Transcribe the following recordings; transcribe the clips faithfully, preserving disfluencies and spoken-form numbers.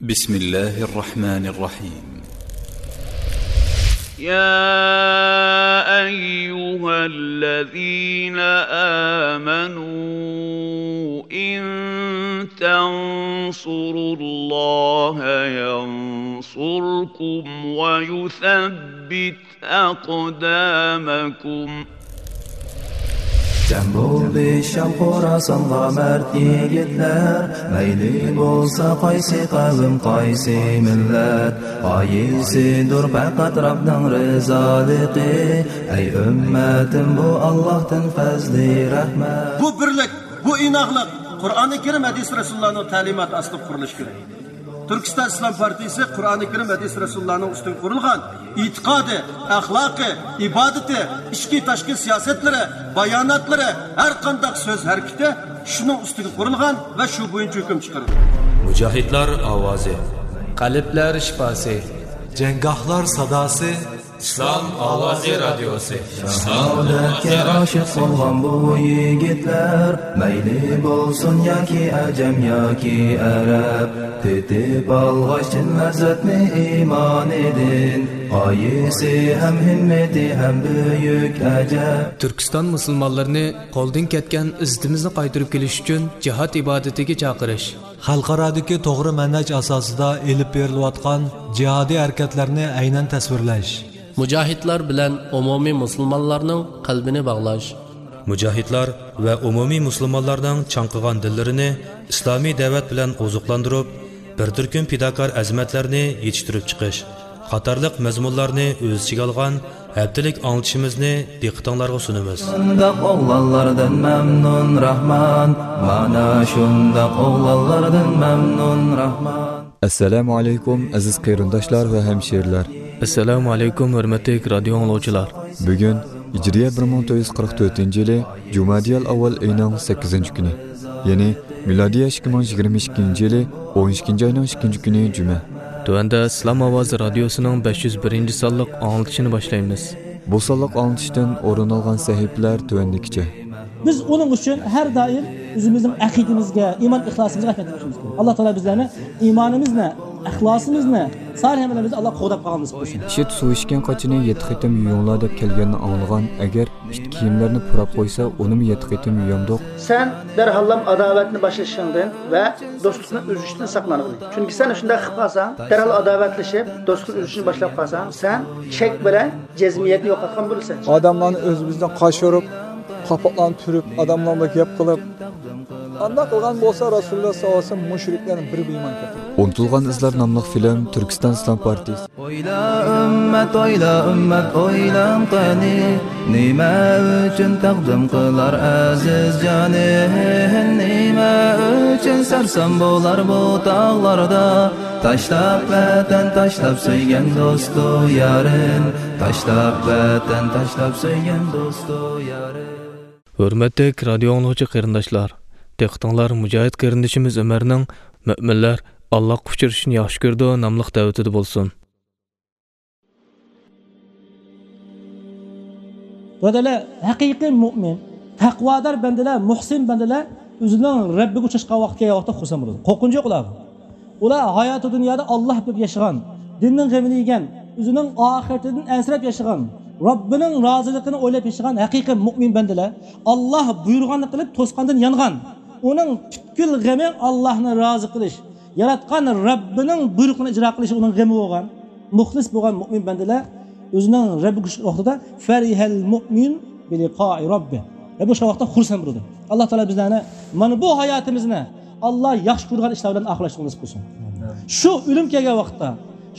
بسم الله الرحمن الرحيم. يا أيها الذين آمنوا إن تنصروا الله ينصركم ويثبت أقدامكم. جەم بولدى شام خوراسانغا مەرد يىگىتلەر، مەيلى بولسا قايسى قەۋم، قايسى مىللەت، غايىسىدۇر پەقەت رەبنىڭ رىزالىقى. ئەي ئۈممەتىم، بۇ ئاللاھتىن پەزلى رەھمەت. بۇ بىرلىك، بۇ ئىناقلىق قۇرئانى كەرىم، ھەدىس رەسۇلۇللانىڭ تەلىماتى ئاستىدا قۇرۇلۇشى كېرەك. تۈركىستان ئىسلام پارتىيىسى قۇرئانى كەرىم، ھەدىس رەسۇلۇللانىڭ ئۈستىگە قۇرۇلغان ئېتىقادى، ئەخلاقى، ئىبادىتى، ئىچكى تاشقى سىياسەتلىرى، باياناتلىرى، ھەر قانداق سۆز ھەرىكىتى شۇنىڭ ئۈستىگە قۇرۇلغان ۋە شۇ بويىچە ھۆكۈم چىقىرىدۇ. مۇجاھىدلار ئاۋازى. قەلبلەر شىپاسى. جەڭگاھلار ساداسى. ئىسلام ئاۋازى رادىيوسى. شاھادەتكە ئاشىق بولغان بۇ يىگىتلەر، مەيلى بولسۇن ياكى ئەجەم ياكى ئەرەب، تېتىپ ئالغاچ چىن لەززەتنى ئىمانىدىن، غايىسى ھەم ھىممىتى ھەم بۈيۈك ئەجەب. تۈركىستان مۇسۇلمانلىرىنى قولدىن كەتكەن ئىززىتىمىزنى قايتۇرۇپ كېلىش ئۈچۈن جىھاد ئىبادىتىگە چاقىرىش. خەلقئارادىكى توغرا مەنھەج ئاساسىدا ئېلىپ بېرىلىۋاتقان جىھادىي ھەرىكەتلەرنى ئەينەن تەسۋىرلەش. مۇجاھىدلار بىلەن ئومۇمىي مۇسۇلمانلارنىڭ قەلبىنى باغلاش. مۇجاھىدلار ۋە ئومۇمىي مۇسۇلمانلارنىڭ چاڭقىغان دىللىرىنى ئىسلامىي دەۋەت بىلەن ئوزۇقلاندۇرۇپ، بىر تۈركۈم پىداكار ئەزىمەتلەرنى يېتىشتۈرۈپ چىقىش قاتارلىق مەزمۇنلارنى ئۆز ئىچىگە ئالغان ھەپتىلىك ئاڭلىتىشىمىزنى دىققىتىڭلارغا سۇنىمىز. شۇنداق ئوغلانلاردىن مەمنۇن راھمان، مانا شۇنداق ئوغلانلاردىن مەمنۇن راھمان. ئەسسالامۇ ئەلەيكۇم، ئەزىز قېرىنداشلار ۋە ھەمشىرىلەر. ئەسسالامۇ ئەلەيكۇم، ھۆرمەتلىك رادىيو ئاڭلىغۇچىلار. بۈگۈن ھىجرىيە بىر مىڭ تۆت يۈز قىرىق تۆتىنچى يىلى جۇمادىيەل ئاۋۋال ئېيىنىڭ سەككىزىنچى كۈنى، يەنى مىلادىيە ئىككى مىڭ يىگىرمە ئىككىنچى يىلى ئون ئىككىنچى ئاينىڭ ئىككىنچى كۈنى جۈمە. تۆۋەندە ئىسلام ئاۋازى رادىيوسىنىڭ بەش يۈز بىرىنچى سانلىق ئاڭلىتىشىنى باشلايمىز. بۇ سانلىق ئاڭلىتىشتىن ئورۇن ئالغان سەھىپىلەر تۆۋەندىكىچە. بىز ئۇنىڭ ئۈچۈن ھەر دائىم ئۆزىمىزنىڭ ئەقىدىمىزگە، ئىمان ئىخلاسىمىزغا ئەھمىيەت بېرىشىمىز كېرەك. ئاللا تائالا بىزلەرنى ئىمانىمىزنى، ئىخلاسىمىزنى، سالىھ ئەمەللىرىمىزنى ئاللا قوغداپ قالغان نېسىپ قىلسۇن. ئىت سۇ ئىچكەن قاچىنى يەتتە قېتىم يۇيۇڭلار دەپ كەلگەننى ئاڭلىغان، ئەگەر ئىت كىيىملەرنى پۇراپ قويسا، ئۇنىمۇ يەتتە قېتىم يۇيامدۇق؟ سەن دەرھاللام ئاداۋەتنى باشلىشىڭدىن ۋە دوستلۇقنى ئۈزۈشتىن ساقلانغىن. چۈنكى سەن شۇنداق قىلىپ قالساڭ، دەرھال ئاداۋەتلىشىپ، دوستلۇقنى ئۈزۈشنى باشلاپ قالساڭ، سەن چەك بىلەن جەزمىيەتنى يوقاتقان بولىسەن. ئادەملەرنى ئۆزىمىزدىن قاچۇرۇپ، قاپاقلارنى تۈرۈپ، ئادەملەر بىلەن گەپ قىلىپ، ئانداق قىلغان بولسا، رەسۇلۇللا ساللاللاھۇ ئەلەيھى ۋەسەللەم مۇشرىكلارنىڭ بىرى بىلەن ئىمان كەلتۈرگەن. ئۇنتۇلغان ئىزلار ناملىق فىلىم تۈركىستان ئىسلام پارتىيىسى. ئويلا ئۈممەت، ئويلا ئۈممەت، ئويلاڭ قېنى، نېمە ئۈچۈن تەقدىم قىلار ئەزىز جانى؟ نېمە ئۈچۈن سەرسان بولار بۇ تاغلاردا؟ تاشلاپ ۋەتەن، تاشلاپ سۆيگەن دوستۇ يارىن، تاشلاپ ۋەتەن، تاشلاپ سۆيگەن دوستۇ يارىن. ھۆرمەتلىك رادىيو ئاڭلىغۇچى قېرىنداشلار، دىققىتىڭلار مۇجاھىد قېرىندىشىمىز ئۆمەرنىڭ مۆمىنلەر ئاللاغا ئۇچرىشىشنى ياخشى كۆرىدۇ ناملىق دەۋىتىدە بولسۇن. بۇرادەرلەر، ھەقىقىي مۆمىن، تەقۋادار بەندىلەر، مۇھسىن بەندىلەر ئۆزىنىڭ رەببىگە ئۇچراشقان ۋاقتى كەلگەن ۋاقىتتا خۇرسەن بولىدۇ. قورقۇنچ يوق ئۇلارغا. ئۇلار ھاياتى دۇنيادا ئاللاھ بىلەن ياشىغان، دىننىڭ غېمىنى يېگەن، ئۆزىنىڭ ئاخىرىتىدىن ئەنسىرەپ ياشىغان، رەببىنىڭ رازىلىقىنى ئويلاپ ياشىغان ھەقىقىي مۆمىن بەندىلەر ئاللاھ بۇيرۇغاننى قىلىپ، توسقاندىن يانغان. ئۇنىڭ پۈتكۈل غېمى ئاللاھنى رازى قىلىش، ياراتقان رەببىنىڭ بۇيرۇقىنى ئىجرا قىلىش ئۇنىڭ غېمى بولغان. مۇخلىس بولغان مۆمىن بەندىلەر ئۆزىنىڭ رەببىگە ئۇچرىشىدۇ. فەرىھەل مۆمىن بىلىقائى رەببى. رەببى ئۇچرىغان ۋاقىتتا خۇرسەن بولىدۇ. ئاللاھ تائالا بىزلەرنى مانا بۇ ھاياتىمىزنى ئاللاھ ياخشى كۆرىدىغان ئىشلار بىلەن ئاخىرلاشتۇرغان نېسىپ قىلسۇن. شۇ ئۆلۈم كەلگەن ۋاقىتتا،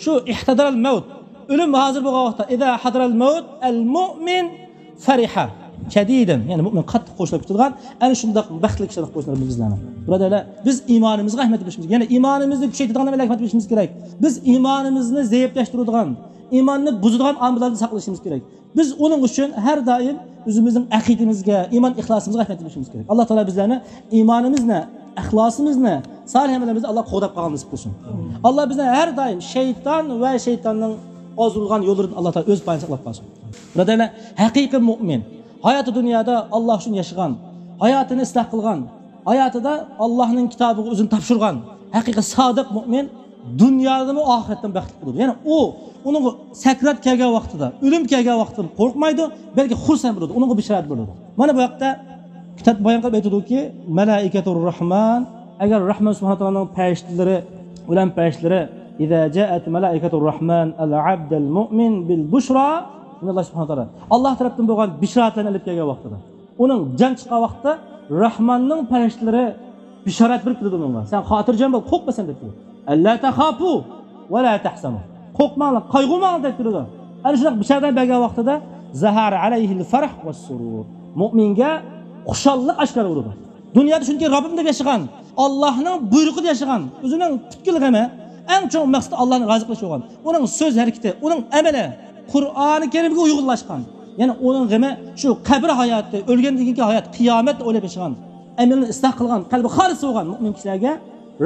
شۇ ئىھتەدەرەل مەۋت، ئۆلۈم ھازىر بولغان ۋاقىتتا، ئىزا ھەدەرەل مەۋت ئەل مۆمىن فەرىھە شەدىدەن، يەنى مۆمىن قاتتىق خۇشاللىق كۈتىدىغان، ئەنە شۇنداق بەختلىك ئىشلارنى قىلىپ قويسۇن رەببىمىز بىزلەرنى. بۇرادەرلەر، بىز ئىمانىمىزغا ئەھمىيەت بېرىشىمىز كېرەك. يەنى ئىمانىمىزنى كۈچەيتىدىغان ئەمەللەرگە ئەھمىيەت بېرىشىمىز كېرەك. بىز ئىمانىمىزنى زەئىپلەشتۈرىدىغان، ئىماننى بۇزىدىغان ئامىللاردىن ساقلىنىشىمىز كېرەك. بىز ئۇنىڭ ئۈچۈن ھەر دائىم ئۆزىمىزنىڭ ئەقىدىمىزگە، ئىمان ئىخلاسىمىزغا ئەھمىيەت بېرىشىمىز كېرەك. ئاللاھ تائالا بىزلەرنى ئىمانىمىزنى، ئىخلاسىمىزنى، سالىھ ئەمەللىرىمىزنى ئاللاھ قوغداپ قالغان نېسىپ قىلسۇن. ئاللاھ بىزنى ھەر دائىم شەيتان ۋە شەيتاننىڭ ئازدۇرغان يوللىرىدىن ئاللاھ تائالا ئۆز پايىنى ساقلاپ قالسۇن. بۇرادەرلەر، ھەقىقىي مۆمىن، ھاياتى دۇنيادا ئاللاھ ئۈچۈن ياشىغان، ھاياتىنى ئىسلاھ قىلغان، ھاياتىدا ئاللاھنىڭ كىتابىغا ئۆزىنى تاپشۇرغان ھەقىقىي سادىق مۆمىن دۇنيادىمۇ ئاخىرەتتىمۇ بەختلىك بولىدۇ. يەنى ئۇ، ئۇنىڭغا سەكرات كەلگەن ۋاقتىدا، ئۆلۈم كەلگەن ۋاقتىدا قورقمايدۇ، بەلكى خۇرسەن بولىدۇ، ئۇنىڭغا بېشارەت بولىدۇ. مانا بۇ ھەقتە كىتاب بايان قىلىپ ئېيتىدۇكى، مەلائىكەتۇر رەھمان، ئەگەر رەھمان سۇبھانەھۇ تائالانىڭ پەرىشتىلىرى، ئۆلەم پەرىشتىلىرى، ئىزا جائەت مەلائىكەتۇر رەھمان ئەل ئەبدەل مۇئمىن بىل بۇشرا، مىنەللاھ سۇبھانەھۇ تائالا، ئاللاھ تەرەپتىن بولغان بېشارەتلەرنى ئېلىپ كەلگەن ۋاقتىدا، ئۇنىڭ جان چىققان ۋاقتىدا رەھماننىڭ پەرىشتىلىرى بېشارەت بېرىپ كېلىدۇ ئۇنىڭغا. سەن خاتىرجەم بول، قورقما سەن دەپ كېلىدۇ. ئەللا تەخاپۇ ۋە لا تەھزەنۇ. قورقماڭلار، قايغۇرماڭلار دەپ كېلىدۇ. ئەنە شۇنداق بېشارەت بەرگەن ۋاقتىدا زەھەرە ئەلەيھىل فەرھ ۋەسسۇرۇر. مۇئمىنگە خۇشاللىق ئاشكارا بولىدۇ. دۇنيادا چۈنكى رەببىم دەپ ياشىغان، ئاللاھنىڭ بۇيرۇقىدا ياشىغان، ئۆزىنىڭ پۈتكۈل غېمى، ئەڭ چوڭ مەقسىتى ئاللاھنى رازى قىلىش بولغان. ئۇنىڭ سۆز ھەرىكىتى، ئۇنىڭ ئەمىلى قۇرئانى كەرىمگە ئۇيغۇنلاشقان. يەنى ئۇنىڭ غېمى شۇ قەبرە ھاياتى، ئۆلگەندىن كېيىنكى ھايات، قىيامەتنى ئويلاپ ياشىغان، ئەمىلىنى ئىسلاھ قىلغان، قەلبى خالىس بولغان مۇئمىن كىشىلەرگە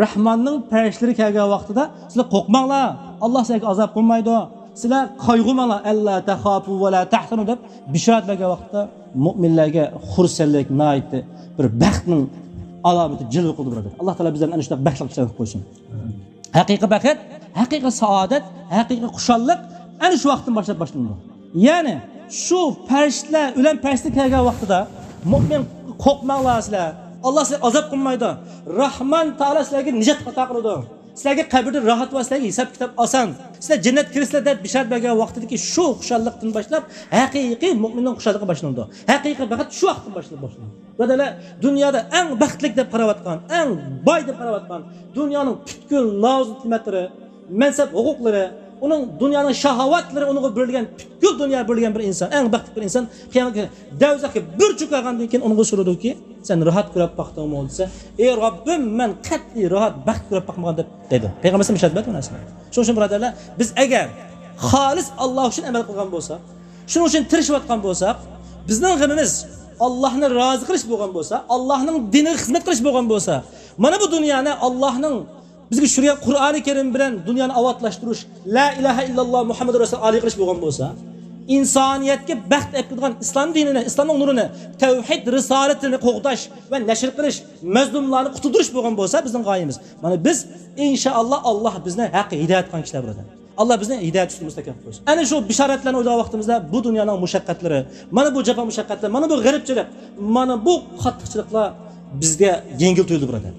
رەھماننىڭ پەرىشتىلىرى كەلگەن ۋاقتىدا، سىلەر قورقماڭلار، ئاللاھ سىلەرگە ئازاب قىلمايدۇ، سىلەر قايغۇرماڭلار، ئەللا تەخاپۇ ۋە لا تەھزەنۇ دەپ بېشارەت بەرگەن ۋاقىتتا مۇئمىنلەرگە خۇرسەنلىك، ناھايىتى بىر بەختنىڭ ئالامىتى جىلۋە قىلىدۇ، بۇرادەر. ئاللاھ تائالا بىزلەرنى ئەنە شۇنداق بەختلىك كىشىلەردىن قىلىپ قويسۇن. ھەقىقىي بەخت، ھەقىقىي سائادەت، ھەقىقىي خۇشاللىق ئەنە شۇ ۋاقىتتىن باشلاپ باشلىنىدۇ. يەنى شۇ پەرىشتىلەر، ئۆلەم پەرىشتىلەر كەلگەن ۋاقتىدا، مۇئمىن، قورقماڭلار سىلەر، ئاللاھ سىلەرگە ئازاب قىلمايدۇ، رەھمان تائالا سىلەرگە نىجات ئاتا قىلىدۇ، سىلەرگە قەبرىدە راھەت بار، سىلەرگە ھېساب كىتاب ئاسان، سىلەر جەننەتكە كىرىسىلەر دەپ بېشارەت بەرگەن ۋاقتىدىكى شۇ خۇشاللىقتىن باشلاپ ھەقىقىي مۇئمىننىڭ خۇشاللىقى باشلىنىدۇ. ھەقىقىي بەخت شۇ ۋاقىتتىن باشلاپ باشلىنىدۇ. بۇرادەرلەر، دۇنيادا ئەڭ بەختلىك دەپ قاراۋاتقان، ئەڭ باي دەپ قاراۋاتقان، دۇنيانىڭ پۈتكۈل نازۇ نېمەتلىرى، مەنسەپ ھوقۇقلىرى، ئۇنىڭ دۇنيانىڭ شاھاۋاتلىرى ئۇنىڭغا بېرىلگەن، پۈتكۈل دۇنيا بېرىلگەن بىر ئىنسان، ئەڭ بەختلىك بىر ئىنسان قىيامەت كۈنى دوزاخقا بىر چۆكۈپ قالغاندىن كېيىن ئۇنىڭغا سورىدۇكى، سەن راھەت كۆرۈپ باقتىڭمۇ دېسە، ئى رەببىم، مەن قەتئىي راھەت، بەخت كۆرۈپ باقمىغان دەپ دەيدۇ. پەيغەمبەرىمىز بېشارەت بەردى بۇ نەرسىنى. شۇنىڭ ئۈچۈن بۇرادەرلەر، بىز ئەگەر خالىس ئاللاھ ئۈچۈن ئەمەل قىلغان بولساق، شۇنىڭ ئۈچۈن تىرىشىۋاتقان بولساق، بىزنىڭ غېمىمىز ئاللاھنى رازى قىلىش بولغان بولسا، ئاللاھنىڭ دىنىغا خىزمەت قىلىش بولغان بولسا، مانا بۇ دۇنيانى ئاللاھنىڭ بىزگە چۈشۈرگەن قۇرئانى كەرىم بىلەن دۇنيانى ئاۋاتلاشتۇرۇش، لا ئىلاھە ئىللاللاھ مۇھەممەدۇر رەسۇل ئالىي قىلىش بولغان بولسا، ئىنسانىيەتكە بەخت ئەكىلىدىغان ئىسلام دىنىنى، ئىسلامنىڭ نۇرىنى، تەۋھىد رىسالىتىنى قوغداش ۋە نەشر قىلىش، مەزلۇملارنى قۇتۇلدۇرۇش بولغان بولسا بىزنىڭ غايىمىز. مانا بىز ئىنشائاللاھ ئاللاھ بىزنى ھەققە ھىدايەت قىلغان كىشىلەر بۇرادەر. ئاللاھ بىزنى ھىدايەت ئۈستىدە مۇستەھكەم قىلسۇن. ئەنە شۇ بېشارەتلەرنى ئويلىغان ۋاقتىمىزدا بۇ دۇنيانىڭ مۇشەققەتلىرى، مانا بۇ جاپا مۇشەققەتلەر، مانا بۇ غېرىبچىلىق، مانا بۇ قاتتىقچىلىقلار بىزگە يەڭگىل تۇيۇلدى بۇرادەر.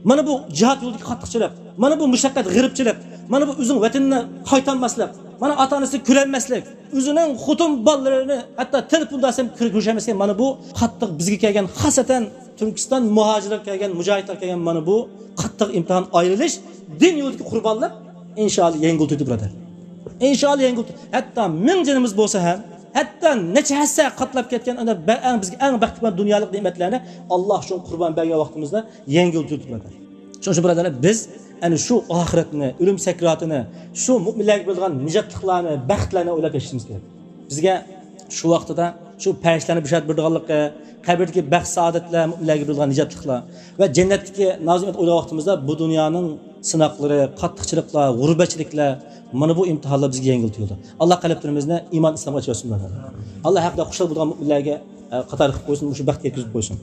مانا بۇ جىھاد يولىدىكى قاتتىقچىلىق، مانا بۇ مۇشەققەت، غېرىبچىلىق، مانا بۇ ئۆزىنىڭ ۋەتىنىنى قايتالماسلىق، مانا ئاتا-ئانىسىنى كۆرەلمەسلىك، ئۆزىنىڭ خوتۇن بالىلىرىنى ھەتتا تېلېفوندا ئەسلەم كۆر-، كۆرۈشەلمەسلىك، مانا بۇ قاتتىق بىزگە كەلگەن، خاسەتەن تۈركىستان مۇھاجىرلار كەلگەن، مۇجاھىدلار كەلگەن مانا بۇ قاتتىق ئىمتىھان، ئايرىلىش، دىن يولىدىكى قۇربانلىق ئىنشائاللاھ يەڭگىل تۇيدى بۇرادەر. ئىنشائاللاھ يەڭگىل تۇيدى. ھەتتا مىڭ جېنىمىز بولسا ھەم، ھەتتا نەچچە ھەسسە قاتلاپ كەتكەن ئەنە بە-، ئەڭ بىزگە ئەڭ بەختلىك بولغان دۇنيالىق نېمەتلەرنى ئاللاھ ئۈچۈن قۇربان بەرگەن ۋاقتىمىزدا يەڭگىل تۇيدى بۇرادەر. شۇنىڭ ئۈچۈن بۇرادەرلەر، بىز ئەنە شۇ ئاخىرەتنى، ئۆلۈم سەكراتىنى، شۇ مۆمىنلەرگە بېرىلىدىغان نىجاتلىقلارنى، بەختلەرنى ئويلاپ ياشىشىمىز كېرەك. بىزگە شۇ ۋاقتىدا شۇ پەرىشتىلەرنى بېشارەت بېرىدىغانلىقى، قەبرىدىكى بەخت-سائادەتلەر، مۆمىنلەرگە بېرىدىغان نىجاتلىقلار ۋە جەننەتتىكى نازۇ نېمەت ئويلىغان ۋاقتىمىزدا بۇ دۇنيانىڭ سىناقلىرى، قاتتىقچىلىقلار، غۇربەتچىلىكلەر، مانا بۇ ئىمتىھانلار بىزگە يەڭگىل تۇيۇلىدۇ. ئاللاھ قەلبلىرىمىزنى ئىمان ئىسلامغا ئېچىۋەتسۇن. ئاللاھ ھەققىدە خۇشال بولىدىغان مۆمىنلەرگە، ئە، قاتارى قىلىپ قويسۇن، مۇشۇ بەختكە يەتكۈزۈپ قويسۇن.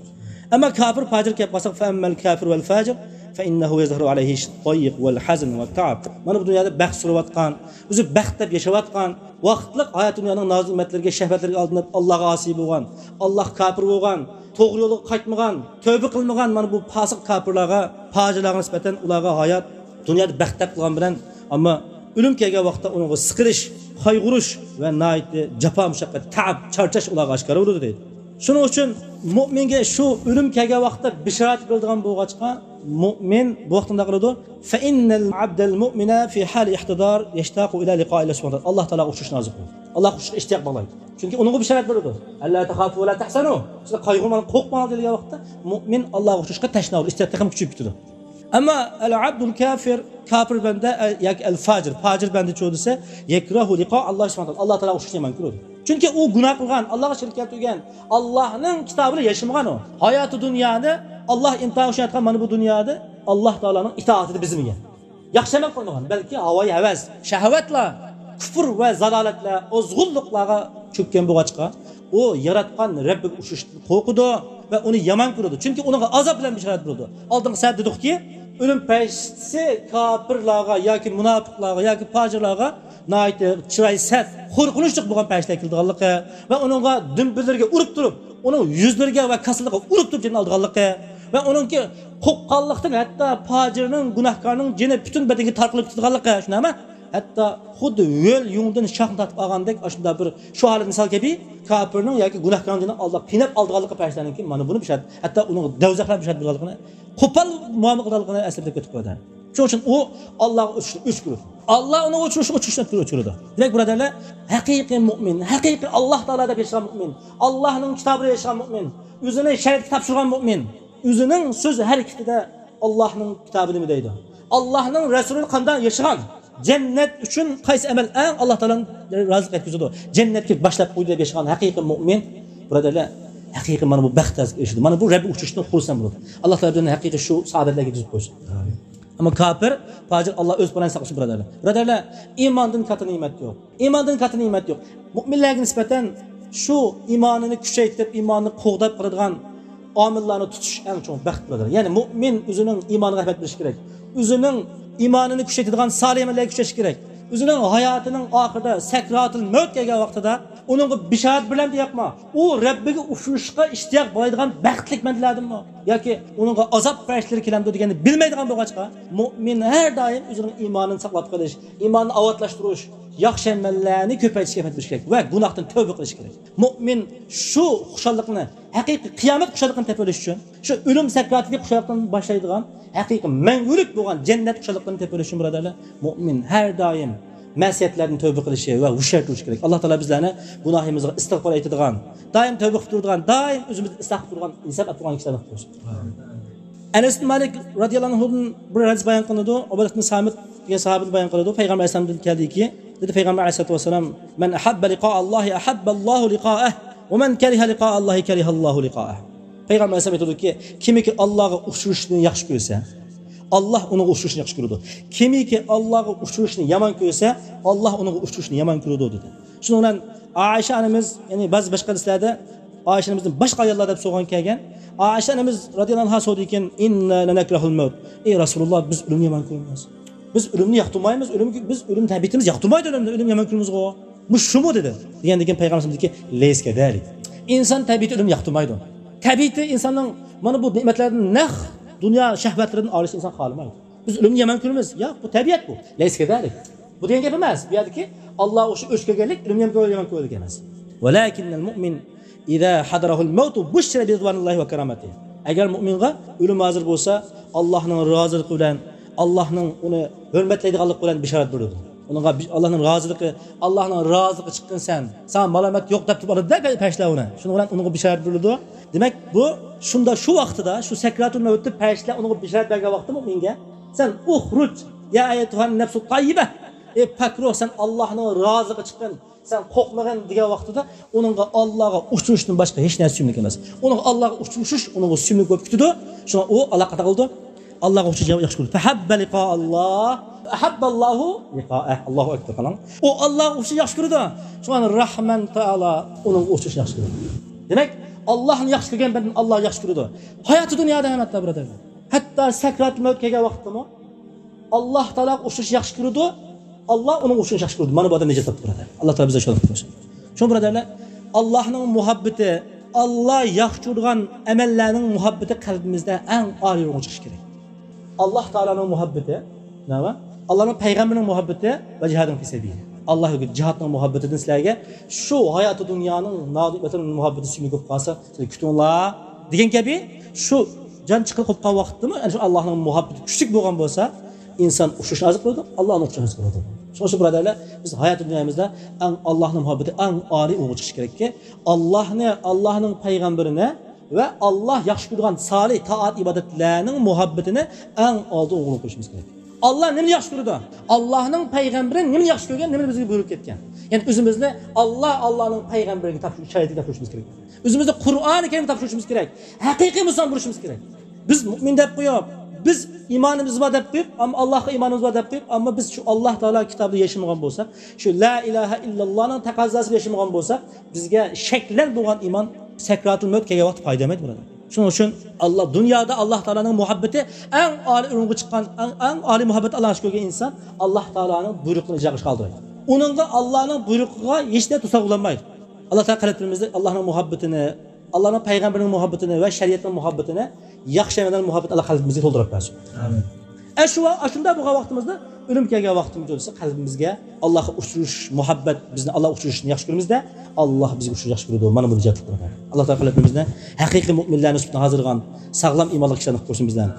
ئەمما كاپىر، پاجىر كەپ قالساق، فەئەممەل كافىر ۋەل فاجىر فەئىننەھۇ يەزھەرۇ ئەلەيھىش ضەيق ۋەل ھەزن ۋەت تەئەب. مانا بۇ دۇنيادا بەخت سۈرۈۋاتقان، ئۆزى بەخت دەپ ياشاۋاتقان، ۋاقىتلىق ھايات دۇنيانىڭ نازۇ نېمەتلىرىگە، شەھۋەتلىرىگە ئالدىنىپ، ئاللاھقا ئاسىي بولغان، ئاللاھقا كاپىر بولغان، توغرا يولغا قايتمىغان، تەۋبە قىلمىغان، مانا بۇ پاسىق كاپىرلارغا، پاجىرلارغا نىسبەتەن ئۇلارغا ھايات دۇنيادا بەخت دەپ قىلغان بىلەن، ئەمما ئۆلۈم كەلگەن ۋاقىتتا ئۇنىڭغا سىقىرىش، قايغۇرۇش ۋە ناھايىتى جاپا مۇشەققەت، تەئەب، چارچاش ئۇلارغا ئاشكارا بولىدۇ دەيدۇ. شۇنىڭ ئۈچۈن مۆمىنگە شۇ ئۆلۈم كەلگەن ۋاقىتتا بېشارەت بېرىلىدىغان بولغاچقا، مۆمىن بۇ ۋاقىتتا نېمە قىلىدۇ؟ فەئىننەل ئەبدەل مۇئمىنە فى ھالى ئىھتىدار يەشتاقۇ ئىلە لىقائىللاھ سۇبھانەھۇ ۋە تائالا. ئاللاھقا ئۇچرىشىشنى ئارزۇ قىلىدۇ. ئاللاھقا ئۇچرىشىشقا ئىشتىياق باغلايدۇ. چۈنكى ئۇنىڭغا بېشارەت بېرىدۇ. ئەللا تەخافۇ ۋە لا تەھزەنۇ. سىلەر قايغۇرماڭلار، قورقماڭلار دېگەن ۋاقىتتا مۆمىن ئاللاھقا ئۇچرىشىشقا تەشنا بولىدۇ. ئىشتىياق تېخىمۇ كۈچىيىپ كېتىدۇ. ئەمما ئەل ئەبدۇل كافىر، كاپىر بەندە، ئە، ياكى ئەل فاجىر، پاجىر بەندىچۇ دېسە، يەكرەھۇ لىقائەللاھ سۇبھانەھۇ ۋە تائالا. ئاللاھ تائالاغا ئۇچرىشىشنى يامان كۆرىدۇ. چۈنكى ئۇ گۇناھ قىلغان، ئاللاھقا شېرىك كەلتۈرگەن، ئاللاھنىڭ كىتابىنى ياشىمىغان ئۇ. ھاياتى دۇنيانى ئاللاھ ئىمتىھان ئۈچۈن ياراتقان مانا بۇ دۇنيادا ئاللاھ تائالانىڭ ئىتائىتىدە بېزىمىگەن. ياخشى ئەمەل قىلمىغان، بەلكى ھاۋايى ھەۋەس، شەھۋەتلەر، كۇفر ۋە زالالەتلەر، ئازغۇنلۇقلارغا چۆككەن بولغاچقا، ئۇ ياراتقان رەببىگە ئۇچرىشىشتىن قورقىدۇ ۋە ئۇنى يامان كۆرىدۇ. چۈنكى ئۇنىڭغا ئازاب بىلەن بېشارەت بېرىدۇ. ئالدىنقى سەھىپىدە دېدۇقكى، ئۆلۈم پەرىشتىسى كاپىرلارغا ياكى مۇناپىقلارغا ياكى پاجىرلارغا ناھايىتى چىراي سەت، قورقۇنچلۇق بولغان پەرىشتىلەر كېلىدىغانلىقى ۋە ئۇنىڭغا دۈمبىلىرىگە ئۇرۇپ تۇرۇپ، ئۇنىڭ يۈزلىرىگە ۋە كاسىلىرىغا ئۇرۇپ تۇرۇپ جېنىنى ئالىدىغانلىقى ۋە ئۇنىڭكى قوپقانلىقتىن ھەتتا پاجىرنىڭ، گۇناھكارنىڭ جېنى پۈتۈن بەدىنىگە تارقىلىپ كېتىدىغانلىقى، شۇنداقمۇ؟ ھەتتا خۇددى ھۆل يۇڭدىن شاخنى تارتىپ ئالغاندەك، ئاشۇنداق بىر شۇ ھالەت مىسال كەبى، كاپىرنىڭ ياكى گۇناھكارنىڭ جېنىنى ئالداپ قىيناپ ئالىدىغانلىقى پەرىشتىلەرنىڭكى، مانا بۇنى بىشارەت. ھەتتا ئۇنىڭغا دوزاخلار بىشارەت بېرىدىغانلىقىنى، قوپال مۇئامىلە قىلىدىغانلىقىنى ئەسلىدە كۆتۈرۈپ قويدى. شۇنىڭ ئۈچۈن ئۇ ئاللاغا ئۆچ-، ئۆچ كۆرىدۇ. ئاللا ئۇنىڭغا ئۆچ-، ئۆچ-، ئۆچ-، ئۆچ كۆرىدۇ. دېمەك، بۇرادەرلەر، ھەقىقىي مۇئمىن، ھەقىقىي ئاللا تائالادا ياشىغان مۇئمىن، ئاللانىڭ كىتابىدا ياشىغان مۇئمىن، ئۆزىنى شەرىئەتكە تاپشۇرغان مۇئمىن، ئۆزىنىڭ سۆز ھەرىكىتىدە ئاللاھنىڭ كىتابى نېمە دەيدۇ؟ ئاللاھنىڭ رەسۇلى قانداق ياشىغان؟ جەننەت ئۈچۈن قايسى ئەمەل ئەڭ ئاللا تائالانى رازى قىلىپ يەتكۈزىدۇ؟ جەننەتكە باشلاپ قويدى دەپ ياشىغان ھەقىقىي مۇئمىن، بۇرادەرلەر، ھەقىقىي مانا بۇ بەختكە ئېرىشىدۇ. مانا بۇ رەببىگە ئۇچرىشىشتىن خۇرسەن بولىدۇ. ئاللا تائالا بىزنى ھەقىقىي شۇ سائادەتلەرگە يەتكۈزۈپ قويسۇن. ئەمما كاپىر، پاجىر، ئاللا ئۆز پاناھىدا ساقلىسۇن، بۇرادەرلەر. بۇرادەرلەر، ئىماندىن كاتتا نېمەت يوق. ئىماندىن كاتتا نېمەت يوق. مۇئمىنلەرگە نىسبەتەن شۇ ئىمانىنى كۈچەيتىپ، ئىمانىنى قوغداپ قالىدىغان ئامىللارنى تۇتۇش ئەڭ چوڭ بەخت، بۇرادەر. يەنى مۇئمىن ئۆزىنىڭ ئىمانىغا رەھمەت بېرىشى كېرەك. ئۆزىنىڭ ئىمانىنى كۈچەيتىدىغان سالىھ ئەمەللەرگە كۈچەش كېرەك. ئۆزىنىڭ ھاياتىنىڭ ئاخىرىدا، سەكراتۇل مەۋت كەلگەن ۋاقتىدا ئۇنىڭغا بىشارەت بېرىلەمدۇ ياقمۇ؟ ئۇ رەببىگە ئۇچرىشىشقا ئىشتىياق بولىدىغان بەختلىك بەندىلەردىنمۇ؟ ياكى ئۇنىڭغا ئازاب پەرىشتىلىرى كېلەمدۇ دېگەننى بىلمەيدىغان بولغاچقا، مۇئمىن ھەر دائىم ئۆزىنىڭ ئىمانىنى ساقلاپ قېلىش، ئىمانىنى ئاۋاتلاشتۇرۇش، ياخشى ئەمەللەرنى كۆپەيتىشكە ھەرىكەت قىلىش كېرەك ۋە گۇناھتىن تەۋبە قىلىش كېرەك. مۇئمىن شۇ خۇشاللىقنى، ھەقىقىي قىيامەت خۇشاللىقىنى تېپىۋېلىش ئۈچۈن، شۇ ئۆلۈم سەكراتىدىكى خۇشاللىقتىن باشلايدىغان ھەقىقىي مەڭگۈلۈك بولغان جەننەت خۇشاللىقىنى تېپىۋېلىش ئۈچۈن، بۇرادەرلەر، مۇئمىن ھەر دائىم مەسىيەتلەردىن تەۋبە قىلىشى ۋە ھوشيار تۇرۇشى كېرەك. ئاللا تائالا بىزلەرنى گۇناھىمىزغا ئىستىغپار ئېيتىدىغان، دائىم تەۋبە قىلىپ تۇرىدىغان، دائىم ئۆزىمىزنى ئىسلاھ قىلىپ تۇرىدىغان، ھېساب ئېلىپ تۇرىدىغان كىشىلەردىن قىلسۇن. ئەنەس ئىبن مالىك رازىياللاھۇ ئەنھۇدىن بىر ھەدىس بايان قىلىنىدۇ. ئۇبادە ئىبن سامىت دېگەن ساھابىدىن بايان قىلىنىدۇ. پەيغەمبەر ئەلەيھىسسالامدىن كەلدىكى، دېدى پەيغەمبەر ئەلەيھىسسالاتۇ ۋەسسالام، مەن ئەھەببە لىقائەللاھى ئەھەببەللاھۇ لىقائەھ، ۋە مەن كەرىھە لىقائەللاھى كەرىھەللاھۇ لىقائەھ. پەيغەمبەر ئەلەيھىسسالام ئېيتىدۇكى، كىمكى ئاللاغا ئۇچرىشىشنى ياخشى كۆرسە، ئاللا ئۇنىڭغا ئۇچرىشىشنى ياخشى كۆرىدۇ. كىمكى ئاللاغا ئۇچرىشىشنى يامان كۆرسە، ئاللا ئۇنىڭغا ئۇچرىشىشنى يامان كۆرىدۇ، دېدى. شۇنىڭ بىلەن ئائىشە ئانىمىز، يەنى بەزى باشقا ھەدىسلەردە ئائىشە ئانىمىزدىن باشقا ئاياللار دەپ سورىغان كەلگەن. ئائىشە ئانىمىز رازىياللاھۇ ئەنھا سورىدىكەن، ئىننا لەنەكرەھۇل مەۋت. ئەي رەسۇلۇللاھ، بىز ئۆلۈمنى يامان كۆرىمىز. بىز ئۆلۈمنى ياقتۇرمايمىز، ئۆلۈم، بىز ئۆلۈم تەبىئىتىمىز ياقتۇرمايدۇ، ئۆلۈمنى، ئۆلۈم يامان كۆرىمىزغۇ. مۇشۇمۇ دېدى. دېگەندىن كېيىن پەيغەمبەرىمىز دېدىكى، لەيسە كەزالىك. ئىنسان تەبىئىتى ئۆلۈمنى ياقتۇرمايدۇ. تەبىئىتى ئىنساننىڭ مانا بۇ نېمەتلەردىن، نەق دۇنيا شەھۋەتلىرىدىن ئايرىلىشنى ئىنسان خالىمايدۇ. بىز ئۆلۈمنى يامان كۆرىمىز. ياق، بۇ تەبىئەت بۇ. لەيسە كەزالىك. بۇ دېگەن گەپ ئەمەس. بۇ يەردىكى ئاللا ئوخشاش ئۆچ كەلگەنلىك ئۆلۈمنى يامان كۆرگەنلىك ئەمەس. ۋەلەكىننەل مۇئمىن ئىزا ھەزەرەھۇل مەۋتۇ بۇششىرە بىرىزۋانىللاھى ۋە كەرامەتىھى. ئەگەر مۇئمىنغا ئۆلۈم ھازىر بولسا، ئاللاھنىڭ رازىلىقى بىلەن، ئاللاھنىڭ ئۇنى ھۆرمەتلەيدىغانلىقى بىلەن بىشارەت بېرىلىدۇ. ئۇنىڭغا بىش-، ئاللاھنىڭ رازىلىقى، ئاللاھنىڭ رازىلىقى چىققىن سەن، ساڭا مالامەت يوق دەپ تۇرۇپ ئالىدۇ-دە پەرىشتىلەر ئۇنى. شۇنىڭ بىلەن ئۇنىڭغا بىشارەت بېرىلىدۇ. دېمەك، بۇ شۇندا، شۇ ۋاقتىدا، شۇ سەكراتۇل مەۋتتە پەرىشتىلەر ئۇنىڭغا بىشارەت بەرگەن ۋاقتىدا مۇئمىنگە، سەن ئۇخرۇج يا ئەييەتۇھەن نەفسۇت تەييىبە، ئەي پاك روھ، سەن ئاللاھنىڭ رازىلىقىغا چىققىن، سەن قورقمىغىن دېگەن ۋاقتىدا ئۇنىڭغا ئاللاغا ئۇچرىشىشتىن باشقا ھېچ نەرسە سۆيۈملۈك ئەمەس. ئۇنىڭغا ئاللاغا ئۇچرىشىش ئۇنىڭغا سۆيۈملۈك بولۇپ كېتىدۇ. شۇڭا ئۇ ئاللا قانداق قىلىدۇ؟ ئاللاغا ئۇچرىشىشنى ياخشى كۆرىدۇ. فەھەببە لىقائەللاھ، ئەھەببەللاھۇ لىقائەھ. ئاللاھۇ ئەكبەر، قاراڭ. ئۇ ئاللاغا ئۇچرىشىشنى ياخشى كۆرىدۇ. شۇڭا رەھمان تائالا ئۇنىڭغا ئۇچرىشىشنى ياخشى كۆرىدۇ. دېمەك، ئاللاھنى ياخشى كۆرگەن بەندىنى ئاللا ياخشى كۆرىدۇ. ھاياتى دۇنيادا ھەم ھەتتا، بۇرادەرلەر، ھەتتا سەكراتۇل مەۋت كەلگەن ۋاقىتتىمۇ ئاللاھ تائالاغا ئۇچرىشىشنى ياخشى كۆرىدۇ. ئاللا ئۇنىڭغا ئۇچرىشىشنى ياخشى كۆرىدۇ. مانا بۇ ئادەم نىجات تاپتى، بۇرادەر. ئاللاھ تائالا بىزگە شۇنداق قىلسۇن. شۇڭا، بۇرادەرلەر، ئاللاھنىڭ مۇھەببىتى، ئاللا ياخشى كۆرىدىغان ئەمەللەرنىڭ مۇھەببىتى قەلبىمىزدە ئەڭ ئالىي ئورۇنغا چىقىشى كېرەك. ئاللاھ تائالانىڭ مۇھەببىتى، نېمە؟ ئاللاھنىڭ پەيغەمبىرىنىڭ مۇھەببىتى ۋە جىھادىن فى سەبىلى. ئاللاھ يولىدا جىھادنىڭ مۇھەببىتىدىن سىلەرگە شۇ ھاياتى دۇنيانىڭ نازۇك مەتائىنىڭ مۇھەببىتى سۆيۈملۈك بولۇپ قالسا، سىلەر كۈتۈڭلار دېگەن كەبى، شۇ جان چىقىرىپ قوپقان ۋاقىتتىمۇ، يەنى شۇ ئاللاھنىڭ مۇھەببىتى كۈچلۈك بولغان بولسا، ئىنسان ئۇچرىشىشنى ئارزۇ قىلىدۇ، ئاللا ئۇنىڭغا ئۇچرىشىشنى ئارزۇ قىلىدۇ. شۇڭا شۇ بۇرادەرلەر، بىز ھاياتى دۇنيايىمىزدا ئەڭ ئاللاھنىڭ مۇھەببىتى ئەڭ ئالىي ئورۇنغا چىقىشى كېرەككى، ئاللاھنى، ئاللاھنىڭ پەيغەمبىرىنى ۋە ئاللا ياخشى كۆرىدىغان سالىھ تائەت ئىبادەتلەرنىڭ مۇھەببىتىنى ئەڭ ئالدىن ئورۇن قويۇشىمىز كېرەك. ئاللا نېمىنى ياخشى كۆرىدۇ؟ ئاللاھنىڭ پەيغەمبىرى نېمىنى ياخشى كۆرگەن، نېمىنى بىزگە بۇيرۇپ كەتكەن؟ يەنى ئۆزىمىزنى ئاللا، ئاللانىڭ پەيغەمبىرىگە تاپشۇرۇش، شەرىئىتىگە تاپشۇرۇشىمىز كېرەك. ئۆزىمىزنى قۇرئانى كەرىمگە تاپشۇرۇشىمىز كېرەك. ھەقىقىي مۇسۇلمان بولۇشىمىز كېرەك. بىز مۇئمىن دەپ قويۇپ، بىز ئىمانىمىز بار دەپ قويۇپ، ئەمما ئاللاھقا ئىمانىمىز بار دەپ قويۇپ، ئەمما بىز شۇ ئاللاھ تائالا كىتابىدا ياشىمىغان بولساق، شۇ لا ئىلاھە ئىللاللانىڭ تەقەززاسىدا ياشىمىغان بولساق، بىزگە شەكلەن بولغان ئىمان سەكراتۇل مەۋت كەلگەن ۋاقىتتا پايدا بەرمەيدۇ، بۇرادەر. شۇنىڭ ئۈچۈن ئاللا، دۇنيادا ئاللا تائالانىڭ مۇھەببىتى ئەڭ ئالىي ئورۇنغا چىققان، ئەڭ، ئەڭ ئالىي مۇھەببەت ئاللاغا شۈكۈر كەلگەن ئىنسان ئاللا تائالانىڭ بۇيرۇقىنى ئىجرا قىلىشقا ئالدىرايدۇ. ئۇنىڭغا ئاللانىڭ بۇيرۇقىغا ھېچ نەرسە توسالغۇ بولالمايدۇ. ئاللا تائالا قەلبلىرىمىزدە ئاللانىڭ مۇھەببىتىنى، ئاللانىڭ پەيغەمبىرىنىڭ مۇھەببىتىنى ۋە شەرىئەتنىڭ مۇھەببىتىنى، ياخشى ئەمەلنىڭ مۇھەببىتىنى ئاللا قەلبىمىزگە تولدۇرۇپ بەرسۇن. ئامىن. ئە، شۇ ۋا-، ئاشۇنداق بولغان ۋاقتىمىزدا، ئۆلۈم كەلگەن ۋاقتىمىز بولسا، قەلبىمىزگە ئاللاغا ئۇچرىشىش مۇھەببەت، بىزنى ئاللاغا ئۇچرىشىشنى ياخشى كۆرىمىزدە، ئاللا بىزگە ئۇچرىشىشنى ياخشى كۆرىدۇ. مانا بۇنى جىق قىلىمىز. ئاللا تائالا قەلبىمىزنى ھەقىقىي مۇئمىنلەرنىڭ سۈپىتىنى ھازىرلىغان ساغلام ئىمانلىق كىشىلەرنى قىلىپ قويسۇن بىزلەرنى.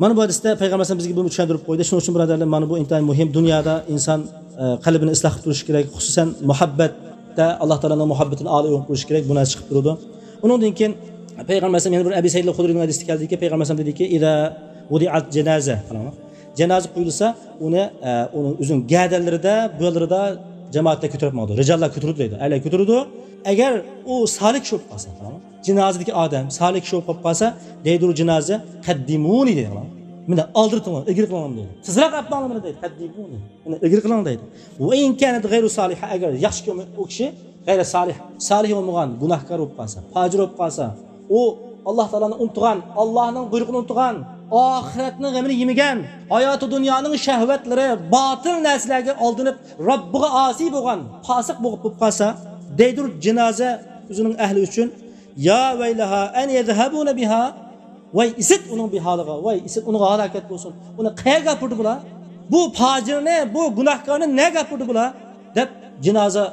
مانا بۇ ھەدىستە پەيغەمبەر ئەلەيھىسسالام بىزگە بۇنى چۈشەندۈرۈپ قويدى. شۇنىڭ ئۈچۈن بۇرادەرلەر، مانا بۇ ئىنتايىن مۇھىم. دۇنيادا ئىنسان، ئە، قەلبىنى ئىسلاھ قىلىپ تۇرۇشى كېرەك. خۇسۇسەن مۇھەببەتتە ئاللا تائالانىڭ مۇھەببىتىنى ئالىي ئورۇنغا قويۇش كېرەك. بۇ نەرسە چىقىپ تۇرىدۇ. ئۇنىڭدىن كېيىن پەيغەمبەر ئەلەيھىسسالام يەنە بىر ئەبى سەئىد خۇدرىنىڭ ھەدىسىدە كەلدىكى، پەيغەمبەر ئەلەيھىسسالام دېدىكى، «ئىزا ۋۇدىئەت جەنازە». قاراڭلار. جانازا قويۇلسا، ئۇنى، ئە، ئۇنىڭ ئۆزىنىڭ گەدەنلىرىدە، بۇيانلىرىدا جامائەتلەر كۆتۈرۈپ ماڭىدۇ. رىجاللار كۆتۈرىدۇ دەيدۇ. ئەرلەر كۆتۈرىدۇ. ئەگەر ئۇ سالىھ كىشى بولۇپ قالسا، قاراڭلار. جىنازىدىكى ئادەم سالىھ كىشى بولۇپ قالسا، دەيدۇ جىنازا، «قەددىمۇنى» دەيدۇ. مېنى ئالدىرىتىڭلار، ئىلگىرى قىلىڭلار دەيدۇ. تېزراق ئەپ ماڭلار مېنى دەيدۇ. «قەددىمۇنى». مېنى ئىلگىرى قىلىڭ دەيدۇ. «ۋە ئىن كانەت غەيرۇ سالىھە»، ئەگەر ياخشى كىشى ئۇ كىشى غەيرى سالىھ، سالىھ بولمىغان، گۇناھكار بولۇپ قالسا، پاجىر بولۇپ قالسا، ئۇ ئاللا تائالانى ئۇنتۇغان، ئاللانىڭ بۇيرۇقىنى ئۇنتۇغان، ئاخىرەتنىڭ غېمىنى يېمىگەن، ھاياتى دۇنيانىڭ شەھۋەتلىرى، باتىل نەرسىلەرگە ئالدىنىپ، رەببىگە ئاسىي بولغان، پاسىق بولۇپ، بولۇپ قالسا، دەيدۇ جىنازا ئۆزىنىڭ ئەھلى ئۈچۈن، «يا ۋەيلەھا ئەن يەزھەبۇنە بىھا»، ۋاي ئىسىت ئۇنىڭ بىھالىغا، ۋاي ئىسىت ئۇنىڭغا ھالاكەت بولسۇن، ئۇنى قەيەرگە ئاپىرىدى بۇلار؟ بۇ پاجىرنى، بۇ گۇناھكارنى نەگە ئاپىرىدى بۇلار؟ دەپ جىنازا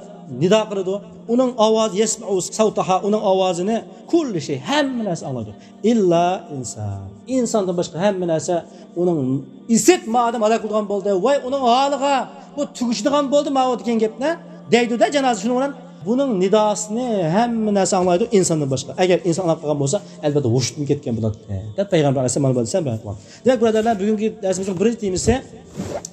نىدا قىلىدۇ. ئۇنىڭ ئاۋازى، يەسمەئۇ سەۋتەھا، ئۇنىڭ ئاۋازىنى كۇللۇ شەي، ھەممە نەرسە ئاڭلايدۇ. ئىللا ئىنسان. ئىنساندىن باشقا ھەممە نەرسە ئۇنىڭ ئىسىت، ما ئادەم ھالاك بولىدىغان بولدى، ۋاي ئۇنىڭ ھالىغا، بۇ تۈگىشىدىغان بولدى ماۋۇ دېگەن گەپنى دەيدۇ-دە جانازا. شۇنىڭ بىلەن بۇنىڭ نىداسىنى ھەممە نەرسە ئاڭلايدۇ ئىنساندىن باشقا. ئەگەر ئىنسان ئاڭلاپ قالغان بولسا، ئەلۋەتتە ھوشىدىن كەتكەن بولاتتى، دەپ پەيغەمبەر ئەلەيھىسسالام مانا بۇ ھەدىسنى بايان قىلغان. دېمەك، بۇرادەرلەر، بۈگۈنكى دەرسىمىزنىڭ بىرىنچى تېمىسى،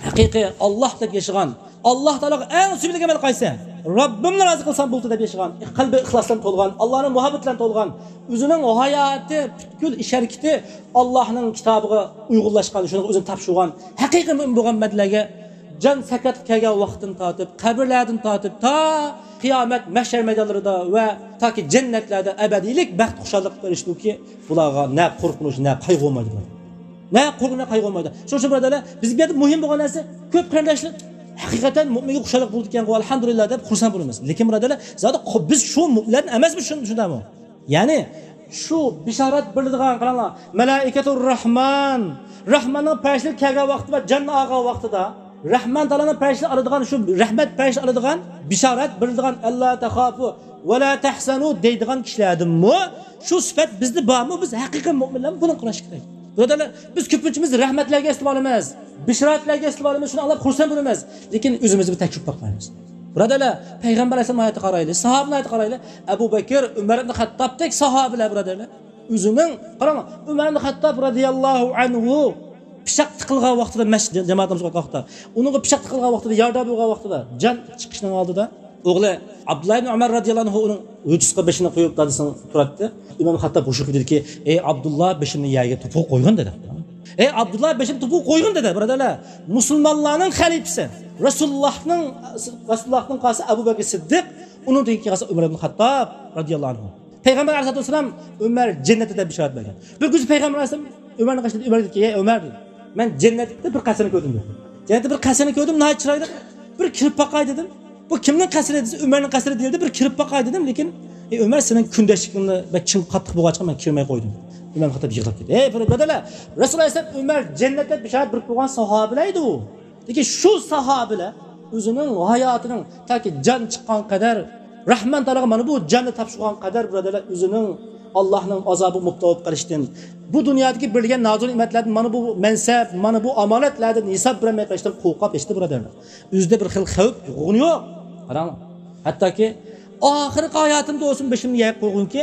ھەقىقىي ئاللاھ دەپ ياشىغان، ئاللاھ تائالاغا ئەڭ سۆيۈملۈك ئەمەل قايسى؟ رەببىمنى رازى قىلسام بولدى دەپ ياشىغان، قەلبى ئىخلاس بىلەن تولغان، ئاللاھنىڭ مۇھەببىتى بىلەن تولغان، ئۆزىنىڭ ھاياتى، پۈتكۈل ئىش ھەرىكىتى ئاللاھنىڭ كىتابىغا ئۇيغۇنلاشقان، شۇنىڭغا ئۆزىنى تاپشۇرغان ھەقىقىي مۆمىن بولغان بەندىلەرگە جان سەكراتقا كەلگەن ۋاقىتتىن تارتىپ، قەبرىلەردىن تارتىپ، تا قىيامەت، مەھشەر مەيدانلىرىدا ۋە تاكى جەننەتلەردە ئەبەدىيلىك بەخت، خۇشاللىق بېرىشتۇكى، بۇلارغا نە قورقۇنچ، نە قايغۇ بولمايدۇ. نە قورقۇنچ، نە قايغۇ بولمايدۇ. شۇنىڭ ئۈچۈن بۇرادەرلەر، بىزگە بۇ يەردە مۇھىم بولغان نەرسە، كۆپ قېرىنداشلار ھەقىقەتەن مۆمىنگە خۇشاللىق بولىدىكەنغۇ، ئەلھەمدۇلىللا دەپ خۇرسەن بولىمىز. لېكىن بۇرادەرلەر، زادى قو-، بىز شۇ مۆمىنلەردىن ئەمەسمىز، شۇنى، شۇنداقمۇ؟ يەنى شۇ بىشارەت بېرىلىدىغان، قاراڭلار، مەلائىكەتۇر رەھمان، رەھماننىڭ پەرىشتىلىرى كەلگەن ۋاقتىدا ۋە جاننى ئالغان ۋاقتىدا، رەھمان تائالانىڭ پەرىشتىلىرى ئالىدىغان، شۇ رەھمەت پەرىشتىلىرى ئالىدىغان بىشارەت بېرىلىدىغان، «ئەللا تەخافۇ ۋە لا تەھزەنۇ» دەيدىغان كىشىلەردىنمۇ شۇ سۈپەت بىزدە بارمۇ؟ بىز ھەقىقىي مۆمىنلەرمۇ؟ بۇنى قاراشقا كېرەك. بۇرادەرلەر، بىز كۆپىنچىمىز رەھمەتلەرگە ئېسىلىۋالىمىز، بىشارەتلەرگە ئېسىلىۋالىمىز، شۇنى ئاڭلاپ خۇرسەن بولىمىز. لېكىن ئۆزىمىزنى بىر تەكشۈرۈپ باقمايمىز. بۇرادەرلەر، پەيغەمبەر ئەلەيھىسسالام ھاياتىغا قارايلى، ساھابىنىڭ ھاياتىغا قارايلى. ئەبۇ بەكىر، ئۆمەر ئىبن خەتتابتەك ساھابىلەر، بۇرادەرلەر. ئۆزىنىڭ، قاراڭ، ئۆمەر ئىبن خەتتاب رەزىياللاھۇ ئەنھۇ پىچاق تىقىلغان ۋاقتىدا، مەسچىت جامائەتىمىز ئوقۇغان ۋاقتىدا، ئۇنىڭغا پىچاق تىقىلغان ۋاقتىدا، يارىدار بولغان ۋاقتىدا، جان چىقىشنىڭ ئالدىدا ئوغلى ئابدۇللا ئىبن ئۆمەر رەزىياللاھۇ ئەنھۇ ئۇنىڭ ھۆججىسىگە بېشىنى قويۇپ، دادىسىنىڭ تۇراتتى. ئۆمەر ئىبن خەتتاب ھوشىغا كېلىپ دېدىكى، «ئەي ئابدۇللا، بېشىمنى يەرگە توپىغا قويغىن» دېدى. «ئەي ئابدۇللا، بېشىمنى توپىغا قويغىن» دېدى، بۇرادەرلەر. مۇسۇلمانلارنىڭ خەلىپىسى، رەسۇلۇللاھنىڭ، رەسۇلۇللاھتىن قالسا ئەبۇ بەكىر سىددىق، ئۇنىڭدىن كېيىن قالسا ئۆمەر ئىبن خەتتاب رەزىياللاھۇ ئەنھۇ. پەيغەمبەر ئەلەيھىسسالاتۇ ۋەسسالام، «ئۆمەر جەننەتتە» دەپ بېشارەت بەرگەن. بىر كۈنى پەيغەمبەر ئەلەيھىسسالام ئۆمەرنى قارشىلىدى، ئۆمەر دېدىكى، «ئەي ئۆمەر» دېدى، «مەن جەننەتتە بىر قەسىرنى كۆردۈم» دېدى. «جەننەتتە بىر قەسىرنى كۆردۈم، ناھايىتى چىرايلىق، بىر كىرىپ باقاي» دېدىم. «بۇ كىمنىڭ قەسرى؟» دېسە، «ئۆمەرنىڭ قەسرى» دېيىلدى، «بىر كىرىپ باقاي» دېدىم. لېكىن، «ئەي ئۆمەر، سېنىڭ كۈندەشلىكىڭنى بەك چىڭ، قاتتىق بولغاچقا مەن كىرمەي قويدۇم» دېدى. ئۆمەر خەتتاب يىغلاپ كەتتى. ئەي بۇرادەرلەر، رەسۇل ئەلەيھىسسالام ئۆمەر جەننەتتە بىشارەت بېرىپ قويغان ساھابىلەر ئىدى ئۇ. لېكىن شۇ ساھابىلەر ئۆزىنىڭ ھاياتىنىڭ تاكى جان چىققان قەدەر، رەھمان تائالاغا مانا بۇ جاننى تاپشۇرغان قەدەر، بۇرادەرلەر، ئۆزىنىڭ ئاللاھنىڭ ئازابىغا مۇپتىلا بولۇپ قېلىشتىن، بۇ دۇنيادىكى بېرىلگەن نازۇ نېمەتلەردىن مانا بۇ مەنسەپ، مانا بۇ ئامانەتلەردىن ھېساب بېرەلمەي قېلىشتىن قورقۇپ كەتتى، بۇرادەرلەر. ئۆزىدە بىر خىل خەۋپ يوقىغىنى يوق. قاراڭ، ھەتتاكى ئاخىرقى ھاياتىمدا بولسۇن بېشىمنى يەرگە قويغىنكى،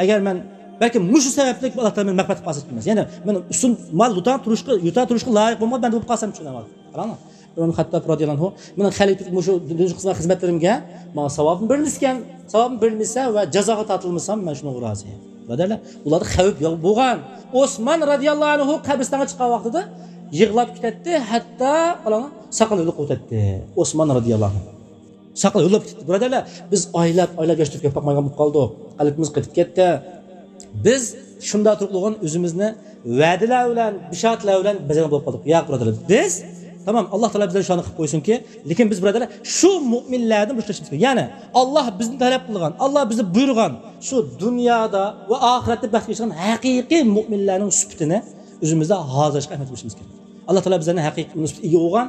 ئەگەر مەن بەلكىم مۇشۇ سەۋەبلىك ئاللاھ تائالا مېنى مەغپىرەت قىلىپ قالسا، يەنى مەن ئۇسۇن مال يۇتا تۇرۇشقا، يۇتا تۇرۇشقا لايىق بولمىغان بەندە بولۇپ قالسام، چۈشىنەمەن. قاراڭلار. ئۆمەر خەتتاب رەزىياللاھۇ ئەنھۇ، مېنىڭ خەلىپىلىك مۇشۇ دۇنيا خىزمەت، خىزمەتلىرىمگە ماڭا ساۋابىم بېرىلمىسىكەن، ساۋابىم بېرىلمىسە ۋە جازاغا تارتىلمىسام، مەن شۇنىڭغا رازى. بۇرادەرلەر، ئۇلاردا خەۋپ يوق بولغان. ئوسمان رەزىياللاھۇ ئەنھۇ قەبرىستانغا چىققان ۋاقتىدا يىغلاپ كېتەتتى، ھەتتا، قاراڭلار، ساقىلى ھۆلۈپ قويۇۋېتەتتى. ئوسمان رەزىياللاھۇ ئەنھۇ. ساقىلى ھۆلۈپ كېتەتتى. بۇرادەرلەر، بىز ئايلاپ، ئايلاپ ياش تۆكۈپ باقمايدىغان بولۇپ قالدۇق. قەلبىمىز قېتىپ كەتتى. بىز شۇنداق تۇرۇقلىغان ئۆزىمىزنى ۋەدىلەر بىلەن، بىشارەتلەر بىلەن بېزەڭ بولۇپ قالدۇق. ياق، بۇرادەرلەر، بىز، تامام، ئاللا تائالا بىزلەرنى شۇنى قىلىپ قويسۇنكى، لېكىن بىز، بۇرادەرلەر، شۇ مۆمىنلەردىن بولۇشىمىز كېرەك. يەنى، ئاللا بىزدىن تەلەپ قىلغان، ئاللا بىزگە بۇيرۇغان شۇ دۇنيادا ۋە ئاخىرەتتە بەختكە ئېرىشىدىغان ھەقىقىي مۆمىنلەرنىڭ سۈپىتىنى ئۆزىمىزدە ھازىرلاشقا ئەھمىيەت بېرىشىمىز كېرەك. ئاللا تائالا بىزلەرنى ھەقىقىي ئۇنىڭ سۈپىتىگە ئىگە بولغان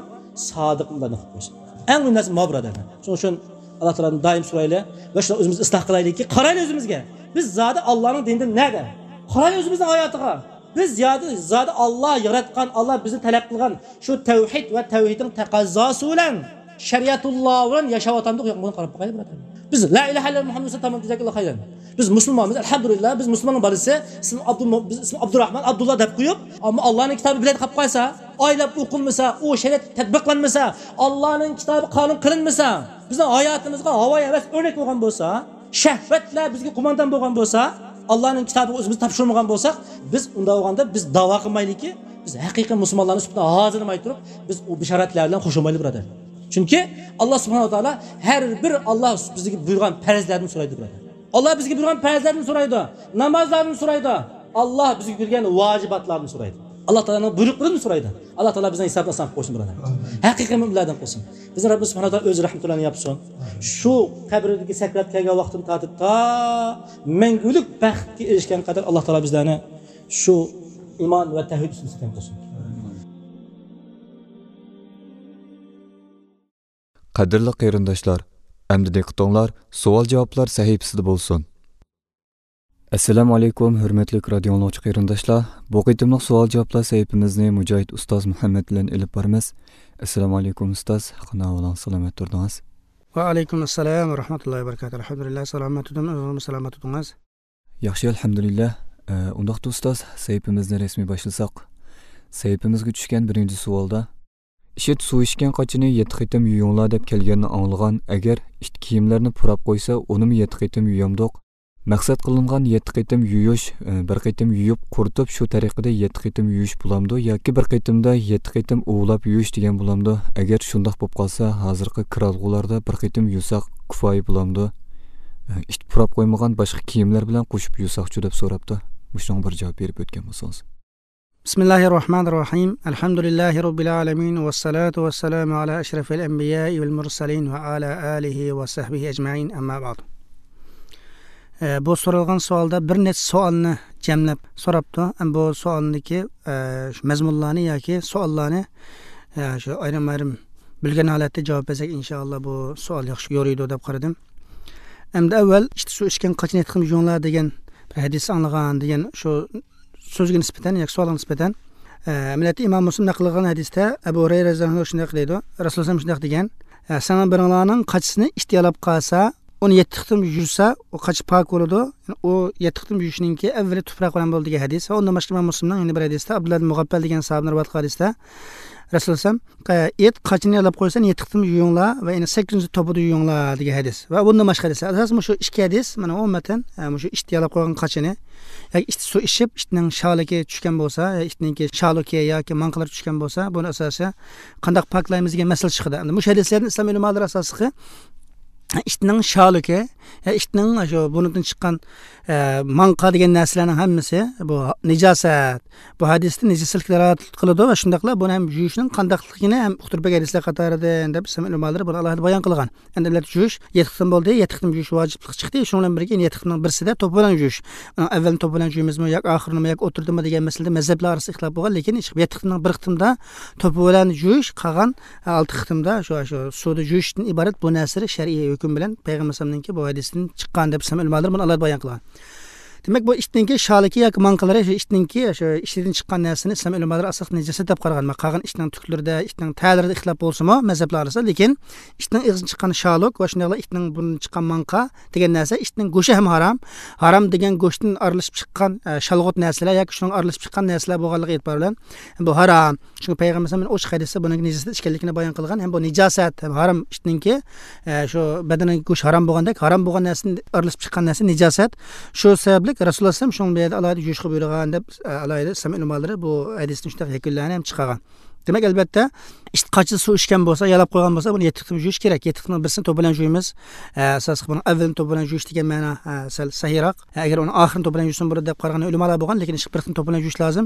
سادىق مۇئمىنلاردىن قىلىپ قويسۇن. ئەڭ مۇھىم نەرسە ماۋۇ، بۇرادەرلەر. شۇنىڭ ئۈچۈن ئاللا تائالادىن دائىم سورايلى ۋە شۇنى ئۆزىمىزنى ئىسلاھ قىلايلىكى، قارايلى ئۆزىمىزگە. بىز زادى ئاللانىڭ دىنىدىن نەدە؟ قارايلى ئۆزىمىزنىڭ ھاياتىغا. بىز زادى، زادى ئاللا ياراتقان، ئاللا بىزنى تەلەپ قىلغان شۇ تەۋھىد ۋە تەۋھىدنىڭ تەقەززاسى بىلەن، شەرىئەتۇللا بىلەن ياشاۋاتامدۇق يوقمۇ، قاراپ باقايلى، بۇرادەرلەر. بىز لا ئىلاھە ئىللەللا مۇھەممەد رەسۇلۇللا تامام جەزاكاللا خەيرەن. بىز مۇسۇلمانمىز، ئەلھەمدۇلىللا، بىز مۇسۇلماننىڭ بالىسى، ئىسمى ئابدۇل-، بىز ئىسمى ئابدۇراھمان، ئابدۇللا دەپ قويۇپ، ئەمما ئاللانىڭ كىتابى بىلەن قاپ قالسا، ئايلاپ ئوقۇلمىسا، ئۇ شەرىئەت تەتبىقلانمىسا، ئاللانىڭ كىتابى قانۇن قىلىنمىسا، بىزنىڭ ھاياتىمىزغا ھاۋايى ھەۋەس ئۆرنەك بولغان بولسا، شەھۋەتلەر بىزگە قوماندان بولغان بولسا، ئاللانىڭ كىتابىغا ئۆزىمىزنى تاپشۇرمىغان بولساق، بىز ئۇنداق بولغاندا بىز داۋا قىلمايلىكى، بىز ھەقىقىي مۇسۇلمانلارنىڭ سۈپىتىنى ھازىرلىماي تۇرۇپ، بىز ئۇ بىشارەتلەر بىلەن قوشۇلمايلى، بۇرادەر. چۈنكى ئاللا سۇبھانەھۇ ۋە تائالا ھەر بىر ئاللا بىزگە بۇيرۇغان پەرزلەردىن سورايدۇ، بۇرادەر. ئاللا بىزگە بۇيرۇغان پەرزلەردىن سورايدۇ، نامازلاردىن سورايدۇ، ئاللا بىزگە بەرگەن ۋاجىباتلاردىن سورايدۇ. ئاللا تائالانىڭ بۇيرۇقلىرىدىن سورايدۇ. ئاللا تائالا بىزنىڭ ھېسابىمىزنى ئاسان قىلىپ قويسۇن، بۇرادەر. ھەقىقىي مۆمىنلەردىن قىلسۇن. بىزنى رەببىمىز سۇبھانەھۇ ۋە تائالا ئۆز رەھمىتى بىلەن ياپسۇن. شۇ قەبرىدىكى سەكرات كەلگەن ۋاقتىدىن تارتىپ تا مەڭگۈلۈك بەختكە ئېرىشكەن قەدەر ئاللا تائالا بىزلەرنى شۇ ئىمان ۋە تەۋھىد ئۈستىدە ساقلىغىن قىلسۇن. قەدىرلىك قېرىنداشلار، ئەمدى دىققىتىڭلار سوئال-جاۋابلار سەھىپىسىدە بولسۇن. ئەسسالامۇ ئەلەيكۇم، ھۆرمەتلىك رادىيو ئاڭلىغۇچى قېرىنداشلار. بۇ قېتىملىق سوئال-جاۋابلار سەھىپىمىزنى مۇجاھىد ئۇستاز مۇھەممەد بىلەن ئېلىپ بارىمىز. ئەسسالامۇ ئەلەيكۇم ئۇستاز، قانداق ئەھۋالىڭىز، سالامەت تۇردىڭىز؟ ۋەئەلەيكۇم ئەسسالام ۋە رەھمەتۇللاھى ۋە بەرىكاتۇھ. ئەلھەمدۇلىللاھ، سالامەت تۇردۇم، ئۆزىڭىزمۇ سالامەت تۇردىڭىز؟ ياخشى، ئەلھەمدۇلىللاھ. ئە، ئۇنداقتا ئۇستاز، سەھىپىمىزنى رەسمىي باشلىساق. سەھىپىمىزگە چۈشكەن بىرىنچى سوئالدا، «ئىشىت، سۇ ئىچكەن قاچىنى يەتتە قېتىم يۇيۇڭلار» دەپ كەلگەننى ئاڭلىغان، ئەگەر ئىت كىيىملەرنى پۇراپ قويسا، ئۇنىمۇ يەتتە قېتىم يۇيامدۇق؟ مەقسەت قىلىنغان يەتتە قېتىم يۇيۇش، ئە، بىر قېتىم يۇيۇپ قۇرۇتۇپ، شۇ تەرىقىدە يەتتە قېتىم يۇيۇش بولامدۇ ياكى بىر قېتىمدا يەتتە قېتىم ئۇۋىلاپ يۇيۇش دېگەن بولامدۇ؟ ئەگەر شۇنداق بولۇپ قالسا، ھازىرقى كىرئالغۇلاردا بىر قېتىم يۇساق كۇپايە بولامدۇ؟ ئە، ئىت پۇراپ قويمىغان باشقا كىيىملەر بىلەن قوشۇپ يۇساقچۇ دەپ سوراپتۇ. مۇشۇنىڭغا بىر جاۋاب بېرىپ ئۆتكەن بولسىڭىز. بىسمىللاھىررەھمانىررەھىم. ئەلھەمدۇلىللاھى رەببىل ئالەمىن. ۋەسسالاتۇ ۋەسسالامۇ ئالا ئەشرەفىل ئەنبىيائى ۋەل مۇرسەلىن ۋە ئالا ئالىھى ۋە سەھبىھى ئەجمەئىن. ئەمما بەئد. ئە، بۇ سورالغان سوئالدا بىر نەچچە سوئالنى جەملەپ سوراپتۇ. ئەمما بۇ سوئالدىكى، ئە، شۇ مەزمۇنلارنى ياكى سوئاللارنى، ئە، شۇ ئايرىم-ئايرىم بۆلگەن ھالەتتە جاۋاب بەرسەك، ئىنشائاللا، بۇ سوئال ياخشى يورۇيدۇ دەپ قارىدىم. ئەمدى ئەۋۋەل، «ئىت سۇ ئىچكەن قاچىنى يەتتە قېتىم يۇيۇڭلار» دېگەن بىر ھەدىس ئاڭلىغان دېگەن شۇ سۆزگە نىسبەتەن ياكى سوئالغا نىسبەتەن، ئە، ئەمەلىيەتتە ئىمام مۇسلىم نەقىل قىلغان ھەدىستە ئەبۇ ھۇرەيرە رەزىياللاھۇ ئەنھۇ شۇنداق دەيدۇ، رەسۇلۇللاھ شۇنداق دېگەن، ئە، «سىلەرنىڭ بىرىڭلارنىڭ قاچىسىنى ئىت يالاپ قالسا، ئۇنى يەتتە قېتىم يۇسا، ئۇ قاچا پاك بولىدۇ. يەنى ئۇ يەتتە قېتىم يۇيۇشنىڭكى ئەۋۋىلى تۇپراق بىلەن بولىدۇ» دېگەن ھەدىس. ۋە ئۇندىن باشقا ئىمام مۇسلىمنىڭ يەنە بىر ھەدىستە، ئابدۇللا ئىبن مۇغەپپەل دېگەن ساھابىدىن رىۋايەت قىلغان ھەدىستە، رەسۇلۇللاھ ئىت قاچىنى يالاپ قويسا، يەتتە قېتىم يۇيۇڭلار ۋە يەنە سەككىزىنچى توپىدا يۇيۇڭلار دېگەن ھەدىس. ۋە بۇندىن باشقا ھەدىسلەر. ئاساسەن مۇشۇ ئىككى ھەدىس، مانا، ئومۇمەن، ئە، مۇشۇ ئىت يالاپ قويغان قاچىنى ياكى ئىت سۇ ئىچىپ، ئىتنىڭ شالىكى چۈشكەن بولسا، يا ئىتنىڭكى شالۇكى ياكى ماڭقىلىرى چۈشكەن بولسا، بۇنى ئاساسەن قانداق پاكلايمىز دېگەن مەسىلە چىقىدۇ. ئەمدى مۇشۇ ھەدىسلەردىن ئىسلام ئۆلىمالىرى ئاساسلىقى ئىتنىڭ شالىكى، يا ئىتنىڭ شۇ بۇرنىدىن چىققان، ئە، ماڭقا دېگەن نەرسىلەرنىڭ ھەممىسى بۇ نىجاسەت. بۇ ھەدىستىن نىجاسەتلىككە دالالەت قىلىدۇ ۋە شۇنداقلا بۇنى ھەم يۇيۇشنىڭ قانداقلىقىنى ھەم ئۇقتۇرۇپ بەرگەن ھەدىسلەر قاتارىدىن دەپ ئىسلام ئۆلىمالىرى بۇنى ئالاھىدە بايان قىلغان. ئەمدى ئەمەلىيەتتە يۇيۇش يەتتە قېتىم بولدى، يەتتە قېتىم يۇيۇش ۋاجىپلىقى چىقتى. شۇنىڭ بىلەن بىرگە يەنە يەتتە قېتىمنىڭ بىرسىدە توپا بىلەن يۇيۇش. ئۇنىڭ ئەۋۋەلنى توپا بىلەن يۇيىمىزمۇ ياكى ئاخىرىنىمۇ ياكى ئوتتۇرىدىمۇ دېگەن مەسىلىدە مەزھەپلەر ئارىسىدا ئىختىلاپ بولغان، لېكىن يەتتە قېتىمنىڭ بىر قېتىمدا توپا بىلەن يۇيۇش، قالغان ئالتە قېتىمدا شۇ، شۇ سۇدا يۇيۇشتىن ئىبارەت بۇ نەرسىلەر شەرئىي ھۆكۈم بىلەن پەيغەمبەر ئەلەيھىسسالامنىڭكى بۇ ھەدىسىدىن چىققان دەپ ئىسلام ئۆلىمالىرى بۇنى ئالاھىدە بايان قىلغان. دېمەك، بۇ ئىتنىڭكى شالىكى ياكى ماڭقىلىرى، شۇ ئىتنىڭكى شۇ ئىچىدىن چىققان نەرسىنى ئىسلام ئۆلىمالىرى ئاساسلىقى نىجاسەت دەپ قارىغان. قالغان ئىتنىڭ تۈكلىرىدە، ئىتنىڭ تەرلىرىدە ئىختىلاپ بولسىمۇ مەزھەپلەر ئارىسىدا، لېكىن ئىتنىڭ ئېغىزىدىن چىققان شالۇك ۋە شۇنداقلا ئىتنىڭ بۇرنىدىن چىققان ماڭقا دېگەن نەرسە، ئىتنىڭ گۆشى ھەم ھارام. ھارام دېگەن گۆشتىن ئارىلىشىپ چىققان، ئە، شالغۇت نەرسىلەر ياكى شۇنىڭغا ئارىلىشىپ چىققان نەرسىلەر بولغانلىقى ئېتىبارى بىلەن بۇ ھارام. چۈنكى پەيغەمبەر ئەلەيھىسسالام ئوچۇق ھەدىستە بۇنىڭ نىجاسەت ئىكەنلىكىنى بايان قىلغان ھەم بۇ نىجاسەت ھەم ھارام ئىتنىڭكى، ئە، شۇ بەدىنىدىكى گۆش ھارام بولغاندەك، ھارام بولغان نەرسىدىن ئارىلىشىپ چىققان نەرسە نىجاسەت. شۇ سەۋەبلىك رەسۇلۇللاھ ئەلەيھىسسالام شۇنىڭ بۇ يەردە ئالاھىدە يۇيۇشقا بۇيرۇغان دەپ، ئە، ئالاھىدە ئىسلام ئۆلىمالىرى بۇ ھەدىستىن شۇنداق يەكۈنلەرنى ھەم چىقارغان. دېمەك، ئەلۋەتتە، ئىت قاچىدا سۇ ئىچكەن بولسا، يالاپ قويغان بولسا، بۇنى يەتتە قېتىم يۇيۇش كېرەك. يەتتە قېتىمنىڭ بىرسىنى توپا بىلەن يۇيىمىز. ئە، ئاساسلىق بۇنىڭ ئەۋۋىلىنى توپا بىلەن يۇيۇش دېگەن مەنا، ئە، سەل سەھىيراق. ئە، ئەگەر ئۇنىڭ ئاخىرىنى توپا بىلەن يۇيسىمۇ بولىدۇ دەپ قارىغان ئۆلىمالار بولغان، لېكىن ئىشقىلىپ بىر قېتىم توپا بىلەن يۇيۇش لازىم.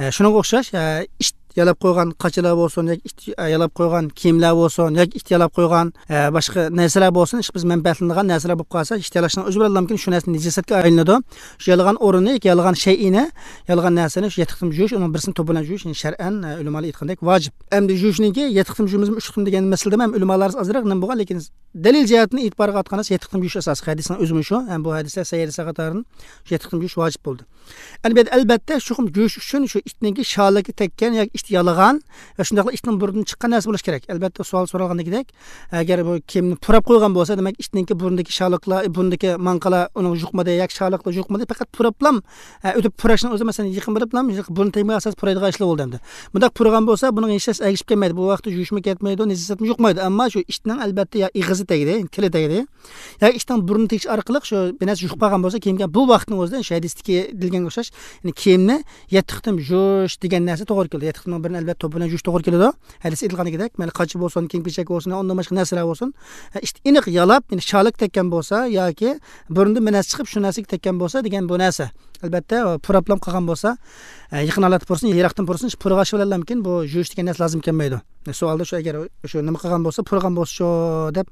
ئە، شۇنىڭغا ئوخشاش، ئە، ئىت يالاپ قويغان قاچىلار بولسۇن ياكى ئىت، ئە، يالاپ قويغان كىيىملەر بولسۇن ياكى ئىت يالاپ قويغان، ئە، باشقا نەرسىلەر بولسۇن، ئىشقىلىپ بىز مەنپەئەتلىنىدىغان نەرسىلەر بولۇپ قالسا، ئىت يالاشنىڭ ئۆزى بىلەنلا مۇمكىن شۇ نەرسە نىجاسەتكە ئايلىنىدۇ. شۇ يالىغان ئورۇننى ياكى يالىغان شەيئىنى، يالىغان نەرسىنى شۇ يەتتە قېتىم يۇيۇش، ئۇنىڭ بىرسىنى توپا بىلەن يۇيۇش، يەنى شەرئەن، ئە، ئۆلىمالار ئېيتقاندەك ۋاجىپ. ئەمدى يۇيۇشنىڭكى يەتتە قېتىم يۇيىمىزمۇ، ئۈچ قېتىم دېگەن مەسىلىدە ھەم ئۆلىمالار ئارىسىدا ئازراق نېمە بولغان، لېكىن دەلىل جەھەتتىن ئېتىبارغا ئاتقان نەرسە يەتتە قېتىم يۇيۇش ئاساسلىق. ھەدىسنىڭ ئۆزىمۇ شۇ. ھەم بۇ ھەدىسلەر سەھىھ ھەدىسلەر قاتارىدىن شۇ يەتتە قېتىم يۇيۇش ۋاجىپ بولدى. ئەلبەتتە، ئەلبەتتە، چوقۇم يۇيۇش ئۈچۈن شۇ ئىتنىڭكى شالىكى تەگكەن ياكى ئىت يالىغان ۋە شۇنداقلا ئىتنىڭ بۇرنىدىن چىققان نەرسە بولۇشى كېرەك. ئەلبەتتە، سوئال سورالغاندىكىدەك، ئەگەر بۇ كىيىمنى پۇراپ قويغان بولسا، دېمەك، ئىتنىڭكى بۇرنىدىكى شالىقلار، بۇرنىدىكى ماڭقىلار ئۇنىڭغا يۇقمىدى ياكى شالىقلار يۇقمىدى، پەقەت پۇراپلام، ئە، ئۆتۈپ پۇراشنىڭ ئۆزى، مەسىلەن، يېقىن بېرىپلا بۇرنى تەگمىگەن ئاساس پۇرايدىغان ئىشلار بولدى ئەمدى. بۇنداق پۇرىغان بولسا، بۇنىڭ ھېچ نەرسە ئەگىشىپ كەلمەيدۇ. بۇ ۋاقىتتا يۇيۇشمۇ كەتمەيدۇ، نىجاسەتمۇ يۇقمايدۇ. ئەمما شۇ ئىتنىڭ، ئەلبەتتە، يا ئېغىزى تەگدى، تىلى تەگدى، ياكى ئىتنىڭ بۇرنى تېگىش ئارقىلىق شۇ بىر نەرسە يۇقۇپ قالغان بولسا، كىيىمگە بۇ ۋاقىتنىڭ ئۆزىدە شۇ ھەدىستىكى دېيىلگەنگە ئوخشاش، يەنى كىيىمنى يەتتە قېتىم يۇيۇش دېگەن نەرسە توغرا كېلىدۇ. يەتتە قېتىمنىڭ بىرىنى، ئەلۋەتتە، توپا بىلەن يۇيۇش توغرا كېلىدۇ. ھەدىس ئېيتىلغاندىكىدەك، مەيلى قاچا بولسۇن، كىيىم كېچەك بولسۇن، ئۇندىن باشقا نەرسىلەر بولسۇن، ئىت ئېنىق يالاپ، يەنى شالىكى تەگكەن بولسا ياكى بۇرنىدىن بىر نەرسە چىقىپ، شۇ نەرسىگە تەگكەن بولسا دېگەن بۇ نەرسە. ئەلۋەتتە، پۇراپلام قالغان بولسا، يېقىن ھالەتتە پۇرىسۇن، يىراقتىن پۇرىسۇن، پۇرىغاچ بىلەنلا مۇمكىن بۇ يۇيۇش دېگەن نەرسە لازىم كەلمەيدۇ. سوئالدا شۇ، ئەگەر شۇ نېمە قىلغان بولسا، پۇرىغان بولسا شۇ دەپ،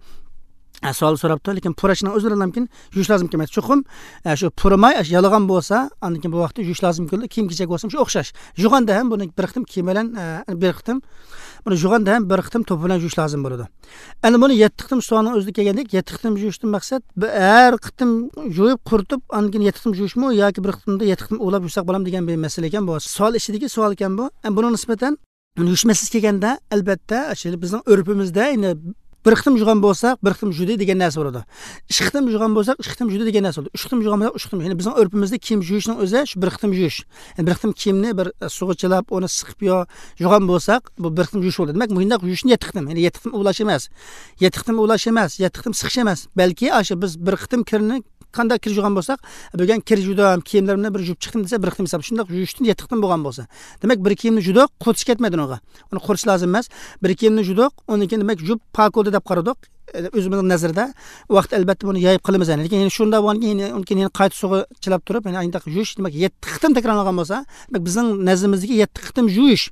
ئە، سوئال سوراپتۇ، لېكىن پۇراشنىڭ ئۆزى بىلەن مۇمكىن يۇيۇش لازىم كەلمەيدۇ. چوقۇم، ئە، شۇ پۇرىماي، ئاشۇ يالىغان بولسا، ئاندىن كېيىن بۇ ۋاقىتتا يۇيۇش لازىم كېلىدۇ. كىيىم كېچەك بولسا شۇ ئوخشاش. يۇغاندا ھەم بۇنى بىر قېتىم كىيىم بىلەن، ئە، بىر قېتىم، بۇنى يۇغاندا ھەم بىر قېتىم توپا بىلەن يۇيۇش لازىم بولىدۇ. ئەنە بۇنى يەتتە قېتىم سوئالنىڭ ئۆزىدە كەلگەندەك، يەتتە قېتىم يۇيۇشتىن مەقسەت بىر، ھەر قېتىم يۇيۇپ قۇرۇتۇپ، ئاندىن كېيىن يەتتە قېتىم يۇيۇشمۇ ياكى بىر قېتىمدا يەتتە قېتىم ئۇۋىلاپ يۇيساق بولامدۇ دېگەن بىر مەسىلە ئىكەن بۇ. سوئال ئىچىدىكى سوئال ئىكەن بۇ. ئەمما بۇنىڭغا نىسبەتەن يۇيۇش مەسىلىسىگە كەلگەندە، ئەلۋەتتە، ئاشۇ بىزنىڭ ئۆرپىمىزدە يەنە بىر قېتىم يۇغان بولساق، بىر قېتىم يۇدى دېگەن نەرسە بولىدۇ. ئىككى قېتىم يۇغان بولساق، ئىككى قېتىم يۇدى دېگەن نەرسە بولىدۇ. ئۈچ قېتىم يۇغان بولساق، ئۈچ قېتىم. يەنى بىزنىڭ ئۆرپىمىزدە كىيىم يۇيۇشنىڭ ئۆزى شۇ بىر قېتىم يۇيۇش. يەنى بىر قېتىم كىيىمنى بىر، ئە، سۇغا چىلاپ، ئۇنى سىقىپ يۇ-، يۇغان بولساق، بۇ بىر قېتىم يۇيۇش بولىدۇ. دېمەك، مۇشۇنداق يۇيۇشنى يەتتە قېتىم، يەنى يەتتە قېتىم ئۇۋۇلاش ئەمەس. يەتتە قېتىم ئۇۋۇلاش ئەمەس، يەتتە قېتىم سىقىش ئەمەس. بەلكى ئاشۇ بىز بىر قېتىم كىرنى قانداق كىر يۇغان بولساق، بۈگۈن كىر يۇدۇم، كىيىملىرىمنى بىر يۇيۇپ چىقتىم دېسە، بىر قېتىم ھېساب. شۇنداق يۇيۇشتىن يەتتە قېتىم بولغان بولسا، دېمەك، بىر كىيىمنى يۇدۇق، قۇرۇتۇش كەتمەيدۇ ئۇنىڭغا. ئۇنى قۇرۇتۇش لازىم ئەمەس. بىر كىيىمنى يۇدۇق، ئۇنىڭ كېيىن دېمەك يۇيۇپ پاك بولدى دەپ قارىدۇق. ئۆزىمىزنىڭ نەزىرىدە، ئۇ ۋاقىت ئەلۋەتتە بۇنى يايىپ قالىمىز يەنى. لېكىن يەنە شۇنداق بولغاندىن كېيىن يەنە، ئۇنىڭ كېيىن يەنە قايتا سۇغا چىلاپ تۇرۇپ، يەنە ئاينداق يۇيۇش، دېمەك، يەتتە قېتىم تەكرارلانغان بولسا، دېمەك، بىزنىڭ نەزىرىمىزدىكى يەتتە قېتىم يۇيۇش،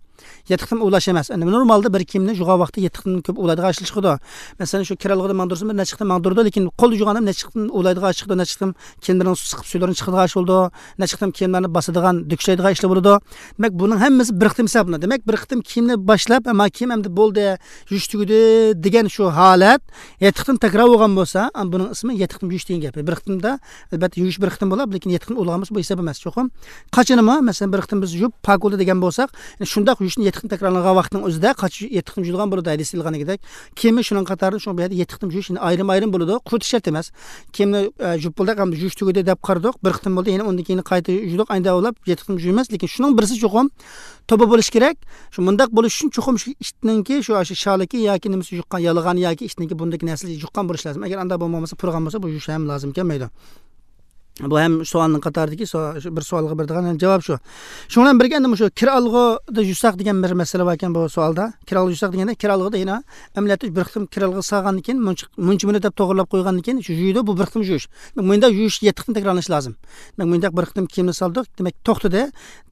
يەتتە قېتىم ئۇۋۇلاش ئەمەس. ئەمدى نورمالدا بىر كىيىمنى يۇغان ۋاقتى يەتتە قېتىم كۆپ ئۇۋۇلايدىغان ئىش چىقىدۇ. مەسىلەن، شۇ كىر ئالغۇدا ماڭدۇرسا، بىر نەچچە قېتىم ماڭدۇرىدۇ، لېكىن قولدا يۇغان ئادەم نەچچە قېتىم ئۇۋۇلايدىغان ئىش چىقىدۇ، نەچچە قېتىم كىيىملىرىنى سىقىپ سۈيلىرىنى چىقىدىغان ئىش بولىدۇ، نەچچە قېتىم كىيىملەرنى باسىدىغان، دۈكلەيدىغان ئىشلار بولىدۇ. دېمەك، بۇنىڭ ھەممىسى بىر قېتىم ھېسابلىنىدۇ. دېمەك، بىر قېتىم كىيىمنى باشلاپ، ھە، ما كىيىم ئەمدى بولدى، يۇيۇش تۈگىدى دېگەن شۇ ھالەت يەتتە قېتىم تەكرار بولغان بولسا، ئا، بۇنىڭ ئىسمى يەتتە قېتىم يۇيۇش دېگەن گەپ. بىر قېتىمدا، ئەلۋەتتە، يۇيۇش بىر قېتىم بولۇپ، لېكىن يەتتە قېتىم ئۇۋۇلىغان بولسا، بۇ ھېساب ئەمەس. چوقۇم قاچىنىمۇ، مەسىلەن، بىر قېتىم بىز يۇيۇپ، پاك بولدى دېگەن بولساق، يەنى شۇنداق يۇيۇشنى يەتتە قېتىم تەكرارلانغان ۋاقىتنىڭ ئۆزىدە قاچا يەتتە قېتىم يۇيۇلغان بولىدۇ، ھەدىستە كەلگەندەك. كىيىمى شۇنىڭ قاتارىدا، شۇڭا بۇ يەردە يەتتە قېتىم يۇيۇش، يەنى ئايرىم-ئايرىم بولىدۇ، قۇرۇتۇش شەرت ئەمەس. كىيىمنى، ئە، يۇيۇپ بولدى، ئەمدى يۇيۇش تۈگىدى دەپ قارىدۇق، بىر قېتىم بولدى، يەنە ئۇندىن كېيىن قايتا يۇيدۇق، ئاينى داۋاملاپ يەتتە قېتىم يۇيىمىز، لېكىن شۇنىڭ بىرسى چوقۇم توپا بولۇشى كېرەك. شۇ مۇنداق بولۇش ئۈچۈن چوقۇم شۇ ئىتنىڭكى شۇ، شۇ شالىكى ياكى نېمىسى يۇققان، يالىغان ياكى ئىتنىڭكى بۇرنىدىكى نەرسىلىرى يۇققان بولۇشى لازىم. ئەگەر ئانداق بولمىغان بولسا، پۇرىغان بولسا، بۇ يۇيۇش ھەم لازىم كەلمەيدۇ. بۇ ھەم سوئالنىڭ قاتارىدىكى سو-، شۇ بىر سوئالغا بېرىدىغان ھەم جاۋاب شۇ. شۇنىڭ بىلەن بىرگە، ئەمدى مۇشۇ كىر ئالغۇدا يۇساق دېگەن بىر مەسىلە بار ئىكەن بۇ سوئالدا. كىر ئالغۇدا يۇساق دېگەندە، كىر ئالغۇدا يەنە ئەمەلىيەتتە بىر قېتىم كىر ئالغۇ سالغاندىن كېيىن مۇنچە، مۇنچە مۇددەت دەپ توغرىلاپ قويغاندىن كېيىن شۇ يۇيىدۇ، بۇ بىر قېتىم يۇيۇش. مۇنداق يۇيۇش يەتتە قېتىم تەكرارلىنىشى لازىم. دېمەك، مۇنداق بىر قېتىم كىيىمنى سالدۇق، دېمەك، توختىدى.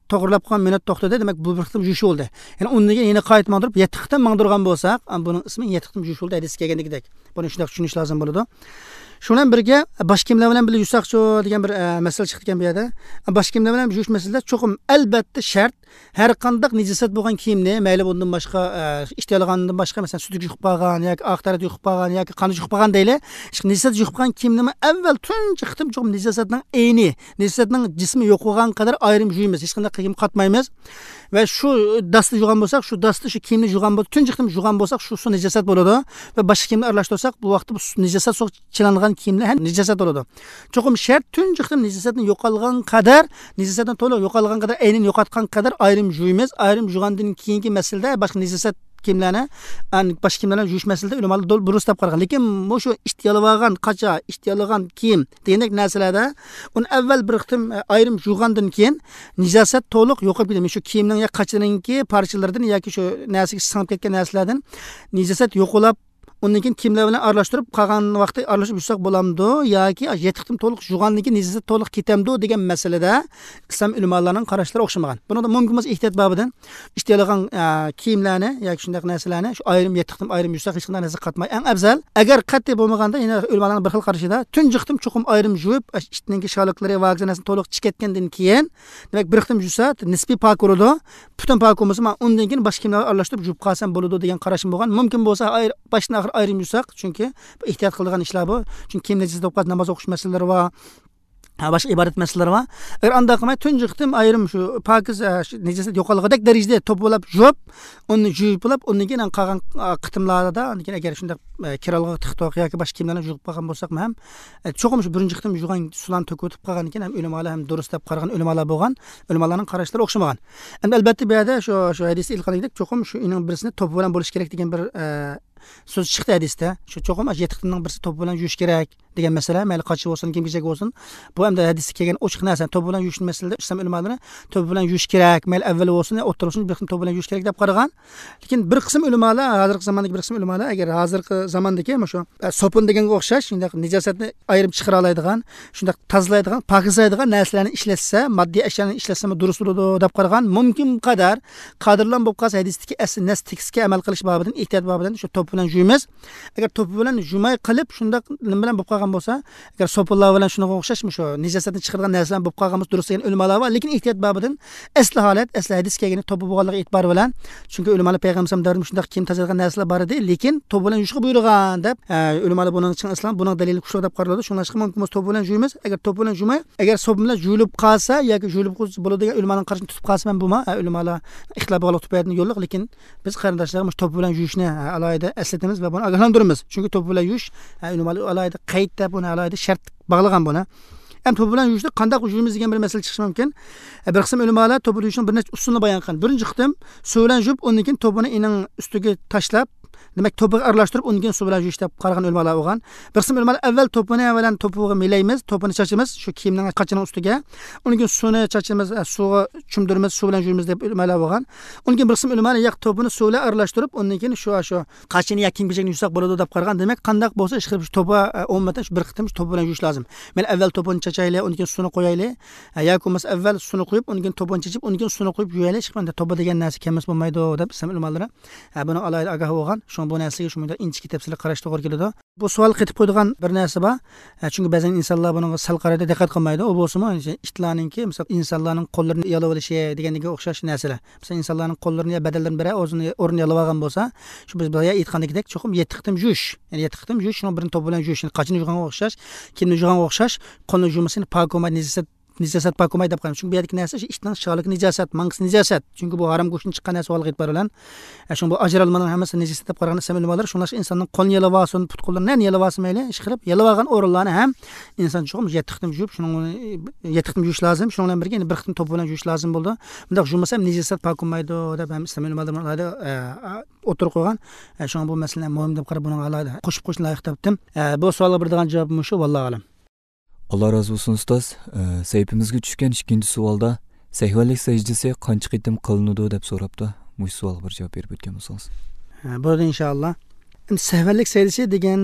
توغرىلاپ قويغان مۇددەت توختىدى، دېمەك، بۇ بىر قېتىم يۇيۇش بولدى. يەنى ئۇندىن كېيىن يەنە قايتا ماڭدۇرۇپ، يەتتە قېتىم ماڭدۇرغان بولساق، ئا، بۇنىڭ ئىسمى يەتتە قېتىم يۇيۇش بولدى، ھەدىستە كەلگەندىكىدەك. بۇنى شۇنداق چۈشىنىش لازىم بولىدۇ. شۇ بىلەن بىرگە، باش كىيىملەر بىلەن بىللە يۇيساقچۇ دېگەن بىر، ئە، مەسىلە چىقتى ئىكەن بۇ يەردە. باش كىيىملەر بىلەن يۇيۇش مەسىلىسىدە چوقۇم ئەلۋەتتە شەرت، ھەر قانداق نىجاسەت بولغان كىيىمنى، مەيلى بۇندىن باشقا، ئە، ئىت يالىغاندىن باشقا، مەسىلەن، سۈتۈك يۇقۇپ قالغان ياكى ئاق تەرەت يۇقۇپ قالغان ياكى قان يۇقۇپ قالغان دەيلى، نىجاسەت يۇقۇپ قالغان كىيىمنىمۇ ئەۋۋەل تۇنجى قېتىم چوقۇم نىجاسەتنىڭ ئەينى، نىجاسەتنىڭ جىسمى يوقىغان قەدەر ئايرىم يۇيىمىز، ھېچقانداق كىيىم قاتمايمىز. ۋە شۇ داستا يۇغان بولساق، شۇ داستا شۇ كىيىمنى يۇغان بولسا، تۇنجى قېتىم يۇغان بولساق، شۇ سۇ نىجاسەت بولىدۇ. ۋە باشقا كىيىمنى ئارىلاشتۇرساق، بۇ ۋاقىتتا بۇ سۇ، نىجاسەت سۇ چىلانغان كىيىملەر ھەم نىجاسەت بولىدۇ. چوقۇم شەرت، تۇنجى قېتىم نىجاسەتنى يوقالغان قەدەر، نىجاسەتنى تولۇق يوقالغان قەدەر، ئەينىنى يوقاتقان قەدەر ئايرىم يۇيىمىز. ئايرىم يۇغاندىن كېيىنكى مەسىلىدە باشقا نىجاسەت كىيىملەرنى، ئەن-، باشقا كىيىملەرنى يۇيۇش مەسىلىسىدە ئۆلىمالار دۇ-، دۇرۇس دەپ قارىغان. لېكىن مۇشۇ ئىت يالىۋالغان قاچا، ئىت يالىغان كىيىم دېگەندەك نەرسىلەردە ئۇنى ئەۋۋەل بىر قېتىم، ئە، ئايرىم يۇغاندىن كېيىن نىجاسەت تولۇق يوقاپ كېتىدۇ. شۇ كىيىمنىڭ يا قاچىنىڭكى پارچىلىرىدىن ياكى شۇ نەرسىگە سىڭىپ كەتكەن نەرسىلەردىن نىجاسەت يوقىلاپ، ئۇندىن كېيىن كىيىملەر بىلەن ئارىلاشتۇرۇپ، قالغان ۋاقتى ئارىلاشتۇرۇپ يۇساق بولامدۇ ياكى يەتتە قېتىم تولۇق يۇغاندىن كېيىن نىجاسەت تولۇق كېتەمدۇ دېگەن مەسىلىدە ئىسلام ئۆلىمالارنىڭ قاراشلىرى ئوخشىمىغان. بۇنىڭدا مۇمكىن بولسا ئېھتىيات بابىدىن ئىت يالىغان، ئە، كىيىملەرنى ياكى شۇنداق نەرسىلەرنى شۇ ئايرىم يەتتە قېتىم ئايرىم يۇساق ھېچقانداق نەرسە قاتماي. ئەڭ ئەۋزەل، ئەگەر قەتئىي بولمىغاندا، يەنە ئۆلىمالارنىڭ بىر خىل قارىشىدا تۇنجى قېتىم چوقۇم ئايرىم يۇيۇپ، ئىتنىڭكى شالىقلىرى، ۋاگىزى نەرسىنى تولۇق چىقىتكەندىن كېيىن، دېمەك، بىر قېتىم يۇسا نىسپىي پاك بولىدۇ. پۈتۈن پاك بولمىسا، مانا ئۇندىن كېيىن باشقا كىيىملەر ئارىلاشتۇرۇپ يۇيۇپ قالسام بولىدۇ دېگەن قاراشمۇ بولغان. مۇمكىن بولسا ئاير-، باشتىن ئاخىر ئايرىم يۇساق، چۈنكى بۇ ئېھتىيات قىلىدىغان ئىشلار بۇ. چۈنكى كىيىم نەجىس بولۇپ قالسا ناماز ئوقۇش مەسىلىلىرى بار. ھە، باشقا ئىبادەت مەسىلىلىرى بار. ئەگەر ئانداق قىلماي، تۇنجى قېتىم ئايرىم شۇ پاكىز، ھە، شۇ نىجاسەت يوقالغۇدەك دەرىجىدە توپىلاپ يۇيۇپ، ئۇنى يۇيۇپ بولۇپ، ئۇندىن كېيىن قالغان، ئە، قېتىملاردا، ئاندىن كېيىن ئەگەر شۇنداق، ئە، كىرئالغۇغا تىقتۇق ياكى باشقا كىيىملەرنى يۇيۇپ قالغان بولساقمۇ ھەم، ئە، چوقۇم شۇ بىرىنچى قېتىم يۇغان سۇلارنى تۆكۈۋېتىپ قالغاندىن كېيىن ھەم ئۆلىمالار ھەم دۇرۇس دەپ قارىغان ئۆلىمالار بولغان. ئۆلىمالارنىڭ قاراشلىرى ئوخشىمىغان. ئەمدى ئەلبەتتە بۇ يەردە شۇ، شۇ ھەدىستە ئېيتقاندەك، چوقۇم شۇ ئىنىڭ بىرسىنى توپا بىلەن بولۇشى كېرەك دېگەن بىر، ئە، سۆز چىقتى ھەدىستە. شۇ چوقۇم ئاشۇ يەتتە قېتىمنىڭ بىرسى توپا بىلەن يۇيۇش كېرەك دېگەن مەسىلە، مەيلى قاچا بولسۇن، كىيىم-كېچەك بولسۇن. بۇ ئەمدى ھەدىستە كەلگەن ئوچۇق نەرسە. توپا بىلەن يۇيۇشنى مەسىلىدە ئىسلام ئۆلىمالىرى توپا بىلەن يۇيۇش كېرەك، مەيلى ئەۋۋەل بولسۇن يا ئوتتۇرا بولسۇن، بىر قېتىم توپا بىلەن يۇيۇش كېرەك دەپ قارىغان. لېكىن بىر قىسىم ئۆلىمالار، ھازىرقى زاماندىكى بىر قىسىم ئۆلىمالار، ئەگەر ھازىرقى زاماندىكى مۇشۇ، ئە، سوپۇن دېگەنگە ئوخشاش شۇنداق نىجاسەتنى ئايرىم چىقىرالايدىغان، شۇنداق تازىلايدىغان، پاكىزلايدىغان نەرسىلەرنى ئىشلەتسە، ماددىي ئەشيانى ئىشلەتسىمۇ دۇرۇس بولىدۇ دەپ قارىغان. مۇمكىن قەدەر قادىرلام بولۇپ قالسا، ھەدىستىكى ئەسلى نەس تېكىستكە ئەمەل قىلىش بابىدىن، ئېھتىيات بابىدىن شۇ توپا بىلەن يۇيىمىز. ئەگەر توپا بىلەن يۇماي قېلىپ، شۇنداق نېمە بىلەن بولۇپ قالغان بولسا، ئەگەر سوپۇنلار بىلەن شۇنىڭغا ئوخشاش مۇشۇ نىجاسەتنى چىقىرىدىغان نەرسە بىلەن بولۇپ قالغان بولسا دۇرۇس دېگەن ئۆلىمالار بار. لېكىن ئېھتىيات بابىدىن ئەسلى ھالەت، ئەسلى ھەدىس كەلگىنى توپا بولغانلىقى ئېتىبارى بىلەن، چۈنكى ئۆلىمالار پەيغەمبەر دەۋرىدە مۇشۇنداق كىيىم تازىلايدىغان نەرسىلەر بار ئىدى، لېكىن توپا بىلەن يۇيۇشقا بۇيرۇغان دەپ، ئە، ئۆلىمالار بۇنىڭ چىڭ ئىسلام، بۇنىڭ دەلىلى كۈچلۈك دەپ قارىلىدۇ. شۇڭلاشقا مۇمكىن بولسا توپا بىلەن يۇيىمىز. ئەگەر توپا بىلەن يۇيماي، ئەگەر سوپۇن بىلەن يۇيۇلۇپ قالسا ياكى يۇيۇلۇپ قالسا بولىدۇ دېگەن ئۆلىمالارنىڭ قارىشىنى تۇتۇپ قالسا مەن بۇما، ئە، ئۆلىمالار ئىختىلاپ بولغانلىقى تۈپەيلىدىن يوللۇق، لېكىن بىز قېرىنداشلارغا مۇشۇ توپا بىلەن يۇيۇشنى، ئە، ئالاھىدە ئەسلىتىمىز ۋە بۇنى ئاگاھلاندۇرىمىز. چۈنكى توپا بىلەن يۇيۇش، ئە، ئۆلىمالار ئالاھىدە قەيت دەپ، بۇنى ئالاھىدە شەرت باغلىغان بۇنى. ئەمدى توپا بىلەن يۇيۇشنى قانداق يۇيىمىز دېگەن بىر مەسىلە چىقىشى مۇمكىن. ئە، بىر قىسىم ئۆلىمالار توپا بىلەن يۇيۇشنىڭ بىر نەچچە ئۇسۇلىنى بايان قىلغان. بىرىنچى قېتىم سۇ بىلەن يۇيۇپ، ئۇندىن كېيىن توپىنى ئېنىڭ ئۈستىگە تاشلاپ، دېمەك، توپىغا ئارىلاشتۇرۇپ، ئۇندىن كېيىن سۇ بىلەن يۇيۇش دەپ قارىغان ئۆلىمالار بولغان. بىر قىسىم ئۆلىمالار ئەۋۋەل توپىنى بىلەن توپىغا مىلەيمىز، توپىنى چاچىمىز شۇ كىيىمنىڭ قاچىنىڭ ئۈستىگە. ئۇندىن كېيىن سۇنى چاچىمىز، ئە، سۇغا چۆمدۈرىمىز، سۇ بىلەن يۇيىمىز دەپ ئۆلىمالار بولغان. ئۇندىن كېيىن بىر قىسىم ئۆلىمالار ياق، توپىنى سۇ بىلەن ئارىلاشتۇرۇپ، ئۇندىن كېيىن شۇ، شۇ قاچىنى يا كىيىم-كېچەكنى يۇساق بولىدۇ دەپ قارىغان. دېمەك، قانداق بولسا ئىشقىلىپ شۇ توپا، ئە، ئومۇمەن شۇ بىر قېتىم شۇ توپا بىلەن يۇيۇش لازىم. مەيلى ئەۋۋەل توپىنى چاچايلى، ئۇندىن كېيىن سۇنى قويايلى. ئە، ياكى بولمىسا ئەۋۋەل سۇنى قويۇپ، ئۇندىن كېيىن توپىنى چېچىپ، ئۇندىن كېيىن سۇنى قويۇپ يۇيايلى. ئىشقىلىپ توپا دېگەن نەرسە كەلمىسە بولمايدۇ دەپ ئىسلام ئۆلىمالىرى، ئە، بۇنىڭ ئالاھىدە ئاگاھ بولغان. شۇڭا بۇ نەرسىگە شۇ مۇنداق ئىنچىكە تەپسىلىي قاراشقا توغرا كېلىدۇ. بۇ سوئالغا قېتىپ قويىدىغان بىر نەرسە بار. ئە، چۈنكى بەزەن ئىنسانلار بۇنىڭغا سەل قارايدۇ، دىققەت قىلمايدۇ. ئۇ بولسىمۇ، ئىتلارنىڭكى، مىسال، ئىنسانلارنىڭ قوللىرىنى يالاۋېلىشى دېگەنگە ئوخشاش نەرسىلەر. مىسال، ئىنسانلارنىڭ قوللىرىنى يا بەدەنلىرىنى بىرەر ئورنىنى يالاۋالغان بولسا، شۇ بىز بايا ئېيتقاندىكىدەك چوقۇم يەتتە قېتىم يۇيۇش. يەنى يەتتە قېتىم يۇيۇش، شۇنىڭ بىرىنى توپا بىلەن يۇيۇش. يەنى قاچىنى يۇغانغا ئوخشاش، كىيىمنى يۇغانغا ئوخشاش، قولنى يۇمىسا يەنە پاك بولمايدۇ، نىجاسەت، نىجاسەت پاك بولمايدۇ دەپ قارايمىز. چۈنكى بۇ يەردىكى نەرسە شۇ ئىتنىڭ شالىكى نىجاسەت، ماڭقىسى نىجاسەت. چۈنكى بۇ ھارام گۆشتىن چىققان نەرسە بولغانلىقى ئېتىبارى بىلەن، ئە، شۇڭا بۇ ئاجرالمىنىڭ ھەممىسى نىجاسەت دەپ قارىغان ئىسلام ئۆلىمالىرى. شۇڭلاشقا ئىنساننىڭ قولىنى يالاۋالسۇن، پۇت-قوللىرىنى نەنى يالاۋالسا مەيلى، ئىشقىلىپ يالاۋالغان ئورۇنلارنى ھەم ئىنسان چوقۇم يەتتە قېتىم يۇيۇپ، شۇنىڭ يەتتە قېتىم يۇيۇش لازىم. شۇنىڭ بىلەن بىرگە يەنە بىر قېتىم توپا بىلەن يۇيۇش لازىم بولىدۇ. بۇنداق يۇمىسا ھەم نىجاسەت پاك بولمايدۇ دەپ ھەم ئىسلام ئۆلىمالىرى ئوتتۇرىغا قويغان. ئە، شۇڭا بۇ مەسىلىنى مۇھىم دەپ قاراپ، بۇنىڭغا ئالاھىدە قوشۇپ قويۇشنى لايىق تاپتىم. ئە، بۇ سوئالغا بېرىدىغان جاۋاب مۇشۇ، ۋاللاھۇ ئەلەم. ئاللا رازى بولسۇن، ئۇستاز. ئە، سەھىپىمىزگە چۈشكەن ئىككىنچى سوئالدا سەھۋەنلىك سەجدىسى قانچە قېتىم قىلىنىدۇ دەپ سوراپتۇ. مۇشۇ سوئالغا بىر جاۋاب بېرىپ ئۆتكەن بولسىڭىز. ھە، بولدى، ئىنشائاللا. ئەمدى سەھۋەنلىك سەجدىسى دېگەن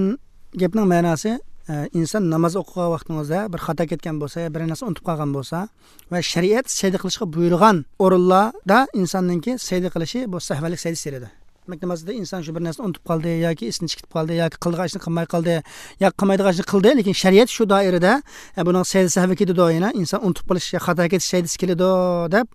گەپنىڭ مەناسى، ئە، ئىنسان ناماز ئوقۇغان ۋاقتىڭىزدا بىر خاتا كەتكەن بولسا، بىر نەرسە ئۇنتۇپ قالغان بولسا ۋە شەرىئەت سەجدە قىلىشقا بۇيرۇغان ئورۇنلاردا ئىنساننىڭكى سەجدە قىلىشى بۇ سەھۋەنلىك سەجدىسى دېيىلىدۇ. دېمەك، نامازدا ئىنسان شۇ بىر نەرسىنى ئۇنتۇپ قالدى ياكى ئېسىدىن چىقىپ قالدى ياكى قىلىدىغان ئىشنى قىلماي قالدى ياكى قىلمايدىغان ئىشنى قىلدى، لېكىن شەرىئەت شۇ دائىرىدە، ئە، بۇنىڭ سەجدە سەھۋى كېلىدۇ، يەنە ئىنسان ئۇنتۇپ قېلىش يا خاتا كېتىش سەجدىسى كېلىدۇ دەپ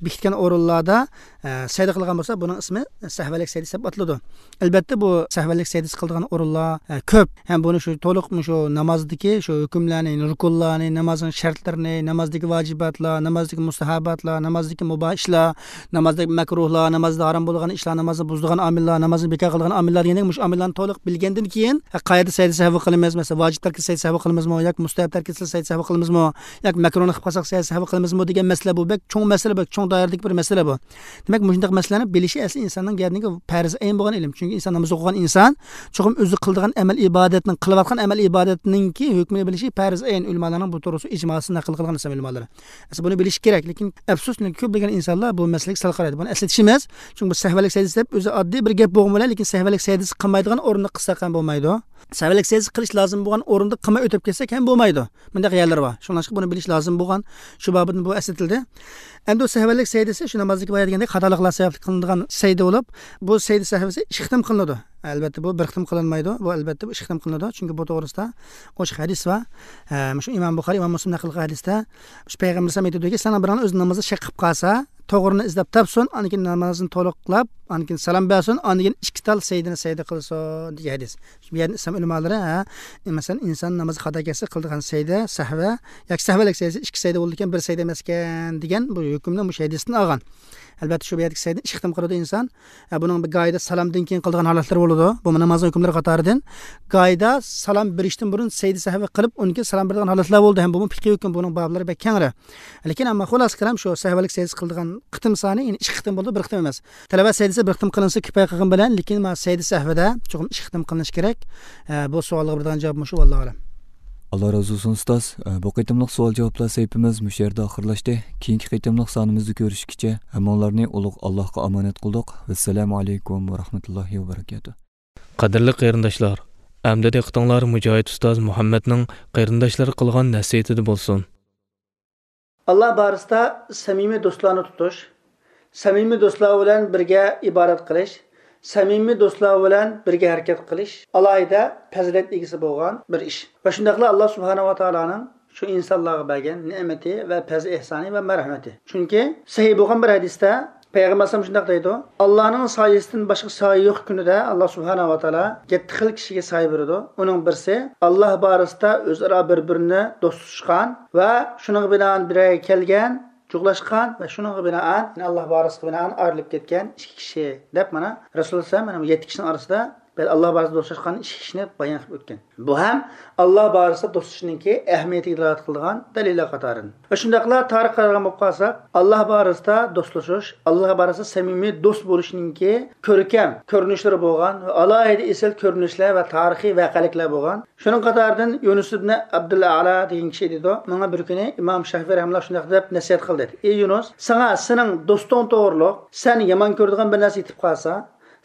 بېكىتكەن ئورۇنلاردا، ئە، سەجدە قىلغان بولسا، بۇنىڭ ئىسمى سەھۋەنلىك سەجدىسى دەپ ئاتىلىدۇ. ئەلبەتتە، بۇ سەھۋەنلىك سەجدىسى قىلىدىغان ئورۇنلار، ئە، كۆپ. ھەم بۇنى شۇ تولۇق مۇشۇ نامازدىكى شۇ ھۆكۈملەرنى، يەنى رۇكۇنلارنى، نامازنىڭ شەرتلىرىنى، نامازدىكى ۋاجىباتلار، نامازدىكى مۇستەھەبباتلار، نامازدىكى مۇباھ ئىشلار، نامازدىكى مەكرۇھلار، نامازدا ھارام بولغان ئىشلار، نامازنى بۇزىدىغان قىلغان ئامىللار، نامازنى بىكار قىلىدىغان ئامىللار دېگەندەك، مۇشۇ ئامىللارنى تولۇق بىلگەندىن كېيىن، ھە، قەيەردە سەجدە سەھۋى قىلىمىز، مەسىلەن، ۋاجىپ تەرك سەجدە سەھۋى قىلىمىزمۇ ياكى مۇستەھەب تەرك سەجدە سەھۋى قىلىمىزمۇ ياكى مەكرۇھنى قىلىپ قالساق سەجدە سەھۋى قىلىمىزمۇ دېگەن مەسىلە بۇ. بەك چوڭ مەسىلە، بەك چوڭ دائىرىدىكى بىر مەسىلە بۇ. دېمەك، مۇشۇنداق مەسىلىلەرنى بىلىشى ئەسلى ئىنساننىڭ گەردىنىگە پەرز ئەين بولغان ئىلىم. چۈنكى ئىنسان ناماز ئوقۇغان ئىنسان چوقۇم ئۆزى قىلىدىغان ئەمەل ئىبادەتنىڭ، قىلىۋاتقان ئەمەل ئىبادەتنىڭكى ھۆكمىنى بىلىشى پەرز ئەين. ئۆلىمالارنىڭ بۇ توغرىسىدا ئىجماسىنى نەقىل قىلغان ئىسلام ئۆلىمالىرى. ئەسلى بۇنى بىلىش كېرەك، لېكىن ئەپسۇس، كۆپلىگەن ئىنسانلار بۇ مەسىلىگە سەل قارايدۇ. بۇنى ئەسلىتىشىمىز، چۈنكى بۇ سەھۋەلىك سەجدە دەپ ئۆزى ئاددىي بىر گەپ بولغىنى بىلەن، لېكىن سەھۋەلىك سەجدىسى قىلمايدىغان ئورۇندا قىلساق ھەم بولمايدۇ. سەھۋەلىك سەجدىسى قىلىش لازىم بولغان ئورۇندا قىلماي ئۆتۈپ كەتسەك ھەم بولمايدۇ. مۇنداق يەرلىرى بار. شۇڭلاشقا بۇنى بىلىش لازىم بولغان، شۇ بابىدىن بۇ ئەسلىتىلدى. ئەمدى سەھۋەلىك سەجدىسى شۇ نامازدىكى بايا دېگەندەك خاتالىقلار سەۋەبلىك قىلىنىدىغان سەجدە بولۇپ، بۇ سەجدە سەھۋىسى ئىككى قېتىم قىلىنىدۇ. ئەلۋەتتە، بۇ بىر قېتىم قىلىنمايدۇ. بۇ، ئەلۋەتتە، بۇ ئىككى قېتىم قىلىنىدۇ. چۈنكى بۇ توغرىسىدا ئوشۇق ھەدىس بار. ھە، مۇشۇ ئىمام بۇخارى، ئىمام مۇسلىم نەقىل قىلغان ھەدىستە، مۇشۇ پەيغەمبەر ئەلەيھىسسالام ئېيتىدۇكى، ساڭا بىرىڭ ئۆزى نامازدا شەك قىلىپ قالسا، توغرىنى ئىزدەپ تاپسۇن، ئاندىن كېيىن نامازنى تولۇقلاپ، ئاندىن كېيىن سالام بەرسۇن، ئاندىن كېيىن ئىككى تال سەجدىنى سەجدە قىلسۇن، دېگەن ھەدىس. بۇ يەردە ئىسلام ئۆلىمالىرى، ھە، مەسىلەن، ئىنسان نامازى خاتا كەتسە قىلىدىغان سەجدە، سەھۋە، ياكى سەھۋەلىك سەجدىسى ئىككى سەجدە بولىدىكەن، بىر سەجدە ئەمەسكەن، دېگەن بۇ ھۆكۈمنى مۇشۇ ھەدىستىن ئالغان. ئەلۋەتتە، شۇ بۇ يەردىكى سەجدىنى ئىككى قېتىم قىلىدۇ ئىنسان. ھە، بۇنىڭ بىر گاھىدا سالامدىن كېيىن قىلىدىغان ھالەتلىرى بولىدۇ. بۇمۇ نامازنىڭ ھۆكۈملىرى قاتارىدىن. گاھىدا سالام بېرىشتىن بۇرۇن سەجدە سەھۋى قىلىپ، ئۇنىڭ كېيىن سالام بېرىدىغان ھالەتلەر بولىدۇ. ھەم بۇمۇ پىقھىي ھۆكۈم، بۇنىڭ بابلىرى بەك كەڭرى. لېكىن ئەمما خۇلاسە كالام شۇ، سەھۋەلىك سەجدىسى قىلىدىغان قېتىم سانى، يەنى ئىككى قېتىم بولىدۇ، بىر قېتىم ئەمەس. تىلاۋەت سەجدىسى بىر قېتىم قىلىنسا كۇپايە قىلغان بىلەن، لېكىن مانا سەجدە سەھۋىدە چوقۇم ئىككى قېتىم قىلىنىشى كېرەك. ئە، بۇ سوئالغا بېرىدىغان جاۋاب مۇشۇ، ۋاللاھۇ ئەلەم. ئاللا رازى بولسۇن، ئۇستاز. ئە، بۇ قېتىملىق سوئال جاۋابلار سەھىپىمىز مۇشۇ يەردە ئاخىرلاشتى. كېيىنكى قېتىملىق سانىمىزدا كۆرۈشكىچە ھەممىڭلارنى ئۇلۇغ ئاللاھقا ئامانەت قىلدۇق. ۋەسسالامۇ ئەلەيكۇم ۋە رەھمەتۇللاھى ۋە بەرەكاتۇھ. قەدىرلىك قېرىنداشلار، ئەمدى دىققىتىڭلار مۇجاھىد ئۇستاز مۇھەممەدنىڭ قېرىنداشلارغا قىلغان نەسىھىتىدە بولسۇن. ئاللا بارىسىدا سەمىمىي دوستلارنى تۇتۇش، سەمىمىي دوستلار بىلەن بىرگە ئىبادەت قىلىش، سەمىمىي دوستلار بىلەن بىرگە ھەرىكەت قىلىش ئالاھىدە پەزىلەت ئىگىسى بولغان بىر ئىش. ۋە شۇنداقلا ئاللا سۇبھانەھۇ ۋە تائالانىڭ شۇ ئىنسانلارغا بەرگەن نېمىتى ۋە پەزلى ئېھسانى ۋە مەرھەمىتى. چۈنكى سەھىھ بولغان بىر ھەدىستە پەيغەمبەر ئەلەيھىسسالام شۇنداق دەيدۇ، ئاللانىڭ سايىسىدىن باشقا سايە يوق كۈنىدە ئاللا سۇبھانەھۇ ۋە تائالا يەتتە خىل كىشىگە سايە بېرىدۇ. ئۇنىڭ بىرسى، ئاللا بارىسىدا ئۆزئارا بىر-بىرىنى دوستلىشقان ۋە شۇنىڭغا بىنائەن بىر يەرگە كەلگەن، جۇغلاشقان ۋە شۇنىڭغا بىنائەن، يەنى ئاللا بارىسىغا بىنائەن ئايرىلىپ كەتكەن ئىككى كىشى، دەپ مانا رەسۇلۇللا ئەلەيھىسسالام مانا بۇ يەتتە كىشىنىڭ ئارىسىدا بەلكى ئاللا بارىسىدا دوستلاشقان ئىككى كىشىنى بايان قىلىپ ئۆتكەن. بۇ ھەم ئاللا بارىسىدا دوستلىشىشنىڭكى ئەھمىيىتىگە دالالەت قىلىدىغان دەلىللەر قاتارىدىن. ۋە شۇنداقلا تارىخقا قارىغان بولۇپ قالساق، ئاللا بارىسىدا دوستلىشىش، ئاللا بارىسىدا سەمىمىي دوست بولۇشنىڭكى كۆركەم كۆرۈنۈشلىرى بولغان ۋە ئالاھىدە ئېسىل كۆرۈنۈشلەر ۋە تارىخىي ۋەقەلىكلەر بولغان. شۇنىڭ قاتارىدىن يۇنۇس ئىبنى ئابدۇل ئەلا دېگەن كىشى ئېيتىدۇ، ماڭا بىر كۈنى ئىمام شافىئى رەھىمەھۇللا شۇنداق دەپ نەسىھەت قىلدى، ئېي يۇنۇس، ساڭا سېنىڭ دوستۇڭ توغرۇلۇق سەن يامان كۆرىدىغان بىر نەرسە يېتىپ قالسا،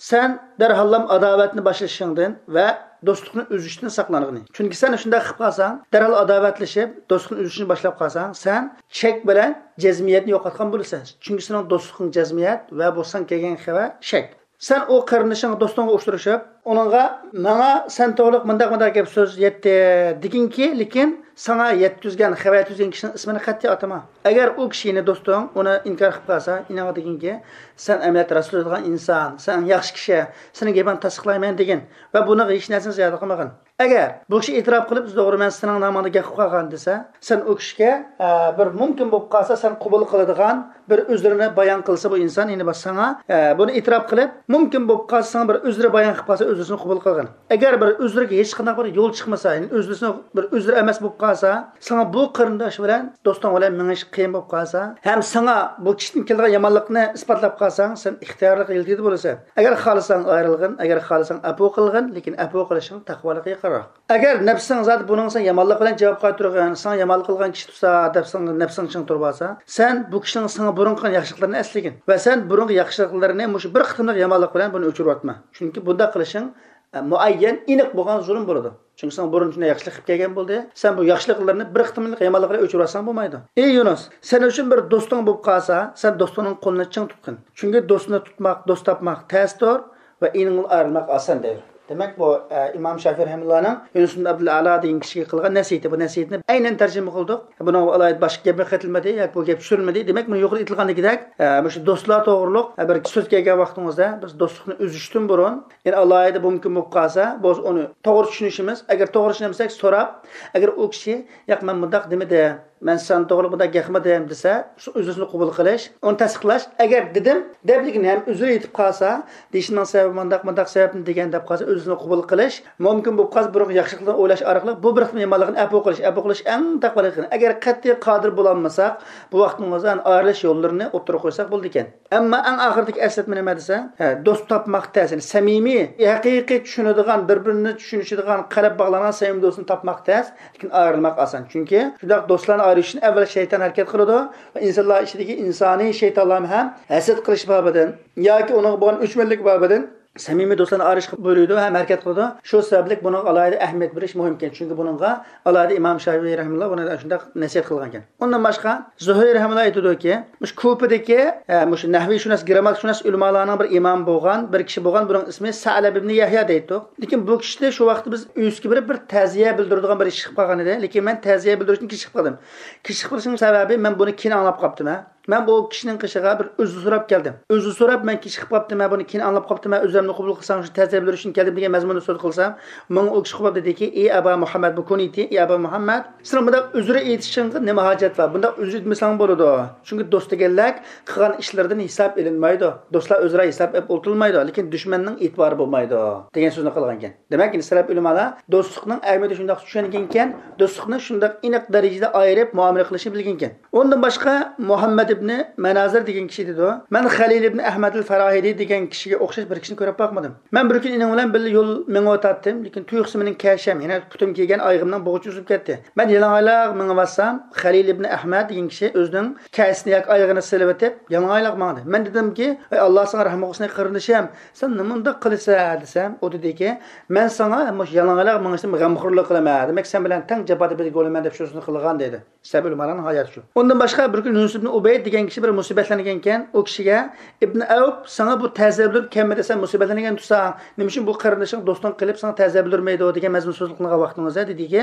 سەن دەرھاللام ئاداۋەتنى باشلىشىڭدىن ۋە دوستلۇقنى ئۈزۈشتىن ساقلانغىنى. چۈنكى سەن شۇنداق قىلىپ قالساڭ، دەرھال ئاداۋەتلىشىپ، دوستلۇقنى ئۈزۈشنى باشلاپ قالساڭ، سەن شەك بىلەن جەزمىيەتنى يوقاتقان بولىسەن. چۈنكى سېنىڭ دوستلۇقۇڭ جەزمىيەت ۋە بۇ ساڭا كەلگەن خەۋەر شەك. سەن ئۇ قېرىندىشىڭ، دوستۇڭغا ئۇچرىشىپ، ئۇنىڭغا، ماڭا سەن توغرۇلۇق مۇنداق، مۇنداق گەپ سۆز يەتتى دېگىنكى، لېكىن ساڭا يەتكۈزگەن، خەۋەر يەتكۈزگەن كىشىنىڭ ئىسمىنى قەتئىي ئاتىما. ئەگەر ئۇ كىشى، يەنى دوستۇڭ، ئۇنى ئىنكار قىلىپ قالسا، ئېنىڭغا دېگىنكى، سەن ئەمەلىيەتتە راست سۆزلەيدىغان ئىنسان، سەن ياخشى كىشى، سېنىڭ گېپىڭنى تەستىقلايمەن دېگىن ۋە بۇنىڭغا ھېچ نەرسىنى زىيادە قىلمىغىن. ئەگەر بۇ كىشى ئېتىراپ قىلىپ، توغرا، مەن سېنىڭ نامىڭدا گەپ قىلىپ قالغان دېسە، سەن ئۇ كىشىگە، ئە، بىر مۇمكىن بولۇپ قالسا، سەن قوبۇل قىلىدىغان بىر ئۆزرىنى بايان قىلسا بۇ ئىنسان، يەنى بىر ساڭا، ئە، بۇنى ئېتىراپ قىلىپ، مۇمكىن بولۇپ قالسا، ساڭا بىر ئۆزرە بايان قىلىپ قالسا، ئۆزرىسىنى قوبۇل قىلغىن. ئەگەر بىر ئۆزرىگە ھېچقانداق بىر يول چىقمىسا، يەنى ئۆزرىسىنى بىر ئۆزرە ئەمەس بولۇپ قالسا، ساڭا بۇ قېرىنداش بىلەن، دوستۇڭ بىلەن مېڭىش قىيىن بولۇپ قالسا، ھەم ساڭا بۇ كىشىدىن كېلىدىغان يامانلىقنى ئىسپاتلاپ قالساڭ، سەن ئىختىيارلىق يىلتىيدە بولىسەن. ئەگەر خالىساڭ ئايرىلغىن، ئەگەر خالىساڭ ئەپۇ قىلغىن، لېكىن ئەپۇ قىلىشىڭ تەقۋالىققا يېقىنراق. ئەگەر نەپسىڭ زادى بۇنىڭغا سەن يامانلىق بىلەن جاۋاب قايتۇرغىن، ساڭا يامانلىق قىلغان كىشى تۇرسا، دەپ ساڭا نەپسىڭ چىڭ تۇرۇۋالسا، سەن بۇ كىشىنىڭ ساڭا بۇرۇن قىلغان ياخشىلىقلىرىنى ئەسلىگىن ۋە سەن بۇرۇنقى ياخشىلىقلىرىنى مۇشۇ بىر قېتىملىق يامانلىق بىلەن بۇنى ئۆچۈرۈۋەتمە. چۈنكى بۇنداق قىلىشىڭ، ئە، مۇئەييەن، ئېنىق بولغان زۇلۇم بولىدۇ. چۈنكى ساڭا بۇرۇن شۇنداق ياخشىلىق قىلىپ كەلگەن بولدى. سەن بۇ ياخشىلىقلىرىنى بىر قېتىملىق يامانلىق بىلەن ئۆچۈرۈۋەتسەڭ بولمايدۇ. ئېي يۇنۇس، سەن ئۈچۈن بىر دوستۇڭ بولۇپ قالسا، سەن دوستۇڭنىڭ قولىنى چىڭ تۇتقىن. چۈنكى دوستنى تۇتماق، دوست تاپماق تەستۇر ۋە ئېنىڭدىن ئايرىلماق ئاسان دەيدۇ. دېمەك، بۇ، ئە، ئىمام شافىئى رەھىمەھۇللانىڭ يۇنۇس ئىبن ئابدۇل ئەلا دېگەن كىشىگە قىلغان نەسىھىتى. بۇ نەسىھەتنى ئەينەن تەرجىمە قىلدۇق. بۇنىڭغا ئالاھىدە باشقا گەپ قېتىلمىدى ياكى بۇ گەپ سۈرۈلمىدى. دېمەك، بۇنى يۇقىرىدا ئېيتىلغاندىكىدەك، ئە، مۇشۇ دوستلار توغرۇلۇق، ئە، بىر سۆز كەلگەن ۋاقتىڭىزدا بىز دوستلۇقنى ئۈزۈشتىن بۇرۇن، يەنى ئالاھىدە مۇمكىن بولۇپ قالسا، بولسا ئۇنى توغرا چۈشىنىشىمىز، ئەگەر توغرا چۈشىنەلمىسەك سوراپ، ئەگەر ئۇ كىشى، ياق، مەن مۇنداق دېمىدىم، مەن سەن توغرىلىق بۇنداق گەپ قىلمىدىم دېسە، شۇ ئۆزىنى قوبۇل قىلىش، ئۇنى تەستىقلاش. ئەگەر دېدىم دەپ، لېكىن ھەم ئۆزى ئېيتىپ قالسا، دېيىشىمنىڭ سەۋەبى مۇنداق، مۇنداق سەۋەبتىن دېگەن دەپ قالسا، ئۆزىنى قوبۇل قىلىش مۇمكىن بولۇپ قالسا، بۇرۇنقى ياخشىلىقلارنى ئويلاش ئارقىلىق بۇ بىر قېتىم يامانلىقنى ئەپۇ قىلىش، ئەپۇ قىلىش ئەڭ تەقۋالىق. ئەگەر قەتئىي قادىر بولالمىساق، بۇ ۋاقتىمىزدا ئايرىلىش يوللىرىنى ئوتتۇرىغا قويساق بولىدىكەن. ئەمما ئەڭ ئاخىرىدىكى ئەسلەتمە نېمە دېسە، ھە، دوست تاپماق تەس. يەنى سەمىمىي، ھەقىقىي چۈشىنىدىغان، بىر-بىرىنى چۈشىنىشىدىغان، قەلب باغلانغان سەمىمىي دوستنى تاپماق تەس، لېكىن ئايرىلماق ئاسان. چۈنكى شۇنداق دوستلارنى ئايرىشىشنى ئەۋۋەل شەيتان ھەرىكەت قىلىدۇ ۋە ئىنسانلار ئىچىدىكى ئىنسانىي شەيتانلارمۇ ھەم ھەسەت قىلىش بابىدىن ياكى ئۇنىڭغا بولغان ئۆچمەنلىك بابىدىن سەمىمىي دوستلارنى ئايرىشقا بۇيرۇيدۇ ھەم ھەرىكەت قىلىدۇ. شۇ سەۋەبلىك بۇنىڭغا ئالاھىدە ئەھمىيەت بېرىش مۇھىمكەن. چۈنكى بۇنىڭغا ئالاھىدە ئىمام شافىئىي رەھىمەھۇللا بۇنى شۇنداق نەسىھەت قىلغانكەن. ئۇندىن باشقا زۇھرى رەھىمەھۇللا ئېيتىدۇكى، مۇشۇ كۇپىدىكى، ئە، مۇشۇ نەھۋىيشۇناس، گىرامماتىكىشۇناس ئۆلىمالارنىڭ بىر ئىمامى بولغان بىر كىشى بولغان، بۇنىڭ ئىسمى سەئلەب ئىبنى يەھيا دەيتتۇق. لېكىن بۇ كىشىدە شۇ ۋاقىتتا بىز ئۆيىسىگە بېرىپ بىر تەزىيە بىلدۈرىدىغان بىر ئىش چىقىپ قالغان ئىدى. لېكىن مەن تەزىيە بىلدۈرۈشتىن كېچىكىپ قالدىم. كېچىكىپ قېلىشنىڭ سەۋەبى، مەن بۇنى كېيىن ئاڭلاپ قاپتىمەن. مەن بۇ كىشىنىڭ قېشىغا بىر ئۈزۈر سوراپ كەلدىم. ئۈزۈر سوراپ، مەن كېچىكىپ قاپتىمەن، بۇنى كېيىن ئاڭلاپ قاپتىمەن، ئۆزۈمنى قوبۇل قىلساڭ شۇ تەزىيە بىلدۈرۈشتىن كەلدىم دېگەن مەزمۇندا سۆز قىلسام، ماڭا ئۇ كىشى قوپاپ دېدىكى، ئى ئەبا مۇھەممەد، بۇ كۇنيىتى، ئى ئەبا مۇھەممەد، سېنىڭ بۇنداق ئۈزۈر ئېيتىشىڭغا نېمە ھاجەت بار؟ بۇنداق ئۈزۈر ئېيتمىسەڭ بولىدۇ. چۈنكى دوست دېگەنلەر قىلغان ئىشلىرىدىن ھېساب ئېلىنمايدۇ. دوستلار ئۆزئارا ھېساب ئېلىپ ئولتۇرۇلمايدۇ، لېكىن دۈشمەننىڭ ئېتىبارى بولمايدۇ، دېگەن سۆزنى قىلغانىكەن. دېمەك، ئەندى سەلەپ ئۆلىمالار دوستلۇقنىڭ ئەھمىيىتىنى شۇنداق چۈشەنگەنكەن، دوستلۇقنى شۇنداق ئېنىق دەرىجىدە ئايرىپ مۇئامىلە قىلىشنى بىلگەنكەن. ئۇندىن باشقا مۇھەممەد ئىبنى مەنازىر دېگەن كىشى دېدى. مەن خەلىل ئىبنى ئەھمەدىل فاراھىدى دېگەن كىشىگە ئوخشاش بىر كىشىنى كۆرۈپ باقمىدىم. مەن بىر كۈنى ئېنىڭ بىلەن بىللە يول مېڭىۋاتاتتىم، لېكىن تۇيۇقسىز مېنىڭ كەشەم، يەنى پۇتۇم كىيگەن ئايىغىمنىڭ بوغۇچى ئۈزۈلۈپ كەتتى. مەن يالاڭايلاق مېڭىۋاتسام، خەلىل ئىبنى ئەھمەد دېگەن كىشى ئۆزىنىڭ كەشىنى ياكى ئايىغىنى سېلىۋېتىپ، يالاڭايلاق ماڭدى. مەن دېدىمكى، ئەي ئاللا ساڭا رەھىم قىلسۇن قېرىندىشىم، سەن نېمانداق قىلىسەن دېسەم، ئۇ دېدىكى، مەن ساڭا مۇشۇ يالاڭايلاق مېڭىشتىن غەمخورلۇق قىلىمەن، دېمەك سەن بىلەن تەڭ جاپادا بىرگە بولىمەن دەپ شۇ سۆزنى قىلغان دېدى. سەبىل ئۆلىمالارنىڭ ھاياتى شۇ. ئۇندىن باشقا بىر كۈنى يۇنۇس ئىبنى ئۇبەيد دېگەن كىشى بىر مۇسىبەتلەنگەنكەن، ئۇ كىشىگە ئىبنى ئەۋپ، ساڭا بۇ تەزىيە بىلدۈرۈپ كەلمىدى، سەن مۇسىبەتلەنگەن تۇرساڭ، نېمە ئۈچۈن بۇ قېرىندىشىڭ دوستۇڭ قېلىپ ساڭا تەزىيە بىلدۈرمەيدۇ دېگەن مەزمۇن سۆزنى قىلغان ۋاقتىڭىزدا دېدىكى،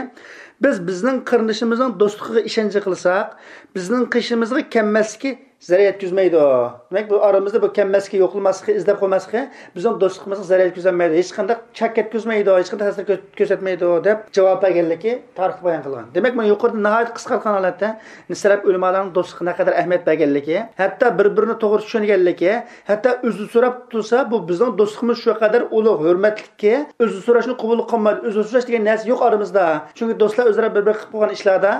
بىز بىزنىڭ قېرىندىشىمىزنىڭ دوستلۇقىغا ئىشەنچ قىلساق، بىزنىڭ قېشىمىزغا كەلمەسلىكى زەرەر يەتكۈزمەيدۇ. دېمەك، بۇ ئارىمىزدا بۇ كەلمەسلىكى، يوقلىماسلىقى، ئىزدەپ قويماسلىقى بىزنىڭ دوستلۇقىمىزغا زەرەر يەتكۈزەلمەيدۇ، ھېچقانداق چاك يەتكۈزمەيدۇ، ھېچقانداق تەسىر كۆ-، كۆرسەتمەيدۇ، دەپ جاۋاب بەرگەنلىكى تارىختا بايان قىلغان. دېمەك، مانا يۇقىرىدا ناھايىتى قىسقارتقان ھالەتتە سەلەپ ئۆلىمالارنىڭ دوستلۇققا نەقەدەر ئەھمىيەت بەرگەنلىكى، ھەتتا بىر-بىرىنى توغرا چۈشەنگەنلىكى، ھەتتا ئۆزى سوراپ تۇرسا، بۇ بىزنىڭ دوستلۇقىمىز شۇ قەدەر ئۇلۇغ، ھۆرمەتلىككى، ئۆزى سوراشنى قوبۇل قىلمايدۇ. ئۆزى سوراش دېگەن نەرسە يوق ئارىمىزدا. چۈنكى دوستلار ئۆزئارا بىر-بىرى قىلىپ قويغان ئىشلاردا،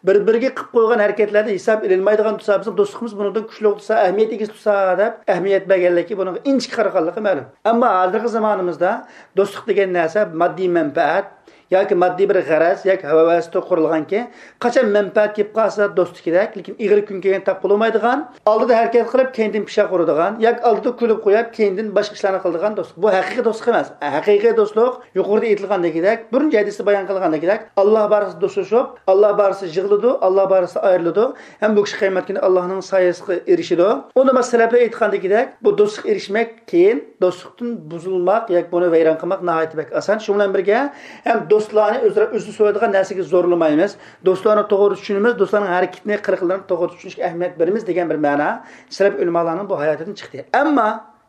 بىر-بىرىگە قىلىپ قويغان ھەرىكەتلەردە ھېساب ئېلىنمايدىغان تۇرسا، بىزنىڭ دوستلۇقىمىز بۇنىڭدىن كۈچلۈك تۇرسا، ئەھمىيەت ئىگىسى تۇرسا دەپ ئەھمىيەت بەرگەنلىكى، بۇنىڭغا ئىنچىكە قارىغانلىقى مەلۇم. ئەمما ھازىرقى زامانىمىزدا دوستلۇق دېگەن نەرسە ماددىي مەنپەئەت ياكى ماددىي بىر غەرەز ياكى ھەۋەستە قۇرۇلغانكى، قاچان مەنپەئەت كېلىپ قالسا دوستتىكىدەك، لېكىن ئېغىر كۈن كەلگەندە تاپ بولالمايدىغان، ئالدىدا ھەرىكەت قىلىپ، كەينىدىن پىششاق ئۇرىدىغان ياكى ئالدىدا كۈلۈپ قويۇپ، كەينىدىن باشقا ئىشلارنى قىلىدىغان دوستلۇق. بۇ ھەقىقىي دوستلۇق ئەمەس. ھەقىقىي دوستلۇق يۇقىرىدا ئېيتىلغاندىكىدەك، بۇرۇنقى ھەدىستە بايان قىلغاندىكىدەك، ئاللا بارىسىدا دوستلىشىپ، ئاللا بارىسىدا يىغلىدۇ، ئاللا بارىسىدا ئايرىلىدۇ ھەم بۇ كىشى قىيامەت كۈنى ئاللانىڭ سايىسىغا ئېرىشىدۇ. ئۇنىڭ سەلەپلەر ئېيتقاندىكىدەك، بۇ دوستلۇققا ئېرىشمەك كېيىن دوستلۇقتىن بۇزۇلماق ياكى بۇنى ۋەيران قىلماق ناھايىتى بەك ئاسان. شۇ بىلەن بىرگە، ھەم دوستلارنى ئۆزئارا ئۆزى سۆيىدىغان نەرسىگە زورلىمايمىز. دوستلارنى توغرا چۈشىنىمىز، دوستلارنىڭ ھەرىكىتىنى، قىلىقلىرىنى توغرا چۈشىنىشكە ئەھمىيەت بېرىمىز دېگەن بىر مەنا سەلەپ ئۆلىمالارنىڭ بۇ ھاياتىدىن چىقتى. ئەمما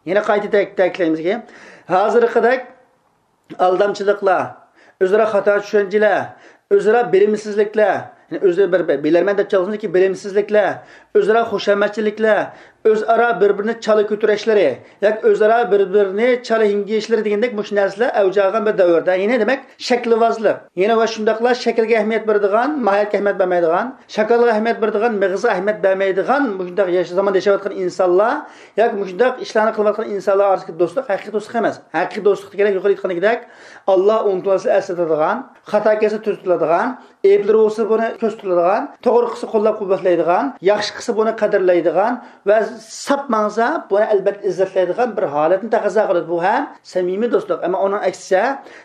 يەنە قايتا تەك-، تەكىتلەيمىزكى، ھازىرقىدەك ئالدامچىلىقلار، ئۆزئارا خاتا چۈشەنچىلەر، ئۆزئارا بىلىمسىزلىكلەر، يەنى ئۆزى بىر، بىر بىلەرمەن دەپ چالغۇسىدىكى بىلىمسىزلىكلەر، ئۆزئارا خۇشامەتچىلىكلەر، ئۆزئارا بىر-بىرىنى چالا كۆتۈرۈشلىرى ياكى ئۆزئارا بىر-بىرىنى چالا ھىڭگىيىشلىرى دېگەندەك مۇشۇ نەرسىلەر ئەۋج ئالغان بىر دەۋردە. يەنى دېمەك، شەكىلۋازلىق. يەنە ۋە شۇنداقلا شەكىلگە ئەھمىيەت بېرىدىغان، ماھىيەتكە ئەھمىيەت بەرمەيدىغان، شاكالغا ئەھمىيەت بېرىدىغان، مېغىزغا ئەھمىيەت بەرمەيدىغان مۇشۇنداق ياش-، زاماندا ياشاۋاتقان ئىنسانلار ياكى مۇشۇنداق ئىشلارنى قىلىۋاتقان ئىنسانلار ئارىسىدىكى دوستلۇق ھەقىقىي دوستلۇق ئەمەس. ھەقىقىي دوستلۇق دېگەنلەر يۇقىرىدا ئېيتقاندىكىدەك، ئاللا ئۇنتۇلماسلىق ئەسلىتىدىغان، خاتا كەلسە تۈزىتىلىدىغان، ئەيىبلىرى بولسا بۇنى كۆرسىتىدىغان، توغرا قىلسا قوللاپ قۇۋۋەتلەيدىغان، ياخشى قىلسا بۇنى قەدىرلەيدىغان ۋە ساپ ماڭسا بۇنى ئەلبەتتە ئىززەتلەيدىغان بىر ھالەتنى تەقەززا قىلىدۇ. بۇ ھەم سەمىمىي دوستلۇق. ئەمما ئۇنىڭ ئەكسىچە،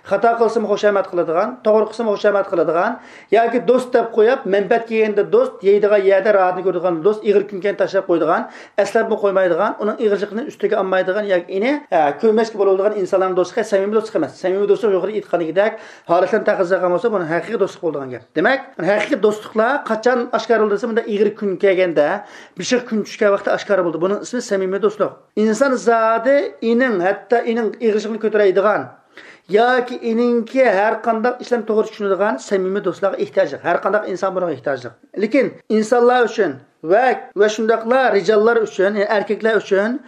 خاتا قىلسىمۇ خۇشامەت قىلىدىغان، توغرا قىلسىمۇ خۇشامەت قىلىدىغان ياكى دوست دەپ قويۇپ، مەنپەئەت كەلگەندە دوست، يەيدىغان يەردە راھىتىنى كۆرىدىغان دوست، ئېغىر كۈن كەلگەندە تاشلاپ قويىدىغان، ئەسلەپمۇ قويمايدىغان، ئۇنىڭ ئېغىرچىلىقىنى ئۈستىگە ئالمايدىغان ياكى ئېنى، ھە، كۆرمەسكە بولىدىغان ئىنسانلارنىڭ دوستلۇقى سەمىمىي دوستلۇق ئەمەس. سەمىمىي دوستلۇق يۇقىرىدا ئېيتقاندىكىدەك ھالەتلەرنى تەقەززا قىلغان بولسا، بۇنى ھەقىقىي دوستلۇق بولىدىغان گەپ. دېمەك، ھەقىقىي دوستلۇقلار قاچان ئاشكارىلىنىدۇ دېسە، مۇنداق ئېغىر كۈن كەلگەندە، بېشىغا كۈن چۈشكەن ۋاقىتتا ئاشكارا بولىدۇ. بۇنىڭ ئىسمى سەمىمىي دوستلۇق. ئىنسان زادى ئېنىڭ، ھەتتا ئېنىڭ ئېغىرچىلىقىنى كۆتۈرەلەيدىغان، ياكى ئېنىڭكى ھەر قانداق ئىشلارنى توغرا چۈشىنىدىغان سەمىمىي دوستلارغا ئېھتىياجلىق. ھەر قانداق ئىنسان بۇنىڭغا ئېھتىياجلىق. لېكىن ئىنسانلار ئۈچۈن ۋە، ۋە شۇنداقلا رىجاللار ئۈچۈن، يەنى ئەركەكلەر ئۈچۈن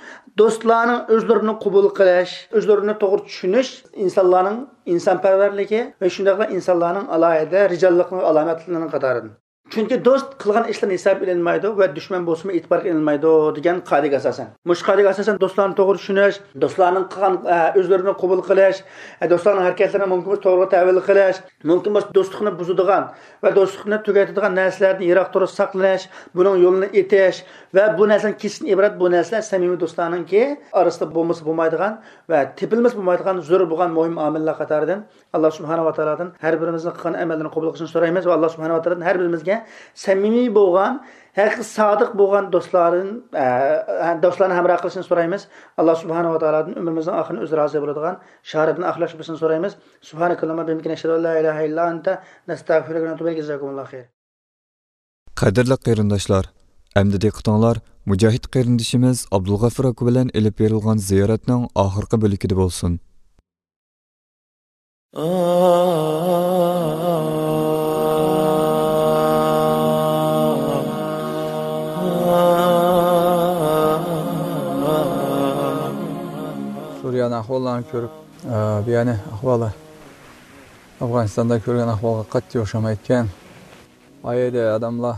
دوستلارنىڭ ئۆزلىرىنى قوبۇل قىلىش، ئۆزلىرىنى توغرا چۈشىنىش ئىنسانلارنىڭ ئىنسانپەرۋەرلىكى ۋە شۇنداقلا ئىنسانلارنىڭ ئالاھىدە رىجاللىقنىڭ ئالامەتلىرىنىڭ قاتارىدىن. چۈنكى دوست قىلغان ئىشلىرىنى ھېسابقا ئېلىنمايدۇ ۋە دۈشمەن بولسىمۇ ئېتىبارغا ئېلىنمايدۇ دېگەن قائىدىگە ئاساسەن. مۇشۇ قائىدىگە ئاساسەن دوستلارنى توغرا چۈشىنىش، دوستلارنىڭ قىلغان، ئە، ئۆزلىرىنى قوبۇل قىلىش، ئە، دوستلارنىڭ ھەرىكەتلىرىنى مۇمكىن بولسا توغرا تەۋىل قىلىش، مۇمكىن بولسا دوستلۇقنى بۇزىدىغان ۋە دوستلۇقنى تۈگەتىدىغان نەرسىلەردىن يىراق تۇرۇپ ساقلىنىش، بۇنىڭ يولىنى ئېتىش ۋە بۇ نەرسىدىن كېسىشتىن ئىبارەت بۇ نەرسىلەر سەمىمىي دوستلارنىڭكى ئارىسىدا بولمىسا بولمايدىغان ۋە تېپىلمىسا بولمايدىغان زۆرۈر بولغان مۇھىم ئامىللار قاتارىدىن. ئاللا سۇبھانەھۇ ۋە تائالادىن ھەر بىرىمىزنىڭ قىلغان ئەمەللىرىنى قوبۇل قىلىشىنى سورايمىز ۋە ئاللا سۇبھانەھۇ ۋە تائالادىن ھەر بىرىمىزگە سەمىمىي بولغان، ھەقىقىي سادىق بولغان دوستلاردىن، ئە، دوستلارنى ھەمراھ قىلىشىنى سورايمىز. ئاللا سۇبھانەھۇ ۋە تائالادىن ئۆمرىمىزنىڭ ئاخىرىنى ئۆزى رازى بولىدىغان شاھادەتنى ئاخىرلاشتۇرۇشىنى سورايمىز. سۇبھانەكاللاھۇممە بىھەمدىكە، نەشھەدۇ ئەن لا ئىلاھە ئىللا ئەنتە، نەستەغفىرۇكە ۋە نەتۇبۇ ئىلەيك. جازاكۇمۇللاھۇ خەير. قەدىرلىك قېرىنداشلار، ئەمدى دىققىتىڭلار مۇجاھىد قېرىندىشىمىز ئابدۇلغەفۇر ئاكا بىلەن ئېلىپ بېرىلغان زىيارەتنىڭ ئاخىرقى بۆلىكىدە بولسۇن. سۈرىيەنىڭ ئەھۋاللىرىنى كۆرۈپ، ئە، بۇ يەرنىڭ ئەھۋالى ئافغانىستاندا كۆرگەن ئەھۋالغا قەتئىي ئوخشىمايدىكەن. ئايەدە ئادەملەر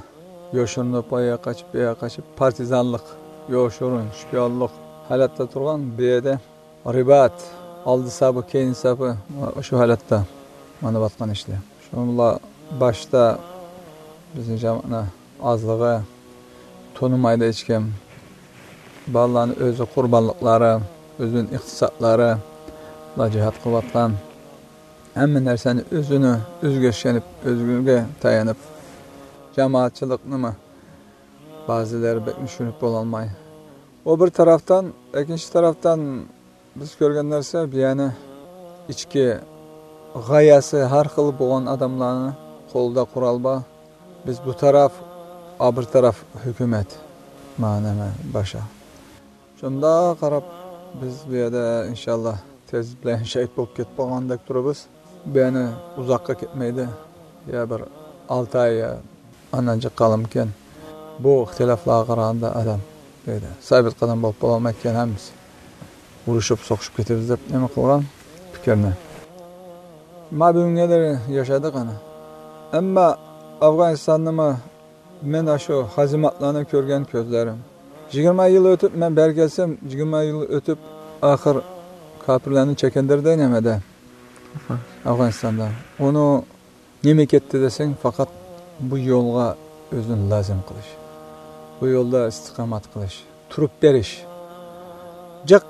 يوشۇرۇنۇپ، ئايەگە قاچىپ، بۇيەرگە قاچىپ، پارتىزانلىق، يوشۇرۇن، شپىيونلۇق ھالەتتە تۇرغان. بۇ يەردە رىبات، ئالدىسا بۇ، كەينىسا بۇ، شۇ ھالەتتە ماڭىۋاتقان ئىشلار. شۇنىڭ بىلەن باشتا بىزنىڭ جامائەتنىڭ ئازلىقى، تونۇمايدۇ ھېچكىم. بالىلارنىڭ ئۆزى قۇربانلىقلىرى، ئۆزىنىڭ ئىقتىسادلىرى، بۇلار جىھاد قىلىۋاتقان. ھەممە نەرسىنى ئۆزىنى، ئۆزىگە ئىشىنىپ، ئۆزىگە تايىنىپ، جامائەتچىلىكنىمۇ بەزىلەر بەك چۈشىنىپ بولالماي. ئۇ بىر تەرەپتىن، ئىككىنچى تەرەپتىن بىز كۆرگەن نەرسە، بۇ يەنى ئىچكى غايەسى ھەر خىل بولغان ئادەملەرنىڭ قولىدا قورال بار. بىز بۇ تەرەپ، ئا بىر تەرەپ ھۆكۈمەت، مانا نېمە، باشا. شۇنداق قاراپ، بىز بۇ يەردە ئىنشاللا تېز بىلەن شېھىت بولۇپ كېتىپ قالغاندەك تۇرىمىز. بۇ يەنە ئۇزاققا كەتمەيدۇ. يا بىر ئالتە ئاي، يا ئاندىن جىق قالامكەن. بۇ ئىختىلاپلارغا قارىغاندا ئادەم دەيدۇ، سابىت قەدەم بولۇپ بولالمايدىكەن ھەممىسى. ئۇرۇشۇپ، سوقۇشۇپ كېتىمىز دەپ نېمە قىلغان پىكىرنى. ما بۈگۈنگە دېرى ياشىدۇق ئەنە. ئەمما ئافغانىستاننىمۇ مەن ئاشۇ ھازىماتلارنى كۆرگەن كۆزلىرىم. يىگىرمە يىل ئۆتۈپ، مەن بەرگەلسەم، يىگىرمە يىل ئۆتۈپ، ئاخىر كاپىرلارنى چېكىندۈردى نېمىدە؟ ئافغانىستاندا. ئۇنى نېمە كەتتى دېسەڭ، پەقەت بۇ يولغا ئۆزىنى لازىم قىلىش. بۇ يولدا ئىستىقامەت قىلىش. تۇرۇپ بېرىش. جىق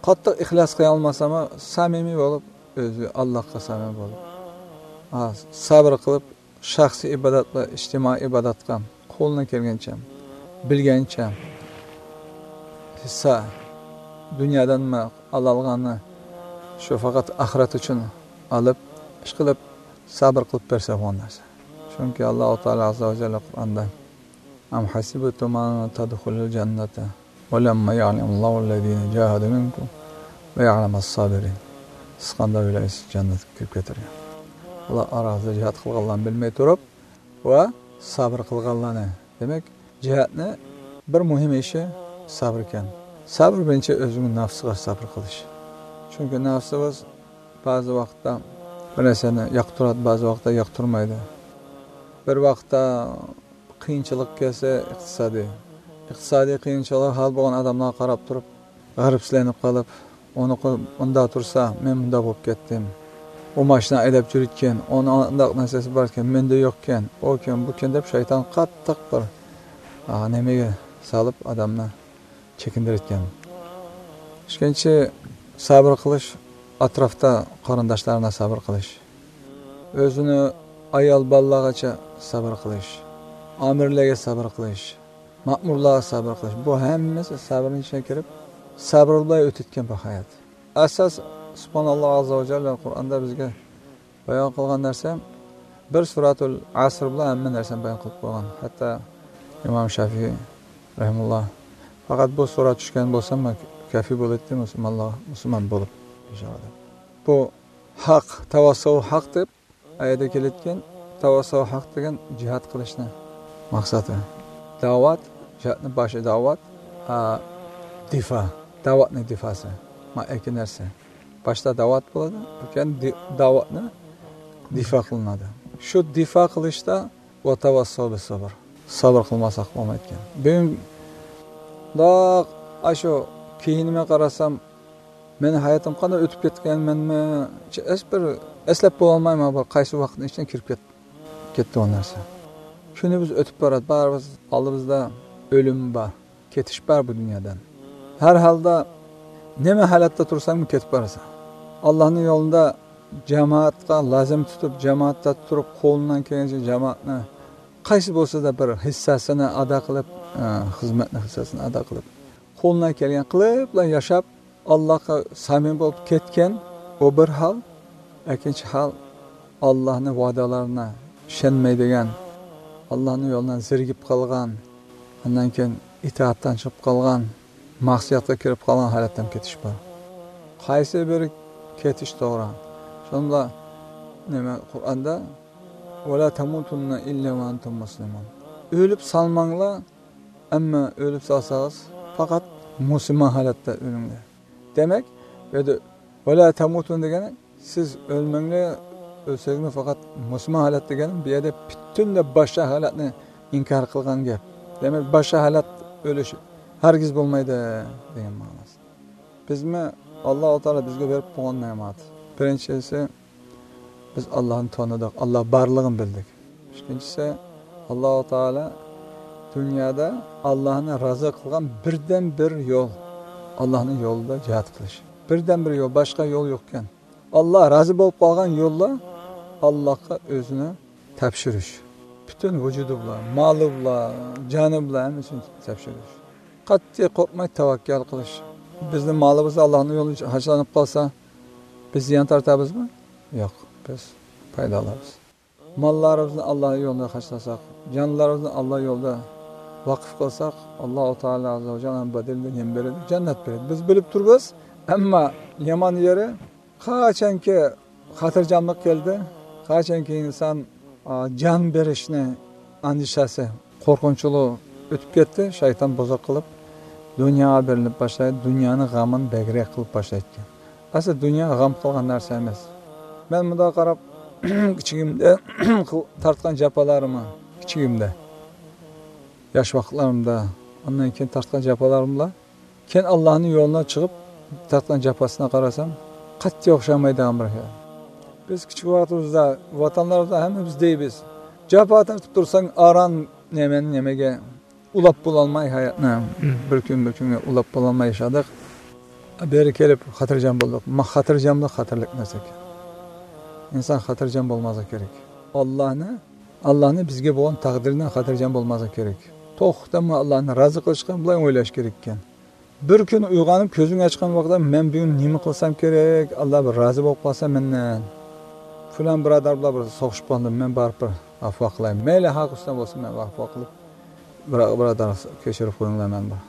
قاتتىق ئىخلاس قىلالماسىمۇ، سەمىمىي بولۇپ، ئۆزى ئاللاغا سەمىمىي بولۇپ. ھا، سەۋر قىلىپ، شەخسىي ئىبادەت ۋە ئىجتىمائىي ئىبادەتكە قولىنىڭ كەلگىنىچە، بىلگەنچە ھېسسا دۇنيادىن ئالالىغاننى شۇ پەقەت ئاخىرەت ئۈچۈن ئېلىپ، ئىشقىلىپ سەۋر قىلىپ بەرسە بولغان نەرسە. چۈنكى ئاللاھۇ تائالا ئاززا ۋە جەللە قۇرئاندا، «أم حسبتم أن تدخلوا الجنة ولما يعلم الله الذين جاهدوا منكم ويعلم الصابرين.» سىز قانداق ئويلايسىز، جەننەتكە كىرىپ كېتەرگە؟ ئۇلار ئارىڭىزدا جىھاد قىلغانلارنى بىلمەي تۇرۇپ ۋە سەۋر قىلغانلارنى. دېمەك، جىھادنى بىر مۇھىم ئىشى سەۋر ئىكەن. سەۋر بىرىنچى ئۆزىنىڭ نەپسىگە سەۋر قىلىش. چۈنكى نەپسىمىز بەزى ۋاقىتتا بىر نەرسىنى ياقتۇرىدۇ، بەزى ۋاقىتتا ياقتۇرمايدۇ. بىر ۋاقىتتا قىيىنچىلىق كەلسە ئىقتىسادىي، ئىقتىسادىي قىيىنچىلىق ھال بولغان ئادەملەرگە قاراپ تۇرۇپ، غەرىبسىزلىنىپ قېلىپ، ئۇنىڭغا مۇنداق تۇرسا، مەن مۇنداق بولۇپ كەتتىم. ئۇ ماشىنا ھەيدەپ يۈرىدىكەن، ئۇنىڭ ئانداق نەرسىسى باركەن، مەندە يوقكەن، ئۇكەن، بۇكەن دەپ شەيتان قاتتىق بىر، ئا، نېمىگە سالىپ ئادەمنى چېكىندۈرۈۋەتكەن. ئىككىنچى، سەۋر قىلىش، ئەتراپتا قېرىنداشلارغا سەۋر قىلىش. ئۆزىنى ئايال بالىلارغىچە سەۋر قىلىش. ئامىرلارغا سەۋر قىلىش. مەمۇرلارغا سەۋر قىلىش. بۇ ھەممىسى سەۋرنىڭ ئىچىگە كىرىپ، سەۋر بىلەن ئۆتۈتكەن بىر ھايات. ئاساس، سۇبھاناللا ئاززا ۋە جەللە قۇرئاندا بىزگە بايان قىلغان نەرسە، بىر سۈرەتۇل ئەسر بىلەن ھەممە نەرسىنى بايان قىلىپ قويغان. ھەتتا ئىمام شافىئىي رەھىمەھۇللا، پەقەت بۇ سۈرە چۈشكەن بولسا، مەن كەفى بولاتتىم مۇسۇلمانلار، مۇسۇلمان بولۇپ ياشاغان. بۇ ھەق، تەۋەسسۇ ھەق دەپ ئايەتتە كېلىدىكەن، تەۋەسسۇ ھەق دېگەن جىھاد قىلىشنى مەقسىتى. دەۋەت، جىھادنى باشى دەۋەت، ھە، دىفا، دەۋەتنى دىفاسى. ما ئەكى نەرسە. باشتا دەۋەت بولىدۇ، كېيىن دى-، دەۋەتنى دىفا قىلىنىدۇ. شۇ دىفا قىلىشتا ۋە تەۋەسسۇ بىسسەبر. سەۋر قىلماساق بولمايدىكەن. بۈگۈن داق ئاشۇ كېيىنىمگە قارىسام، مېنىڭ ھاياتىم قانداق ئۆتۈپ كەتكەن، مەنمۇ ھېچ بىر ئەسلەپ بولالمايمەن، بىر قايسى ۋاقىتنىڭ ئىچىدە كىرىپ كەت-، كەتتى ئۇ نەرسە. كۈنىمىز ئۆتۈپ باراتتى، بارىبىز ئالدىمىزدا ئۆلۈم بار، كېتىش بار بۇ دۇنيادىن. ھەر ھالدا نېمە ھالەتتە تۇرساڭمۇ كېتىپ بارىسەن. ئاللانىڭ يولىدا جامائەتقە لازىم تۇتۇپ، جامائەتتە تۇرۇپ، قولۇڭدىن كەلگەنچە جامائەتنى قايسى بولسا-دا بىر ھىسسەسىنى ئادا قىلىپ، ئە، خىزمەتنى ھىسسەسىنى ئادا قىلىپ، قولۇڭدىن كەلگەن قىلىپلا ياشاپ، ئاللاغا سامىي بولۇپ كەتكەن، ئۇ بىر ھال. ئەكىنچى ھال، ئاللانىڭ ۋەدەلىرىنى ئىشەنمەيدىغان، ئاللانىڭ يولىدىن زېرىكىپ قالغان، ئاندىن كېيىن ئىتائەتتىن چىقىپ قالغان، مەسىيەتكە كىرىپ قالغان ھالەتتىن كېتىش بار. قايسى بىرى كېتىش توغرا؟ شۇندا نېمە قۇرئاندا، «ۋەلا تەمۇتۇننە ئىللا ۋە ئەنتۇم مۇسلىمۇن.» ئۆلۈپ سالماڭلار، ئەمما ئۆلۈپ سالساڭىز، پەقەت مۇسۇلمان ھالەتتە ئۆلۈڭلار. دېمەك، بۇ يەردە «ۋەلا تەمۇتۇن» دېگەن، سىز ئۆلمەڭلار، ئۆلسەڭلار پەقەت مۇسۇلمان ھالەت دېگەن، بۇ يەردە پۈتۈنلەي باشقا ھالەتنى ئىنكار قىلغان گەپ. دېمەك، باشقا ھالەت ئۆلۈش ھەرگىز بولمايدۇ دېگەن مەنىسى. بىزمۇ ئاللا تائالا بىزگە بېرىپ قويغان نېمەت. بىرىنچىسى، بىز ئاللانى تونۇدۇق، ئاللا بارلىقىنى بىلدۇق. ئىككىنچىسى، ئاللا تائالا دۇنيادا ئاللانى رازى قىلغان بىردىن بىر يول، ئاللانىڭ يولىدا جىھاد قىلىش. بىردىن بىر يول، باشقا يول يوقكەن. ئاللا رازى بولۇپ قالغان يوللا ئاللاغا ئۆزىنى تاپشۇرۇش. پۈتۈن ۋۇجۇدى بىلەن، مالى بىلەن، جانى بىلەن ھەممىسىنى تاپشۇرۇش. قەتئىي قورقماي تەۋەككەل قىلىش. بىزنىڭ مالىمىز ئاللانىڭ يولىدا خەجلىنىپ قالسا، بىز زىيان تارتامىزمۇ؟ يوق، بىز پايدا ئالىمىز. ماللىرىمىزنى ئاللا يولىدا خەجلىسەك، جانلىرىمىزنى ئاللا يولىدا ۋەقىف قىلساق، ئاللا تائالا ئاززا ۋە جەللە بەدىلىدە نېمە بېرىدۇ؟ جەننەت بېرىدۇ. بىز بىلىپ تۇرىمىز، ئەمما يامان يېرى، قاچانكى خاتىرجەملىك كەلدى، قاچانكى ئىنسان، ئا، جان بېرىشنى ئەندىشىسى، قورقۇنچلۇق ئۆتۈپ كەتتى، شەيتان بۇزۇق قىلىپ، دۇنياغا بېرىلىپ باشلايدۇ، دۇنيانىڭ غېمىنى بەكرەك قىلىپ باشلايدىكەن. ئەسلى دۇنيا غەم قىلغان نەرسە ئەمەس. مەن مۇنداق قاراپ، كىچىكىمدە تارتقان جاپالارمۇ، كىچىكىمدە، ياش ۋاقىتلىرىمدا، ئاندىن كېيىن تارتقان جاپالارملا، كېيىن ئاللانىڭ يولىدا چىقىپ تارتقان جاپاسىغا قارىسام، قەتئىي ئوخشىمايدىغان بىر خىل. بىز كىچىك ۋاقتىمىزدا، ۋەتەنلىرىمىزدا ھەممىمىز دەيمىز، جاپا تارتىپ تۇرساڭ، ئاران نېمە، نېمىگە ئۇلاپ بولالماي ھاياتنى، بىر كۈن بىر كۈنگە ئۇلاپ بولالماي ياشادۇق. بېرى كېلىپ خاتىرجەم بولدۇق. ما-، خاتىرجەملىك خەتەرلىك نەرسە ئىكەن. ئىنسان خاتىرجەم بولماسلىقى كېرەك. ئاللانى، ئاللانى بىزگە بولغان تەقدىرىدىن خاتىرجەم بولماسلىقى كېرەك. توختىمۇ ئاللانى رازى قىلىشقا بىلەن ئويلاش كېرەككەن. بىر كۈن ئويغىنىپ كۆزۈڭ ئاچقان ۋاقىتتا، مەن بۈگۈن نېمە قىلسام كېرەك، ئاللا بىر رازى بولۇپ قالسا مەندىن. پىلان بۇرادەر بىلەن بىر سوقۇشۇپ قالدىم، مەن بارىپ بىر ئەفۇ قىلاي. مەيلى ھەق ئۈستىدە بولسۇن، مەن ئەفۇ قىلىپ، بىر، بۇرادەر، كەچۈرۈپ قويۇڭلار، مەن بىر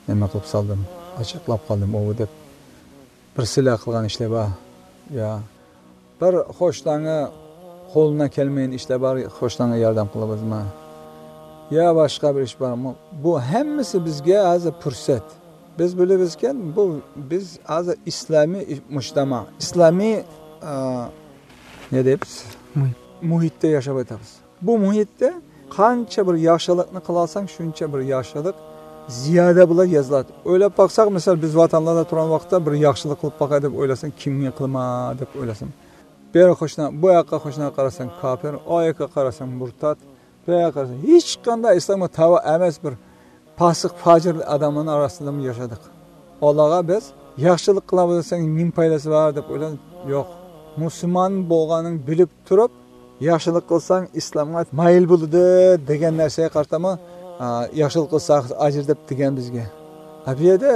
نېمە قىلىپ سالدىم، ئاچچىقلاپ قالدىم، ئۇ دەپ بىر سىلەر قىلغان ئىشلار بار. يا بىر قوشناڭغا قولىنا كەلمەيدىغان ئىشلار بار، قوشناڭغا ياردەم قىلىمىزمۇ؟ يا باشقا بىر ئىش بارمۇ؟ بۇ ھەممىسى بىزگە ھازىر پۇرسەت. بىز بىلىمىزكەن، بۇ بىز ھازىر ئىسلامىي مۇجتەما، ئىسلامىي، ئا، نە دەيمىز؟ مۇھىت. مۇھىتتا ياشاۋاتىمىز. بۇ مۇھىتتا قانچە بىر ياخشىلىقنى قىلالساڭ، شۇنچە بىر ياخشىلىق زىيادە بىلەن يېزىلىدۇ. ئويلاپ باقساق، مىسال، بىز ۋەتەندە تۇرغان ۋاقىتتا بىر ياخشىلىق قىلىپ باقاي دەپ ئويلىساڭ، كىمگە قىلىمەن دەپ ئويلىساڭ، بىر قوشنا، بۇ ياققا قوشناڭغا قارىساڭ كاپىر، ئۇ ياققا قارىساڭ مۇرتەت، بۇ ياققا قارىساڭ ھېچقانداق ئىسلامغا تەۋە ئەمەس بىر پاسىق، پاجىر ئادەملەرنىڭ ئارىسىدىمۇ ياشىدۇق. ئۇلارغا بىز ياخشىلىق قىلىۋاتساڭ نېمە پايدىسى بار دەپ ئويلىدىم. يوق. مۇسۇلمان بولغانىڭ بىلىپ تۇرۇپ، ياخشىلىق قىلساڭ ئىسلامغا مايىل بولىدۇ دېگەن نەرسىگە قارىتىمۇ، ئا، ياخشىلىق قىلساق ئاجىر دەپ دېگەن بىزگە. ھە، بۇ يەردە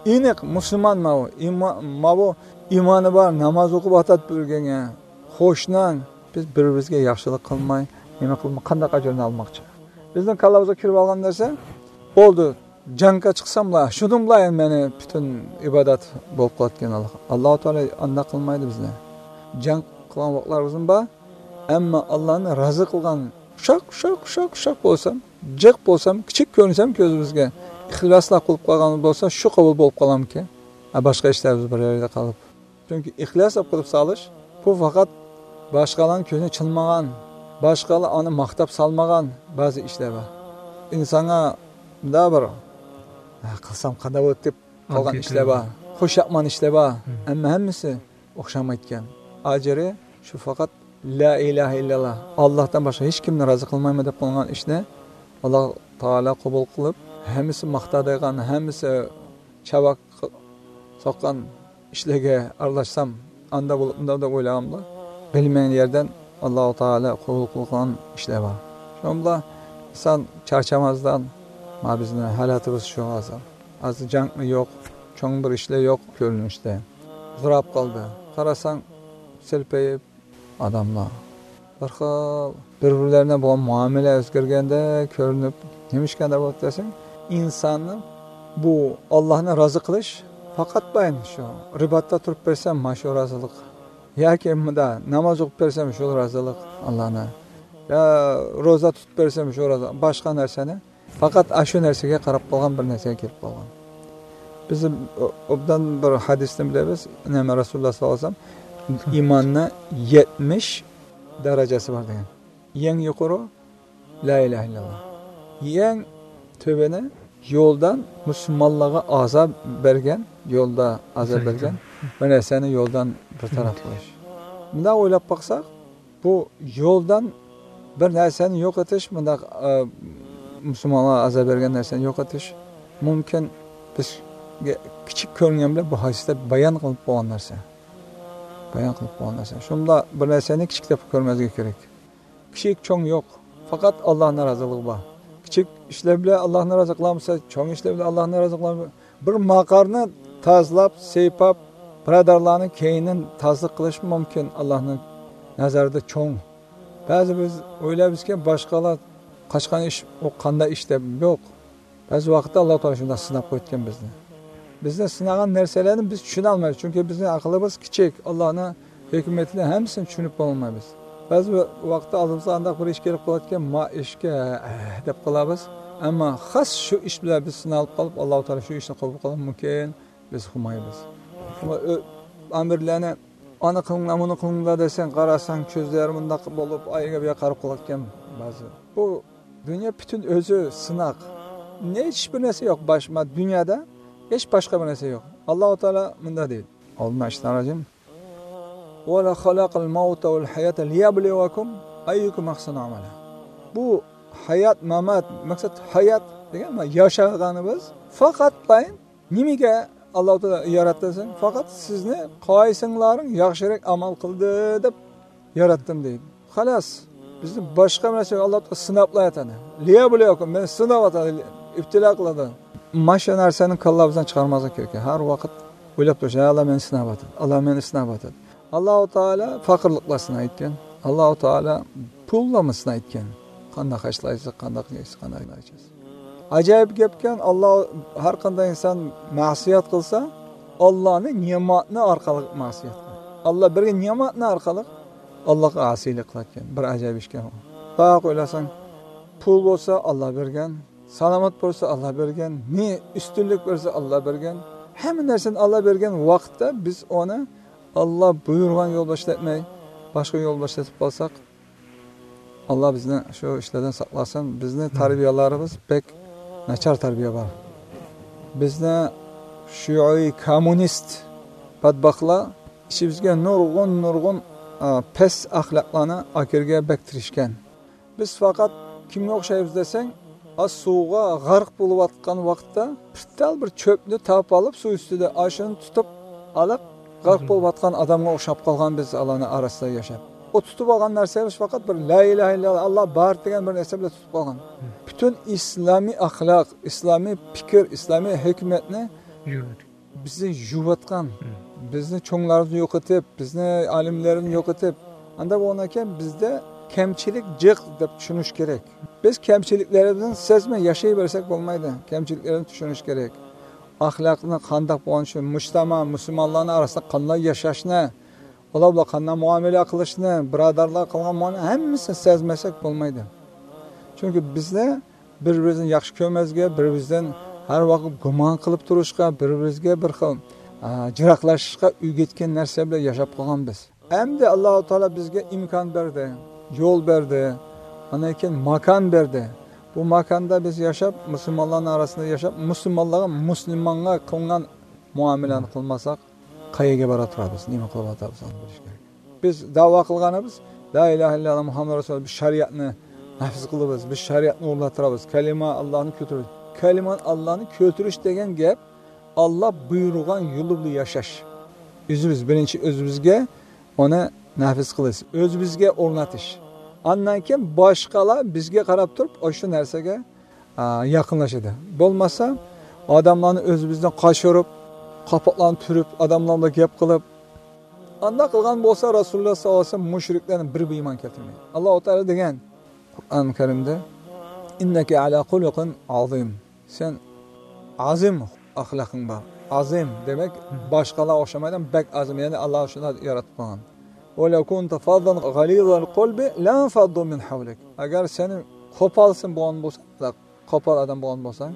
ئېنىق مۇسۇلمان ماۋۇ. ئىما-، ماۋۇ ئىمانى بار، ناماز ئوقۇپ ئاتات بىرگەڭگە. قوشناڭ، بىز بىر-بىرىمىزگە ياخشىلىق قىلماي، نېمە قىلماي، قانداق ئەجىرنى ئالماقچى؟ بىزنىڭ كاللىمىزغا كىرىپ ئالغان نەرسە، بولدى، جەڭگە چىقساملا، شۇنىڭ بىلەن مېنى پۈتۈن ئىبادەت بولۇپ قالىدىكەن. ئاللا تائالا ئانداق قىلمايدۇ بىزنى. جەڭ قىلغان ۋاقىتلىرىمىزمۇ بار. ئەمما ئاللانى رازى قىلغان ئۇششاق، ئۇششاق، ئۇششاق، ئۇششاق بولسام، جىق بولسام، كىچىك كۆرۈنسەم كۆزىمىزگە، ئىخلاسلا قىلىپ قالغان بولسا، شۇ قوبۇل بولۇپ قالامكى؟ ھە، باشقا ئىشلار بىز بىر يەردە قالىپ. چۈنكى ئىخلاسلا قىلىپ سالىش، بۇ پەقەت باشقىلارنىڭ كۆزىنى چىلمىغان، باشقىلار ئۇنى ماختاپ سالمىغان بەزى ئىشلار بار. ئىنسانغا مۇنداق بىر، «ھە، قىلسام قانداق بولاتتى؟» دەپ قالغان ئىشلار بار. خۇشياقمەن ئىشلار بار. ئەمما ھەممىسى ئوخشىمايدىكەن. ئاجرى شۇ پەقەت لا ئىلاھە ئىللاللا، ئاللاھتىن باشقا ھېچ كىمنى رازى قىلمايمەن دەپ قىلغان ئىشنى ئاللا تائالا قوبۇل قىلىپ، ھەممىسى ماختايدىغان، ھەممىسى چاۋاك سوققان ئىشلارغا ئارىلاشسام، ئاندا بولۇپ، مۇندا دەپ ئويلىغاندا، بىلمىگەن يەردىن ئاللا تائالا قوبۇل قىلغان ئىشلار بار. شۇنىڭ بىلەن ئىنسان چارچامازدىن، ما بىزنىڭ ھالىتىمىز شۇ ھازىر. ھازىر جەڭمۇ يوق، چوڭ بىر ئىشلار يوق كۆرۈنۈشتە. زوراپ قالدى. قاراساڭ، سېلپەيىپ ئاداملار. بىر خىل بىر-بىرلىرىنە بولغان مۇئامىلە ئۆزگەرگەندەك كۆرۈنۈپ، نېمىشقانداق بولۇپ دېسەڭ، ئىنساننىڭ بۇ ئاللانى رازى قىلىش پەقەت بايان شۇ. رىباتتا تۇرۇپ بەرسەم، مانا شۇ رازىلىق. ياكى مۇندا ناماز ئوقۇپ بەرسەم، شۇ رازىلىق ئاللانى. يا روزا تۇتۇپ بەرسەم، شۇ رازىلىق. باشقا نەرسىنى پەقەت ئاشۇ نەرسىگە قاراپ قالغان بىر نەرسىگە كېلىپ قالغان. بىز ئوبدان بىر ھەدىستىن بىلىمىز، نەبى رەسۇلۇللا ساللاللاھۇ ئەلەيھى ۋەسەللەم ئىماننى يەتمىش دەرىجىسى بار دېگەن. يەڭ يۇقىرى لا ئىلاھە ئىللاللا. يەڭ تۆۋىنى يولدان مۇسۇلمانلارغا ئازاب بەرگەن، يولدا ئازاب بەرگەن بىر نەرسىنى يولدان بىر تەرەپ قىلىش. مۇنداق ئويلاپ باقساق، بۇ يولدان بىر نەرسىنى يوقىتىش، مۇنداق، ئە، مۇسۇلمانلارغا ئازاب بەرگەن نەرسىنى يوقىتىش مۇمكىن. بىزگە كىچىك كۆرۈنگەن بىلەن بۇ ھەدىستە بايان قىلىپ بولغان نەرسە. بايان قىلىپ بولغان نەرسە. شۇنداق بىر نەرسىنى كىچىك دەپ كۆرمەسلىك كېرەك. كىچىك، چوڭ يوق. پەقەت ئاللانىڭ رازىلىقى بار. كىچىك ئىشلار بىلەن ئاللانى رازى قىلالمىسا، چوڭ ئىشلار بىلەن ئاللانى رازى قىلالمىسا، بىر ماقارنى تازىلاپ، سىيپاپ، بۇرادەرلەرنىڭ كەينىدىن تازىلىق قىلىش مۇمكىن، ئاللانىڭ نەزىرىدە چوڭ. بەزى بىز ئويلايمىزكى، باشقىلار قىلغان ئىش، ئۇ قانداق ئىش دەپ، يوق. بەزى ۋاقىتتا ئاللا تائالا شۇنداق سىناپ قويىدىكەن بىزنى. بىزنى سىنىغان نەرسىلەرنى بىز چۈشىنەلمەيمىز، چۈنكى بىزنىڭ ئەقلىمىز كىچىك، ئاللانىڭ ھېكمىتىنى ھەممىسىنى چۈشىنىپ بولالمايمىز. بەزى ۋاقىتتا ئالدىمىزغا ئانداق بىر ئىش كېلىپ قالىدىكەن، ما ئىشكە ھە دەپ قالىمىز. ئەمما خاس شۇ ئىش بىلەن بىز سىنالىپ قالىپ، ئاللا تائالا شۇ ئىشنى قوبۇل قىلىشى مۇمكىن، بىز قىلمايمىز. ئەمما ئۆ-، ئامىرلارنى، «ئانا قىلىڭلار، مۇنى قىلىڭلار» دېسەڭ، قاراساڭ، كۆزلىرى مۇنداق بولۇپ، ئايىغا بۇياققا قاراپ قالىدىكەن بەزى. بۇ دۇنيا پۈتۈن ئۆزى سىناق. ھېچ بىر نەرسە يوق باش-، ما-، دۇنيادا ھېچ باشقا بىر نەرسە يوق. ئاللا تائالا مۇنداق دەيدۇ. ئالدىن ئاشتان راجىم. «ۋە خەلەقەل مەۋتە ۋەل ھەياتە لىيەبلۇۋەكۇم ئەييۇكۇم ئەھسەنۇ ئەمەلا.» بۇ ھايات، مامات، مەقسەت ھايات دېگەن، ما-، ياشىغىنىمىز پەقەتلا نېمىگە ئاللا تائالا ياراتتى دېسەڭ، پەقەت سىزنى قايسىڭلارنىڭ ياخشىراق ئەمەل قىلدى دەپ ياراتتىم دەيدۇ. خالاس، بىزنى باشقا نەرسە ئاللا تائالا سىناپلا ياتىدۇ. لىيەبلۇۋەكۇم، مېنى سىناۋاتىدۇ، ئىپتىلا قىلىدۇ. مانا شۇ نەرسىنى كاللىمىزدىن چىقارماسلىق كېرەك. ھەر ۋاقىت ئويلاپ تۇرۇش، «ئاللا مېنى سىناۋاتىدۇ، ئاللا مېنى سىناۋاتىدۇ.» ئاللا تائالا پەقىرلىقلار سىنايدىكەن. ئاللا تائالا پۇللارمۇ سىنايدىكەن. قانداق خەجلەيسىز، قانداق يەيسىز، قانداق ئىچىسىز. ئاجايىپ گەپكەن، ئاللا، ھەر قانداق ئىنسان مەسىيەت قىلسا، ئاللانى نېمەتنى ئارقىلىق مەسىيەت قىلىدۇ. ئاللا بەرگەن نېمەتنى ئارقىلىق ئاللاغا ئاسىيلىق قىلىدىكەن. بىر ئاجايىپ ئىشكەن ئۇ. باق ئويلاساڭ، پۇل بولسا ئاللا بەرگەن، سالامەت بولسا ئاللا بەرگەن، نى ئۈستۈنلۈك بەرسە ئاللا بەرگەن، ھەممە نەرسىنى ئاللا بەرگەن ۋاقىتتا بىز ئۇنى ئاللا بۇيرۇغان يول باشلاتماي، باشقا يول باشلىتىپ قالساق، ئاللا بىزنى شۇ ئىشلاردىن ساقلاسۇن. بىزنى تەربىيەلىرىمىز بەك ناچار تەربىيە بار. بىزنى شىئۇي كوممۇنىست بەتباختلار ئىچىمىزگە نۇرغۇن، نۇرغۇن، ئا، پەس ئەخلاقلارنى ئاكىرىشكە بەك تىرىشكەن. بىز پەقەت كىمگە ئوخشايمىز دېسەڭ، ئا، سۇغا غەرق بولۇۋاتقان ۋاقىتتا بىر تال بىر چۆپنى تاپىۋېلىپ، سۇ ئۈستىدە ئاشۇنى تۇتۇپ ئېلىپ، غەرق بولۇۋاتقان ئادەمگە ئوخشاپ قالغان بىز ئالارنىڭ ئارىسىدا ياشاپ. ئۇ تۇتۇپ ئالغان نەرسىمىز پەقەت بىر لا ئىلاھە ئىللاللا، ئاللا بار دېگەن بىر نەرسە بىلەن تۇتۇپ قالغان. پۈتۈن ئىسلامىي ئەخلاق، ئىسلامىي پىكىر، ئىسلامىي ھېكمەتنى بىزنى يۇۋاتقان، بىزنى چوڭلارنى يوقىتىپ، بىزنى ئالىملارنى يوقىتىپ، ئاندا بولغاندىكىن بىزدە كەمچىلىك جىق دەپ چۈشىنىش كېرەك. بىز كەمچىلىكلىرىمىزنى سەزمەي ياشايۋەرسەك بولمايدۇ. كەمچىلىكلىرىمىزنى چۈشىنىش كېرەك. ئەخلاقنى قانداق بولغان شۇ مۇجتەما، مۇسۇلمانلارنىڭ ئارىسىدا قانداق ياشاشنى، ئۇلار بىلەن قانداق مۇئامىلە قىلىشنى، بۇرادەرلەر قىلغان مۇئامىلە ھەممىسىنى سەزمىسەك بولمايدۇ. چۈنكى بىزنى بىر-بىرىمىزنى ياخشى كۆرمەسلىكى، بىر-بىرىمىزدىن ھەر ۋاقىت گۇمان قىلىپ تۇرۇشقا، بىر-بىرىمىزگە بىر خىل، ئا، جىراقلىشىشقا ئۆگەتكەن نەرسە بىلەن ياشاپ قالغان بىز. ئەمدى ئاللاھۇ تائالا بىزگە ئىمكان بەردى، يول بەردى، ئاندىن كېيىن ماكان بەردى. بۇ ماكاندا بىز ياشاپ، مۇسۇلمانلارنىڭ ئارىسىدا ياشاپ، مۇسۇلمانلارغا، مۇسۇلمانغا قىلغان مۇئامىلىنى قىلمىساق، قەيەرگە بارا تۇرىمىز، نېمە قىلىۋاتىمىز، ئۇنى بىلىش كېرەك. بىز دەۋا قىلغىنىمىز، لا ئىلاھە ئىللاللا مۇھەممەد رەسۇلۇللا، بىز شەرىئەتنى نافىز قىلىمىز، بىز شەرىئەتنى ئورۇنلاشتۇرىمىز، كەلىمە ئاللانى كۆتۈرىمىز. كەلىمە ئاللانى كۆتۈرۈش دېگەن گەپ، ئاللا بۇيرۇغان يولى بىلەن ياشاش. ئۆزىمىز، بىرىنچى ئۆزىمىزگە ئۇنى نافىز قىلىش، ئۆزىمىزگە ئورنىتىش. ئاندىن كېيىن باشقىلار بىزگە قاراپ تۇرۇپ، ئاشۇ نەرسىگە، ئا، يېقىنلىشىدۇ. بولمىسا، ئادەملەرنى ئۆزىمىزدىن قاچۇرۇپ، قاپاقلارنى تۈرۈپ، ئادەملەر بىلەن گەپ قىلىپ، ئانداق قىلغان بولسا، رەسۇلۇللا ساللاللاھۇ ئەلەيھى ۋەسەللەم مۇشرىكلەرنىڭ بىرى بىر ئىمان كەلتۈرمەيدۇ. ئاللاھۇ تائالا دېگەن قۇرئان كەرىمدە، «ئىننەكە ئەلا خۇلۇقىن ئازىم.» سەن ئازىم ئەخلاقىڭ بار. ئازىم دېمەك، باشقىلارغا ئوخشىمايدىغان بەك ئازىم، يەنى ئاللا شۇنداق ياراتقان. «ۋەلەۋ كۇنتە فەززەن غەلىزەل قەلبى لەنفەززۇ مىن ھەۋلىك.» ئەگەر سەن قوپالسىن بولغان بولساڭ، قوپال ئادەم بولغان بولساڭ،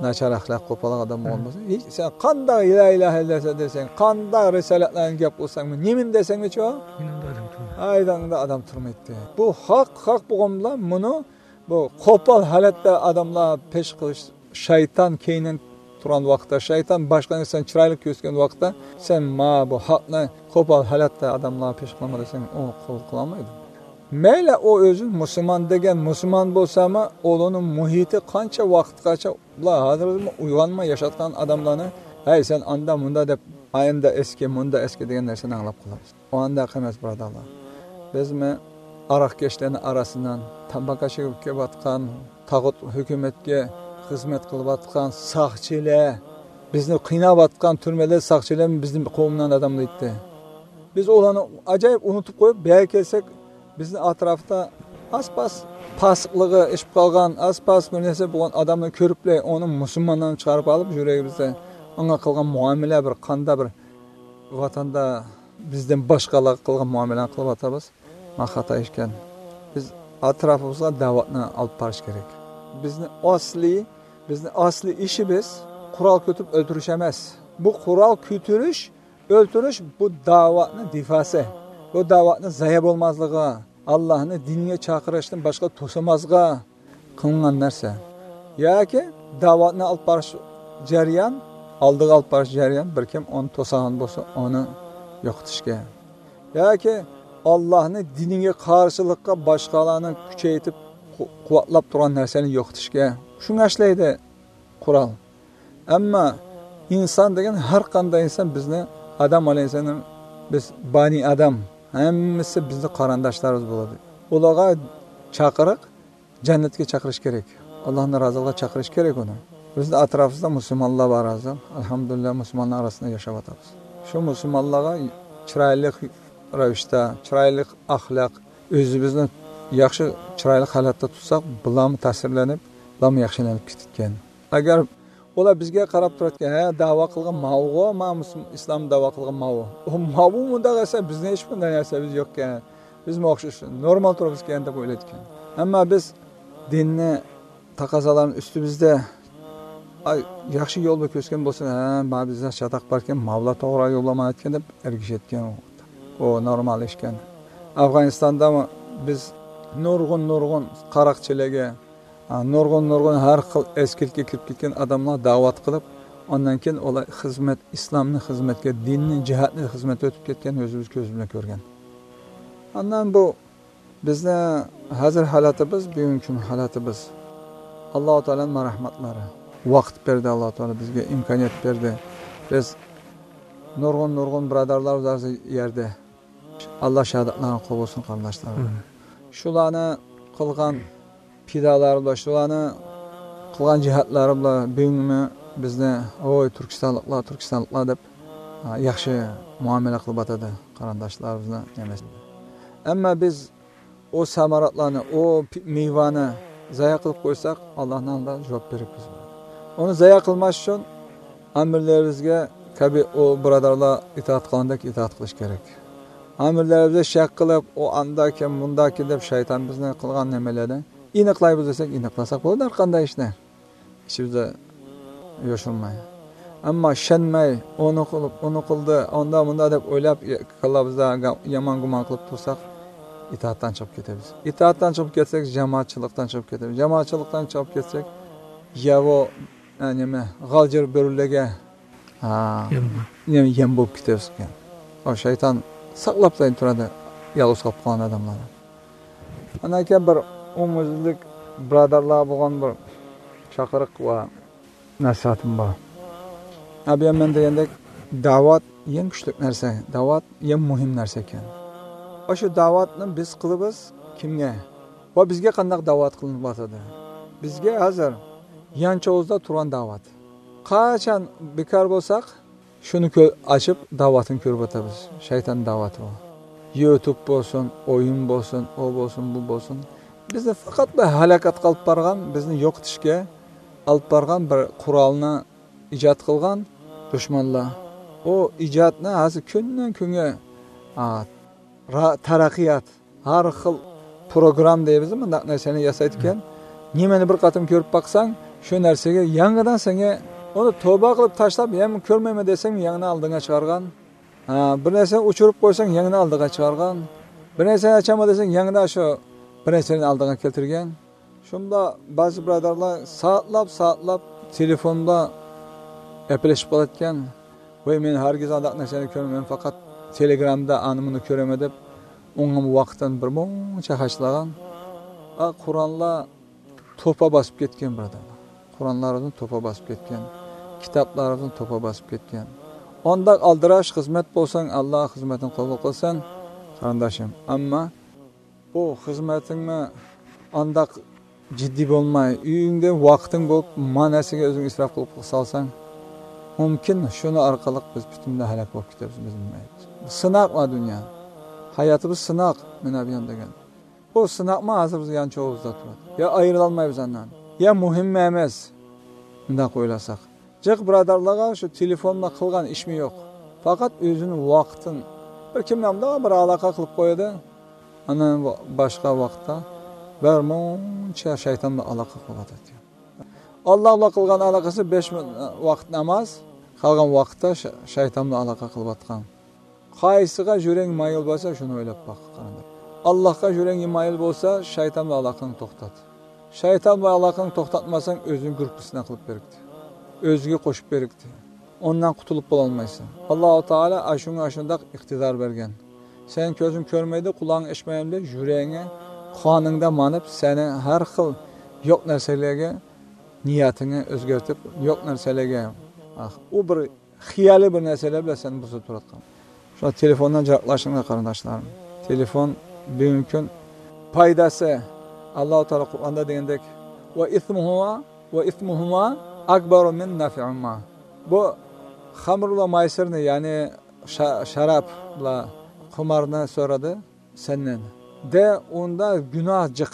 ناچار ئەخلاق، قوپال ئادەم بولغان بولساڭ، ھېچ، سەن قانداق لا ئىلاھە ئىللاللا دېسەڭ، قانداق رىسالەتلەرنى گەپ قىلساڭمۇ، نېمىنى دېسەڭمۇچۇ، يېنىڭدا ئادەم تۇرمايدۇ. ھايداڭدا ئادەم تۇرمايتتى. بۇ ھەق، ھەق بولغان بىلەن بۇنى بۇ قوپال ھالەتتە ئادەملەر پېش قىلىش، شەيتان كەينىڭ تۇرغان ۋاقىتتا، شەيتان باشقىلارنى سەن چىرايلىق كۆرسەتكەن ۋاقىتتا، سەن ما بۇ ھەقنى قوپال ھالەتتە ئادەملەرگە پېش قىلما دېسەڭ، ئۇ قوبۇل قىلالمايدۇ. مەيلى ئۇ ئۆزى مۇسۇلمان دېگەن مۇسۇلمان بولسىمۇ، ئۇلارنىڭ مۇھىتى قانچە ۋاقىتقىچە، ئۇلار ھازىرمۇ ئويغانماي ياشاۋاتقان ئادەملارنى، ھەي، سەن ئاندا مۇندا دەپ، ئايندا ئەسكى، مۇندا ئەسكى دېگەن نەرسىنى ئاڭلاپ قالىمىز. ئۇ ئانداق ئەمەس، بۇرادەرلەر. بىزمۇ ئاراقكەشلەرنىڭ ئارىسىدىن تاماكا چېكىپ كېلىۋاتقان، تاغۇت ھۆكۈمەتكە خىزمەت قىلىۋاتقان ساقچىلار، بىزنى قىيناۋاتقان تۈرمىدە ساقچىلار بىزنىڭ قوۋمىنىڭ ئادەملىرى ئىدى. بىز ئۇلارنى ئاجايىپ ئۇنتۇپ قويۇپ، بۇ يەرگە كەلسەك، بىزنىڭ ئەتراپتا ئاز-پاز پاسىقلىقى ئېشىپ قالغان، ئاز-پاز بىر نەرسە بولغان ئادەمنى كۆرۈپلا، ئۇنى مۇسۇلمانلارنى چىقىرىپ ئالىپ، يۈرىكىمىزدە ئاڭا قىلغان مۇئامىلە بىر قاندا بىر ۋاتاندا بىزدىن باشقىلارغا قىلغان مۇئامىلىنى قىلىۋاتىمىز. ما خاتا ئىكەن. بىز ئەتراپىمىزغا دەۋەتنى ئالىپ بارىش كېرەك. بىزنى ئەسلى، بىزنى ئەسلى ئىشىمىز قورال كۆتۈرۈپ ئۆلتۈرۈش ئەمەس. بۇ قورال كۆتۈرۈش، ئۆلتۈرۈش بۇ دەۋەتنى دىفاسى. بۇ دەۋەتنى زايە بولماسلىقىغا، ئاللانى دىنىگە چاقىرىشتىن باشقا توسىماسلىققا قىلىنغان نەرسە. ياكى دەۋەتنى ئالىپ بارىش جەريان، ئالدىغا ئالىپ بارىش جەريان بىر كىم ئۇنى توسىدىغان بولسا، ئۇنى يوقىتىشكە. ياكى ئاللانى دىنىگە قارشىلىققا باشقىلارنى كۈچەيتىپ، قۇ-، قۇۋۋەتلەپ تۇرغان نەرسىنى يوقىتىشكە. شۇڭا ئىشلەيدۇ قورال. ئەمما ئىنسان دېگەن، ھەر قانداق ئىنسان، بىزنى، ئادەم ئەلەيھىسسالام، بىز بەنى ئادەم، ھەممىسى بىزنىڭ قېرىنداشلىرىمىز بولىدۇ. ئۇلارغا چاقىرىق، جەننەتكە چاقىرىش كېرەك. ئاللانىڭ رازىلىقىغا چاقىرىش كېرەك ئۇنى. بىزنىڭ ئەتراپىمىزدا مۇسۇلمانلار بار ھازىر. ئەلھەمدۇلىللا، مۇسۇلمانلار ئارىسىدا ياشاۋاتىمىز. شۇ مۇسۇلمانلارغا چىرايلىق رەۋىشتە، چىرايلىق ئەخلاق، ئۆزىمىزنى ياخشى، چىرايلىق ھالەتتە تۇتساق، بۇلارمۇ تەسىرلىنىپ، بۇلارمۇ ياخشىلىنىپ كېتىدىكەن. ئەگەر ئۇلار بىزگە قاراپ تۇرىدىكەن، ھە، دەۋا قىلغان ماۋۇغۇ، ما مۇسۇلمان، ئىسلام دەۋا قىلغان ماۋۇ. ئۇ ماۋۇ مۇنداق ئەسەر، بىزنىڭ ھېچ بۇنداق نەرسىمىز يوقكەن. بىزمۇ ئوخشاش نورمال تۇرىمىزكەن دەپ ئويلايدىكەن. ئەمما بىز دىننى، تەقەززالارنى ئۈستىمىزدە، ئاي، ياخشى يول بىر كۆرسەتكەن بولسا، ھە، ما بىزدە چاتاق باركەن، ماۋۇلار توغرا يوللىمايدىكەن دەپ ئەگىشىدىكەن. ئۇ نورمال ئىشكەن. ئافغانىستاندا بىز نۇرغۇن، نۇرغۇن قاراقچىلارغا، ھە، نۇرغۇن، نۇرغۇن ھەر خىل ئەسكىلىككە كىرىپ كەتكەن ئادەملەر دەۋەت قىلىپ، ئاندىن كېيىن ئۇلار خىزمەت، ئىسلامنى خىزمەتكە، دىننى، جىھادنى خىزمەتكە ئۆتۈپ كەتكەن ئۆزىمىز كۆزىمىز بىلەن كۆرگەن. ئاندىن بۇ بىزنىڭ ھازىر ھالىتىمىز، بۈگۈنكى كۈن ھالىتىمىز، ئاللاھۇ تائالانىڭ رەھمەتلىرى. ۋاقىت بەردى ئاللاھۇ تائالا بىزگە، ئىمكانىيەت بەردى. بىز نۇرغۇن، نۇرغۇن بۇرادەرلەر بار يەردە. ئاللا شاھادەتلەرنى قوبۇل قىلسۇن، قېرىنداشلار. ئامىن. شۇلارنى قىلغان پىدالار بىلەن، شۇلارنى قىلغان جىھادلار بىلەن بۈگۈنمۇ بىزنى، ۋوي، تۈركىستانلىقلار، تۈركىستانلىقلار دەپ، ھە، ياخشى مۇئامىلە قىلىۋاتىدۇ قېرىنداشلار بىزنىڭ نېمىسى. ئەمما بىز ئۇ ساماراتلارنى، ئۇ پى-، مېۋىنى زايە قىلىپ قويساق، ئاللانىڭ ئالدىدا جاۋاب بېرىمىز. ئۇنى زايە قىلماس ئۈچۈن ئامىرلىرىمىزگە كەبى ئۇ بۇرادەرلەر ئىتائەت قىلغاندەك ئىتائەت قىلىش كېرەك. ئامىرلىرىمىزنى شەك قىلىپ، ئۇ ئانداكەن، مۇنداكەن دەپ شەيتان بىزنى قىلغان نېمىلەرنى ئېنىقلايمىز دېسەك، ئېنىقلىساق بولىدۇ ھەر قانداق ئىشنى. ئىچىمىزدە يوشۇرماي. ئەمما ئىشەنمەي، ئۇنى قىلىپ، ئۇنى قىلدى، ئاندا مۇندا دەپ ئويلاپ، كاللىمىزدا يامان گۇمان قىلىپ تۇرساق، ئىتائەتتىن چىقىپ كېتىمىز. ئىتائەتتىن چىقىپ كەتسەك، جامائەتچىلىقتىن چىقىپ كېتىمىز. جامائەتچىلىقتىن چىقىپ كەتسەك، ياۋۇ، ئە، نېمە، غالجىر بۆرىلەرگە، ئا، يەم. نېمە، يەم بولۇپ كېتىمىز ئىكەن. ئۇ شەيتان ساقلاپ تۇرىدۇ، يالغۇز قېلىپ قالغان ئادەملەرنى. ئاندىن كېيىن بىر ئومۇميۈزلۈك بۇرادەرلەر بولغان بىر چاقىرىق ۋە نەسىھەتىم بار. ئەبى مەن دېگەندەك، دەۋەت يەڭ كۈچلۈك نەرسە، دەۋەت يەڭ مۇھىم نەرسە ئىكەن. ئاشۇ دەۋەتنى بىز قىلىمىز كىمگە؟ ۋە بىزگە قانداق دەۋەت قىلىنىپ ئاتىدۇ؟ بىزگە ھازىر يانچۇقىمىزدا تۇرغان دەۋەت. قاچان بىكار بولساق، شۇنى كۆ-، ئاچىپ، دەۋەتنى كۆرۈپ ئاتىمىز. شەيتان دەۋەتى بۇ. يۇتۇب بولسۇن، ئويۇن بولسۇن، ئۇ بولسۇن، بۇ بولسۇن. بىزنى پەقەتلا ھالاكەتكە ئېلىپ بارغان، بىزنى يوقىتىشكە ئېلىپ بارغان بىر قورالنى ئىجاد قىلغان دۈشمەنلەر. ئۇ ئىجادنى ھازىر كۈندىن كۈنگە، ئا، را-، تەرەققىيات، ھەر خىل پروگرام دەيمىز، مۇنداق نەرسىنى ياسايدىكەن. نېمىنى بىر قېتىم كۆرۈپ باقساڭ، شۇ نەرسىگە يېڭىدىن سەڭگە ئۇنى توبا قىلىپ تاشلاپ، يەنە كۆرمەيمەن دېسەڭ، يەنە ئالدىڭغا چىقارغان. ھە، بىر نەرسىنى ئۆچۈرۈپ قويساڭ، يەنە ئالدىغا چىقارغان. بىر نەرسىنى ئاچامەن دېسەڭ، يەنە شۇ بىر نەرسىنى ئالدىغا كەلتۈرگەن. شۇنداق بەزى بۇرادەرلەر سائەتلەپ، سائەتلەپ تېلېفوندا گەپلىشىپ قالىدىكەن. ۋاي، مەن ھەرگىز ئانداق نەرسىنى كۆرمەيمەن، پەقەت تېلېگرامدا ئانى مۇنى كۆرىمەن دەپ، ئوڭۇم ۋاقىتتىن بىر مۇنچە خەجلىگەن. ئا، قوراللار توپا باسىپ كەتكەن، بۇرادەرلەر. قوراللارنى توپا باسىپ كەتكەن. كىتابلارنى توپا باسىپ كەتكەن. ئانداق ئالدىراش خىزمەت بولساڭ، ئاللا خىزمىتىڭنى قوبۇل قىلسۇن، قېرىنداشىم. ئەمما بۇ خىزمىتىڭمۇ ئانداق جىددىي بولماي، ئۆيۈڭدە ۋاقتىڭ بولۇپ، ما نەرسىگە ئۆزۈڭ ئىسراپ قىلىپ سالساڭ، مۇمكىن شۇنىڭ ئارقىلىق بىز پۈتۈنلەي ھالاك بولۇپ كېتىمىز، بىز بىلمەيمىز. سىناق بار دۇنيا. ھاياتىمىز سىناق، مانا بۇ يان دېگەن. بۇ سىناقمۇ ھازىر بىز يانچۇقىمىزدا تۇرىدۇ. يا ئايرىلالمايمىز ئاندىن. يا مۇھىم ئەمەس. مۇنداق ئويلىساق. جىق بۇرادەرلەرگە شۇ تېلېفوندا قىلغان ئىشمۇ يوق. پەقەت ئۆزىنىڭ ۋاقتىنى بىر كىملەر بىلەن بىر ئالاقە قىلىپ قويىدۇ. ئاندىن باشقا ۋاقىتتا بىر مۇنچە شەيتان بىلەن ئالاقە قىلىۋاتىدۇ. ئاللا بىلەن قىلغان ئالاقىسى بەش ۋاقىت ناماز، قالغان ۋاقىتتا شە-، شەيتان بىلەن ئالاقە قىلىۋاتقان. قايسىغا يۈرەك مايىل بولسا، شۇنى ئويلاپ باق، قېرىنداش. ئاللاھقا يۈرەك مايىل بولسا، شەيتان بىلەن ئالاقەڭنى توختات. شەيتان بىلەن ئالاقەڭنى توختاتمىساڭ، ئۆزۈڭ گۇرۇپپىسىنى قىلىپ بېرىكتى. ئۆزىگە قوشۇپ بېرىكتى. ئۇنىڭدىن قۇتۇلۇپ بولالمايسەن. ئاللاھۇ تائالا ئاشۇڭا ئاشۇنداق ئىقتىدار بەرگەن. سەن كۆزۈڭ كۆرمەيدۇ، قۇلاقىڭ ئېشىتمەيدۇ، يۈرىكىڭ قانىڭدا مانىپ، سەنى ھەر خىل يوق نەرسىلەرگە نىيىتىڭنى ئۆزگەرتىپ، يوق نەرسىلەرگە، ئاھ، ئۇ بىر خىيالىي بىر نەرسىلەر بىلەن سەن بۇزۇپ تۇرۇۋاتقان. شۇڭا تېلېفوندىن يىراقلىشىڭلار، قېرىنداشلارىم. تېلېفون بۈگۈنكى كۈن پايدىسى، ئاللاھۇ تائالا قۇرئاندا دېگەندەك، «ۋە ئىسمۇھۇما، ۋە ئىسمۇھۇما ئەكبەرۇ مىن نەفئىھىما.» بۇ خەمر ۋە مەيسىرنى، يەنى شا-، شاراب ۋە قۇمارنى سورىدى سەندىن. دە، ئۇندا گۇناھ جىق.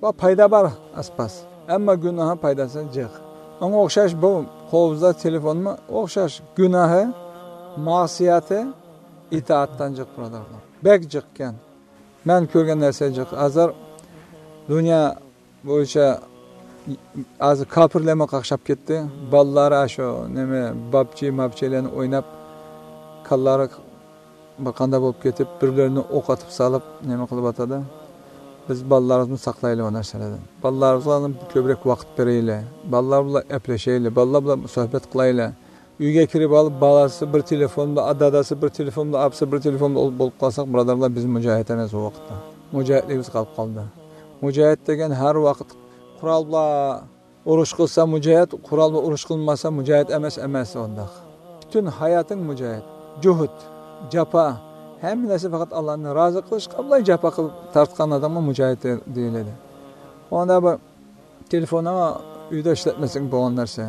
ۋە پايدا بار ئاز-پاز. ئەمما گۇناھى پايدىسى جىق. ئۇنىڭغا ئوخشاش بۇ قولىمىزدا تېلېفونمۇ ئوخشاش. گۇناھى، مەسىيەتى ئىتائەتتىن جىق، بۇرادەرلەر. بەك جىق ئىكەن. مەن كۆرگەن نەرسە جىق. ھازىر دۇنيا بويىچە ھازىر كاپىرلارمۇ قاقشاپ كەتتى. بالىلار شۇ نېمە، بابجى، مابجىلارنى ئويناپ، كاللىلىرى بىر قانداق بولۇپ كېتىپ، بىر-بىرىنى ئوق ئېتىپ سېلىپ، نېمە قىلىۋاتىدۇ. بىز بالىلىرىمىزنى ساقلايلى ئۇ نەرسىلەردىن. بالىلىرىمىزغا كۆپرەك ۋاقىت بېرەيلى. بالىلار بىلەن گەپلىشەيلى. بالىلار بىلەن سۆھبەت قىلايلى. ئۆيگە كىرىپ ئالىپ، بالىسى بىر تېلېفوندا، دادىسى بىر تېلېفوندا، ئاپىسى بىر تېلېفوندا بولۇپ قالساق، بۇرادەرلەر، بىز مۇجاھىد ئەمەس ئۇ ۋاقىتتا. مۇجاھىدلىكىمىز قېلىپ قالدى. مۇجاھىد دېگەن ھەر ۋاقىت قورال بىلەن ئۇرۇش قىلسا مۇجاھىد، قورال بىلەن ئۇرۇش قىلمىسا مۇجاھىد ئەمەس، ئەمەس ئۇنداق. پۈتۈن ھاياتىڭ مۇجاھىد. جۇھۇد، جاپا، ھەممە نەرسە پەقەت ئاللانى رازى قىلىشقا بىلا جاپا قىلىپ تارتقان ئادەمگە مۇجاھىد دېيىلىدۇ. ئۇندا بىر تېلېفوننى ئۆيدە ئىشلەتمىسەڭ بولغان نەرسە.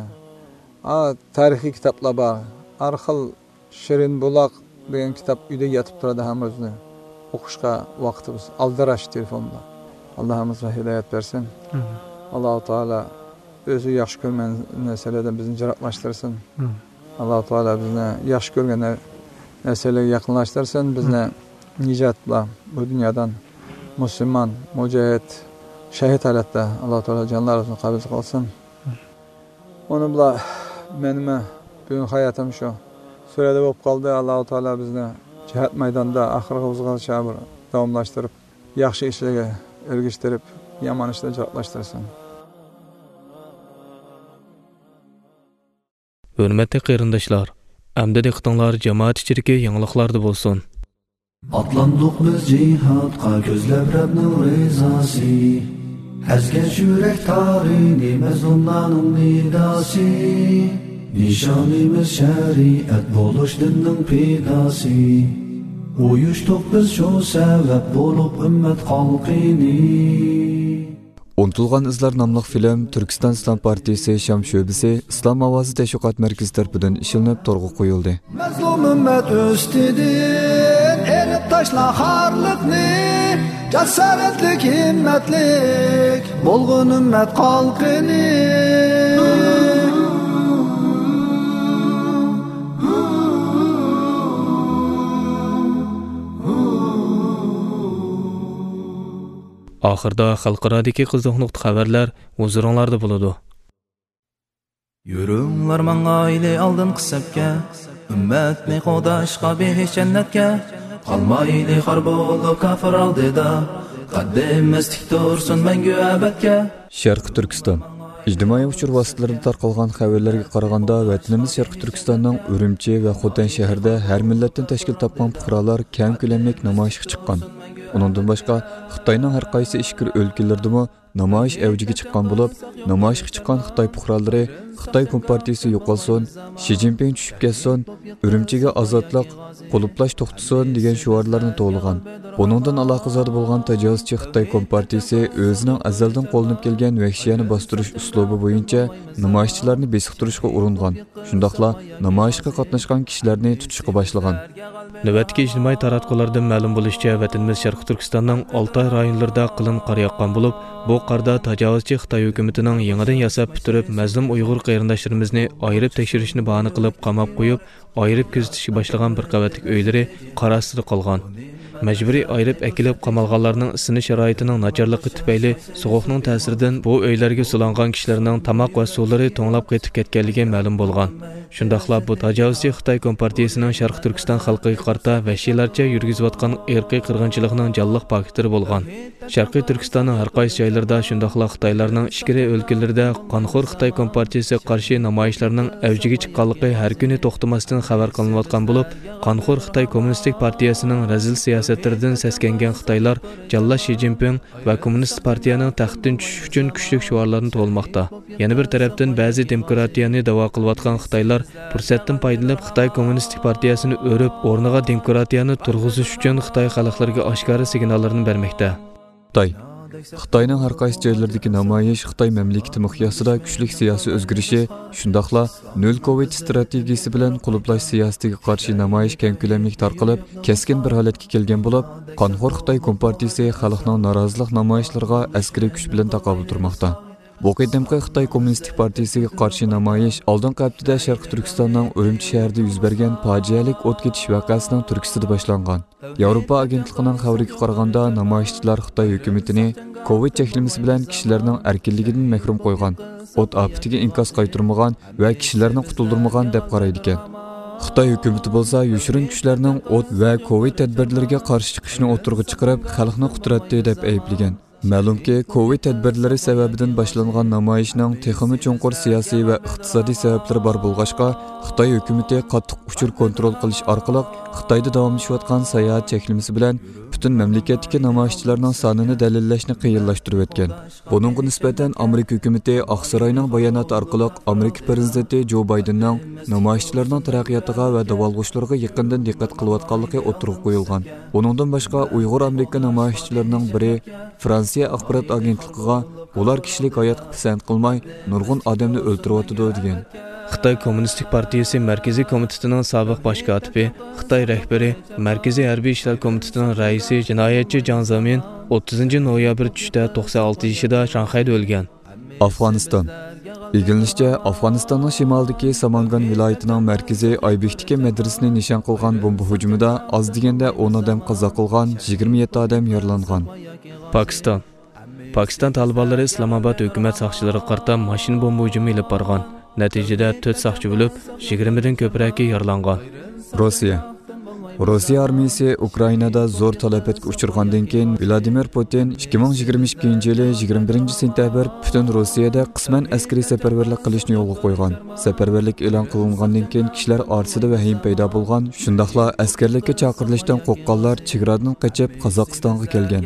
ھە، تارىخىي كىتابلار بار. ھەر خىل شېرىن بۇلاق دېگەن كىتاب ئۆيدە ياتىپ تۇرىدۇ ھەممىمىزنى. ئوقۇشقا ۋاقتىمىز ئالدىراش تېلېفون بىلەن. ئاللا ھەممىمىزگە ھىدايەت بەرسۇن. ئامىن. ئاللاھۇ تائالا ئۆزى ياخشى كۆرمەيدىغان نەرسىلەردىن بىزنى يىراقلاشتۇرسۇن. ئامىن. ئاللا تائالا بىزنى ياخشى كۆرگەن نەرسىلەرگە يېقىنلاشتۇرسۇن، بىزنى نىجاتلا بۇ دۇنيادىن مۇسۇلمان، مۇجاھىد، شەھىد ھالەتتە ئاللا تائالا جانلىرىمىزنى قەبزە قىلسۇن. ئۇنى بىلا مېنىڭمۇ بۈگۈن ھاياتىم شۇ سۈرەدە بولۇپ قالدى. ئاللا تائالا بىزنى جىھاد مەيدانىدا ئاخىرغىچە بىر داۋاملاشتۇرۇپ، ياخشى ئىشلارغا ئەگىشتۈرۈپ، يامان ئىشلارنى يىراقلاشتۇرسۇن. ھۆرمەتلىك قېرىنداشلار، ئەمدى دىققىتىڭلار جامائەت ئىچىدىكى يېڭىلىقلاردا بولسۇن. ئاتلاندۇق بىز جىھادقا كۆزلەپ رەبنىڭ رىزاسى. ئەزگەش يۈرەك تارىنى مەزلۇملارنىڭ نىداسى. نىشانىمىز شەرىئەت بولۇش دىننىڭ پىداسى. ئۇيۇشتۇق بىز شۇ سەۋەب بولۇپ ئۈممەت خەلقىنى. ئۇنتۇلغان ئىزلار ناملىق فىلىم تۈركىستان ئىسلام پارتىيىسى شام شۆبىسى ئىسلام ئاۋازى تەشۋىقات مەركىزى تەرىپىدىن ئىشلىنىپ تورغا قويۇلدى. مەزلۇم ئۈممەت ئۈستىدىن ئېلىپ تاشلا خارلىقنى، جاسارەتلىك، ھىممەتلىك بولغىن ئۈممەت خەلقىنى. ئاخىردا خەلقئارادىكى قىزىق نۇقتا خەۋەرلەر ھۇزۇرۇڭلاردا بولىدۇ. يۈرۈڭلار ماڭايلى ئالدىنقى سەپكە، ئۈممەتنى قوغداشقا بېھىش جەننەتكە. قالمايلى خار بولۇپ كاپىر ئالدىدا، قەددىمىز تىك تۇرسۇن مەڭگۈ ئەبەدكە. شەرقىي تۈركىستان. ئىجتىمائىي ئۇچۇر ۋاسىتىلىرىدا تارقالغان خەۋەرلەرگە قارىغاندا، ۋەتىنىمىز شەرقىي تۈركىستاننىڭ ئۈرۈمچى ۋە خوتەن شەھىرىدە ھەر مىللەتتىن تەشكىل تاپقان پۇقرالار كەڭ كۆلەملىك نامايىشقا چىققان. ئۇنىڭدىن باشقا، خىتاينىڭ ھەر قايسى ئىچكىرى ئۆلكىلىرىدىمۇ نامايىش ئەۋجىگە چىققان بولۇپ، نامايىشقا چىققان خىتاي پۇقرالىرى «خىتاي كومپارتىيىسى يوقالسۇن، شى جىنپىڭ چۈشۈپ كەتسۇن، ئۈرۈمچىگە ئازادلىق، قۇلۇپلاش توختىسۇن» دېگەن شوئارلارنى توۋلىغان. بۇنىڭدىن ئالاقىزادە بولغان تاجاۋۇزچى خىتاي كومپارتىيىسى ئۆزىنىڭ ئەزەلدىن قوللىنىپ كەلگەن ۋەھشىيانە باستۇرۇش ئۇسلۇبى بويىچە نامايىشچىلارنى بېسىقتۇرۇشقا ئۇرۇنغان. شۇنداقلا نامايىشقا قاتناشقان كىشىلەرنى تۇتۇشقا باشلىغان. نۆۋەتتىكى ئىجتىمائىي تاراتقۇلاردىن مەلۇم بولۇشىچە، ۋەتىنىمىز شەرقىي تۈركىستاننىڭ ئالتاي رايونلىرىدا قېلىن قار ياغقان بولۇپ، بۇ قاردا تاجاۋۇزچى خىتاي ھۆكۈمىتىنىڭ يېڭىدىن ياساپ پۈتتۈرۈپ، مەزلۇم ئۇيغۇر قېرىنداشلىرىمىزنى ئايرىپ تەكشۈرۈشنى باھانە قىلىپ قاماپ قويۇپ، ئايرىپ كۆزىتىشكە باشلىغان بىر قەۋەتلىك ئۆيلىرى قار ئاستىدا قالغان. مەجبۇرىي ئايرىپ ئەكېلىپ قامالغانلارنىڭ ئىسسىنىش شارائىتىنىڭ ناچارلىقى تۈپەيلى سوغۇقنىڭ تەسىرىدىن بۇ ئۆيلەرگە سولانغان كىشىلەرنىڭ تاماق ۋە سۇلىرى توڭلاپ قېتىپ كەتكەنلىكى مەلۇم بولغان. شۇنداقلا بۇ تاجاۋۇزچى خىتاي كومپارتىيىسىنىڭ شەرقىي تۈركىستان خەلقىگە قارىتا ۋەھشىيلەرچە يۈرگۈزۈۋاتقان ئىرقىي قىرغىنچىلىقنىڭ جانلىق پاكىتلىرى بولغان. شەرقىي تۈركىستاننىڭ ھەر قايسى جايلىرىدا، شۇنداقلا خىتايلارنىڭ ئىچكىرى ئۆلكىلىرىدە قانخور خىتاي كومپارتىيىسىگە قارشى نامايىشلارنىڭ ئەۋجىگە چىققانلىقى ھەر كۈنى توختىماستىن خەۋەر قىلىنىۋاتقان بولۇپ، قانخور خىتاي كوممۇنىستىك پارتىيەسىنىڭ رەزىل سىياسەتلىرىدىن سەسكەنگەن خىتايلار جاللات شى جىنپىڭ ۋە كوممۇنىست پارتىيەنىڭ تەختتىن چۈشۈش ئۈچۈن كۈچلۈك شوئارلارنى توۋلىماقتا. يەنە بىر تەرەپتىن، بەزى دېموكراتىيەنى داۋا قىلىۋاتقان خىتايلار پۇرسەتتىن پايدىلىنىپ، خىتاي كوممۇنىستىك پارتىيەسىنى ئۆرۈپ، ئورنىغا دېموكراتىيەنى تۇرغۇزۇش ئۈچۈن خىتاي خەلقلىرىگە ئاشكارا سىگناللىرىنى بەرمەكتە. خىتاي. خىتاينىڭ ھەر قايسى جايلىرىدىكى نامايىش خىتاي مەملىكىتى مىقياسىدا كۈچلۈك سىياسىي ئۆزگىرىشى، شۇنداقلا نۆل كوۋىد ئىستراتېگىيىسى بىلەن قۇلۇپلاش سىياسىتىگە قارشى نامايىش كەڭ كۆلەملىك تارقىلىپ، كەسكىن بىر ھالەتكە كەلگەن بولۇپ، قانخور خىتاي كومپارتىيىسى خەلقنىڭ نارازىلىق نامايىشلىرىغا ئەسكىرىي كۈچ بىلەن تاقابىل تۇرماقتا. بۇ قېتىمقى خىتاي كوممۇنىستىك پارتىيىسىگە قارشى نامايىش ئالدىنقى ھەپتىدە شەرقىي تۈركىستاننىڭ ئۈرۈمچى شەھىرىدە يۈز بەرگەن پاجىئەلىك ئوت كېتىش ۋەقەسىنىڭ تۈرتكىسىدە باشلانغان. ياۋروپا ئاگېنتلىقىنىڭ خەۋىرىگە قارىغاندا، نامايىشچىلار خىتاي ھۆكۈمىتىنى كوۋىد چەكلىمىسى بىلەن كىشىلەرنىڭ ئەركىنلىكىدىن مەھرۇم قويغان، ئوت ئاپىتىگە ئىنكاس قايتۇرمىغان ۋە كىشىلەرنى قۇتۇلدۇرمىغان دەپ قارايدىكەن. خىتاي ھۆكۈمىتى بولسا يوشۇرۇن كۈچلەرنىڭ ئوت ۋە كوۋىد تەدبىرلىرىگە قارشى چىقىشىنى ئوتتۇرىغا چىقىرىپ، خەلقنى قۇتراتتى دەپ ئەيىبلىگەن. مەلۇمكى، كوۋىد تەدبىرلىرى سەۋەبىدىن باشلانغان نامايىشنىڭ تېخىمۇ چوڭقۇر سىياسىي ۋە ئىقتىسادىي سەۋەبلىرى بار بولغاچقا، خىتاي ھۆكۈمىتى قاتتىق ئۇچۇر كونترول قىلىش ئارقىلىق خىتايدا داۋاملىشىۋاتقان ساياھەت چەكلىمىسى بىلەن پۈتۈن مەملىكەتتىكى نامايىشچىلارنىڭ سانىنى دەلىللەشنى قىيىنلاشتۇرۇۋەتكەن. بۇنىڭغا نىسبەتەن، ئامېرىكا ھۆكۈمىتى ئاقساراينىڭ باياناتى ئارقىلىق ئامېرىكا پىرېزىدېنتى جو بايدېننىڭ نامايىشچىلارنىڭ تەرەققىياتىغا ۋە داۋالغۇشلىرىغا يېقىندىن دىققەت قىلىۋاتقانلىقى ئوتتۇرىغا قويۇلغان. بۇنىڭدىن باشقا، ئۇيغۇر ئامېرىكا نامايىشچىلىرىنىڭ بىرى فرانسىيە ئاخبارات ئاگېنتلىقىغا، ئۇلار كىشىلىك ھاياتقا پىسەنت قىلماي، نۇرغۇن ئادەمنى ئۆلتۈرۈۋاتىدۇ، دېگەن. خىتاي كوممۇنىستىك پارتىيىسى مەركىزىي كومىتېتىنىڭ سابىق باش كاتىپى، خىتاي رەھبىرى، مەركىزىي ھەربىي ئىشلار كومىتېتىنىڭ رەئىسى جىنايەتچى جاڭ زېمىن ئوتتۇزىنچى نويابىر چۈشتە توقسان ئالتە يېشىدا شاڭخەيدە ئۆلگەن. ئافغانىستان. ئىگىلىنىشىچە، ئافغانىستاننىڭ شىمالىدىكى سامانگان ۋىلايىتىنىڭ مەركىزى ئايبىكتىكى مەدرىسىنى نىشان قىلغان بومبا ھۇجۇمىدا ئاز دېگەندە ئون ئادەم قازا قىلغان، يىگىرمە يەتتە ئادەم يارىلانغان. پاكىستان. پاكىستان تالىبانلىرى ئىسلامئاباد ھۆكۈمەت ساقچىلىرىغا قارىتا ماشىنا بومبا ھۇجۇمى ئېلىپ بارغان. نەتىجىدە تۆت ساقچى ئۆلۈپ، يىگىرمىدىن كۆپرەكى يارىلانغان. روسىيە. روسىيە ئارمىيىسى ئۇكرائىنادا زور تالاپەتكە ئۇچرىغاندىن كېيىن، ۋلادىمىر پۇتىن ئىككى مىڭ يىگىرمە ئىككىنچى يىلى يىگىرمە بىرىنچى سېنتەبىر پۈتۈن روسىيەدە قىسمەن ئەسكىرىي سەپەرۋەرلىك قىلىشنى يولغا قويغان. سەپەرۋەرلىك ئېلان قىلىنغاندىن كېيىن، كىشىلەر ئارىسىدا ۋەھىمە پەيدا بولغان، شۇنداقلا ئەسكەرلىككە چاقىرىلىشتىن قورققانلار چېگرادىن قېچىپ قازاقىستانغا كەلگەن.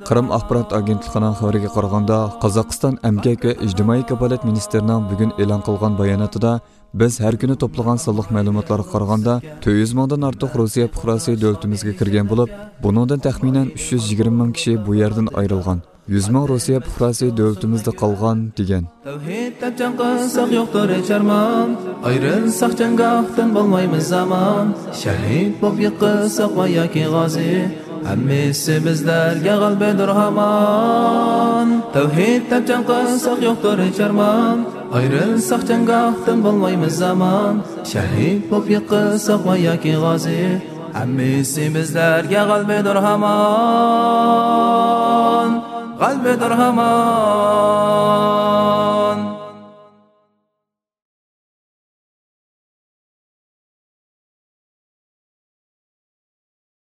قىرىم ئاخبارات ئاگېنتلىقىنىڭ خەۋىرىگە قارىغاندا، قازاقىستان ئەمگەك ۋە ئىجتىمائىي كاپالەت مىنىستىرىنىڭ بۈگۈن ئېلان قىلغان باياناتىدا، بىز ھەر كۈنى توپلىغان سانلىق مەلۇماتلارغا قارىغاندا، تۆت يۈز مىڭدىن ئارتۇق روسىيە پۇقراسى دۆلىتىمىزگە كىرگەن بولۇپ، بۇنىڭدىن تەخمىنەن ئۈچ يۈز يىگىرمە مىڭ كىشى بۇ يەردىن ئايرىلغان. يۈز مىڭ روسىيە پۇقراسى دۆلىتىمىزدە قالغان، دېگەن. تەۋھىد دەپ جەڭ قىلساق يوقتۇر ھېچ ئارمان، ئايرىلساق جەڭگاھتىن بولمايمىز ئامان. شەھىد بولۇپ يىقىلساق ۋە ياكى غازى، ھەممىسى بىزلەرگە غەلىبىدۇر ھامان. تەۋھىد دەپ جەڭ قىلساق يوقتۇر ھېچ ئارمان، ئايرىلساق جەڭگاھتىن بولمايمىز ئامان. شەھىد بولۇپ يىقىلساق ۋە ياكى غازى، ھەممىسى بىزلەرگە غەلىبىدۇر ھامان. غەلىبىدۇر ھامان.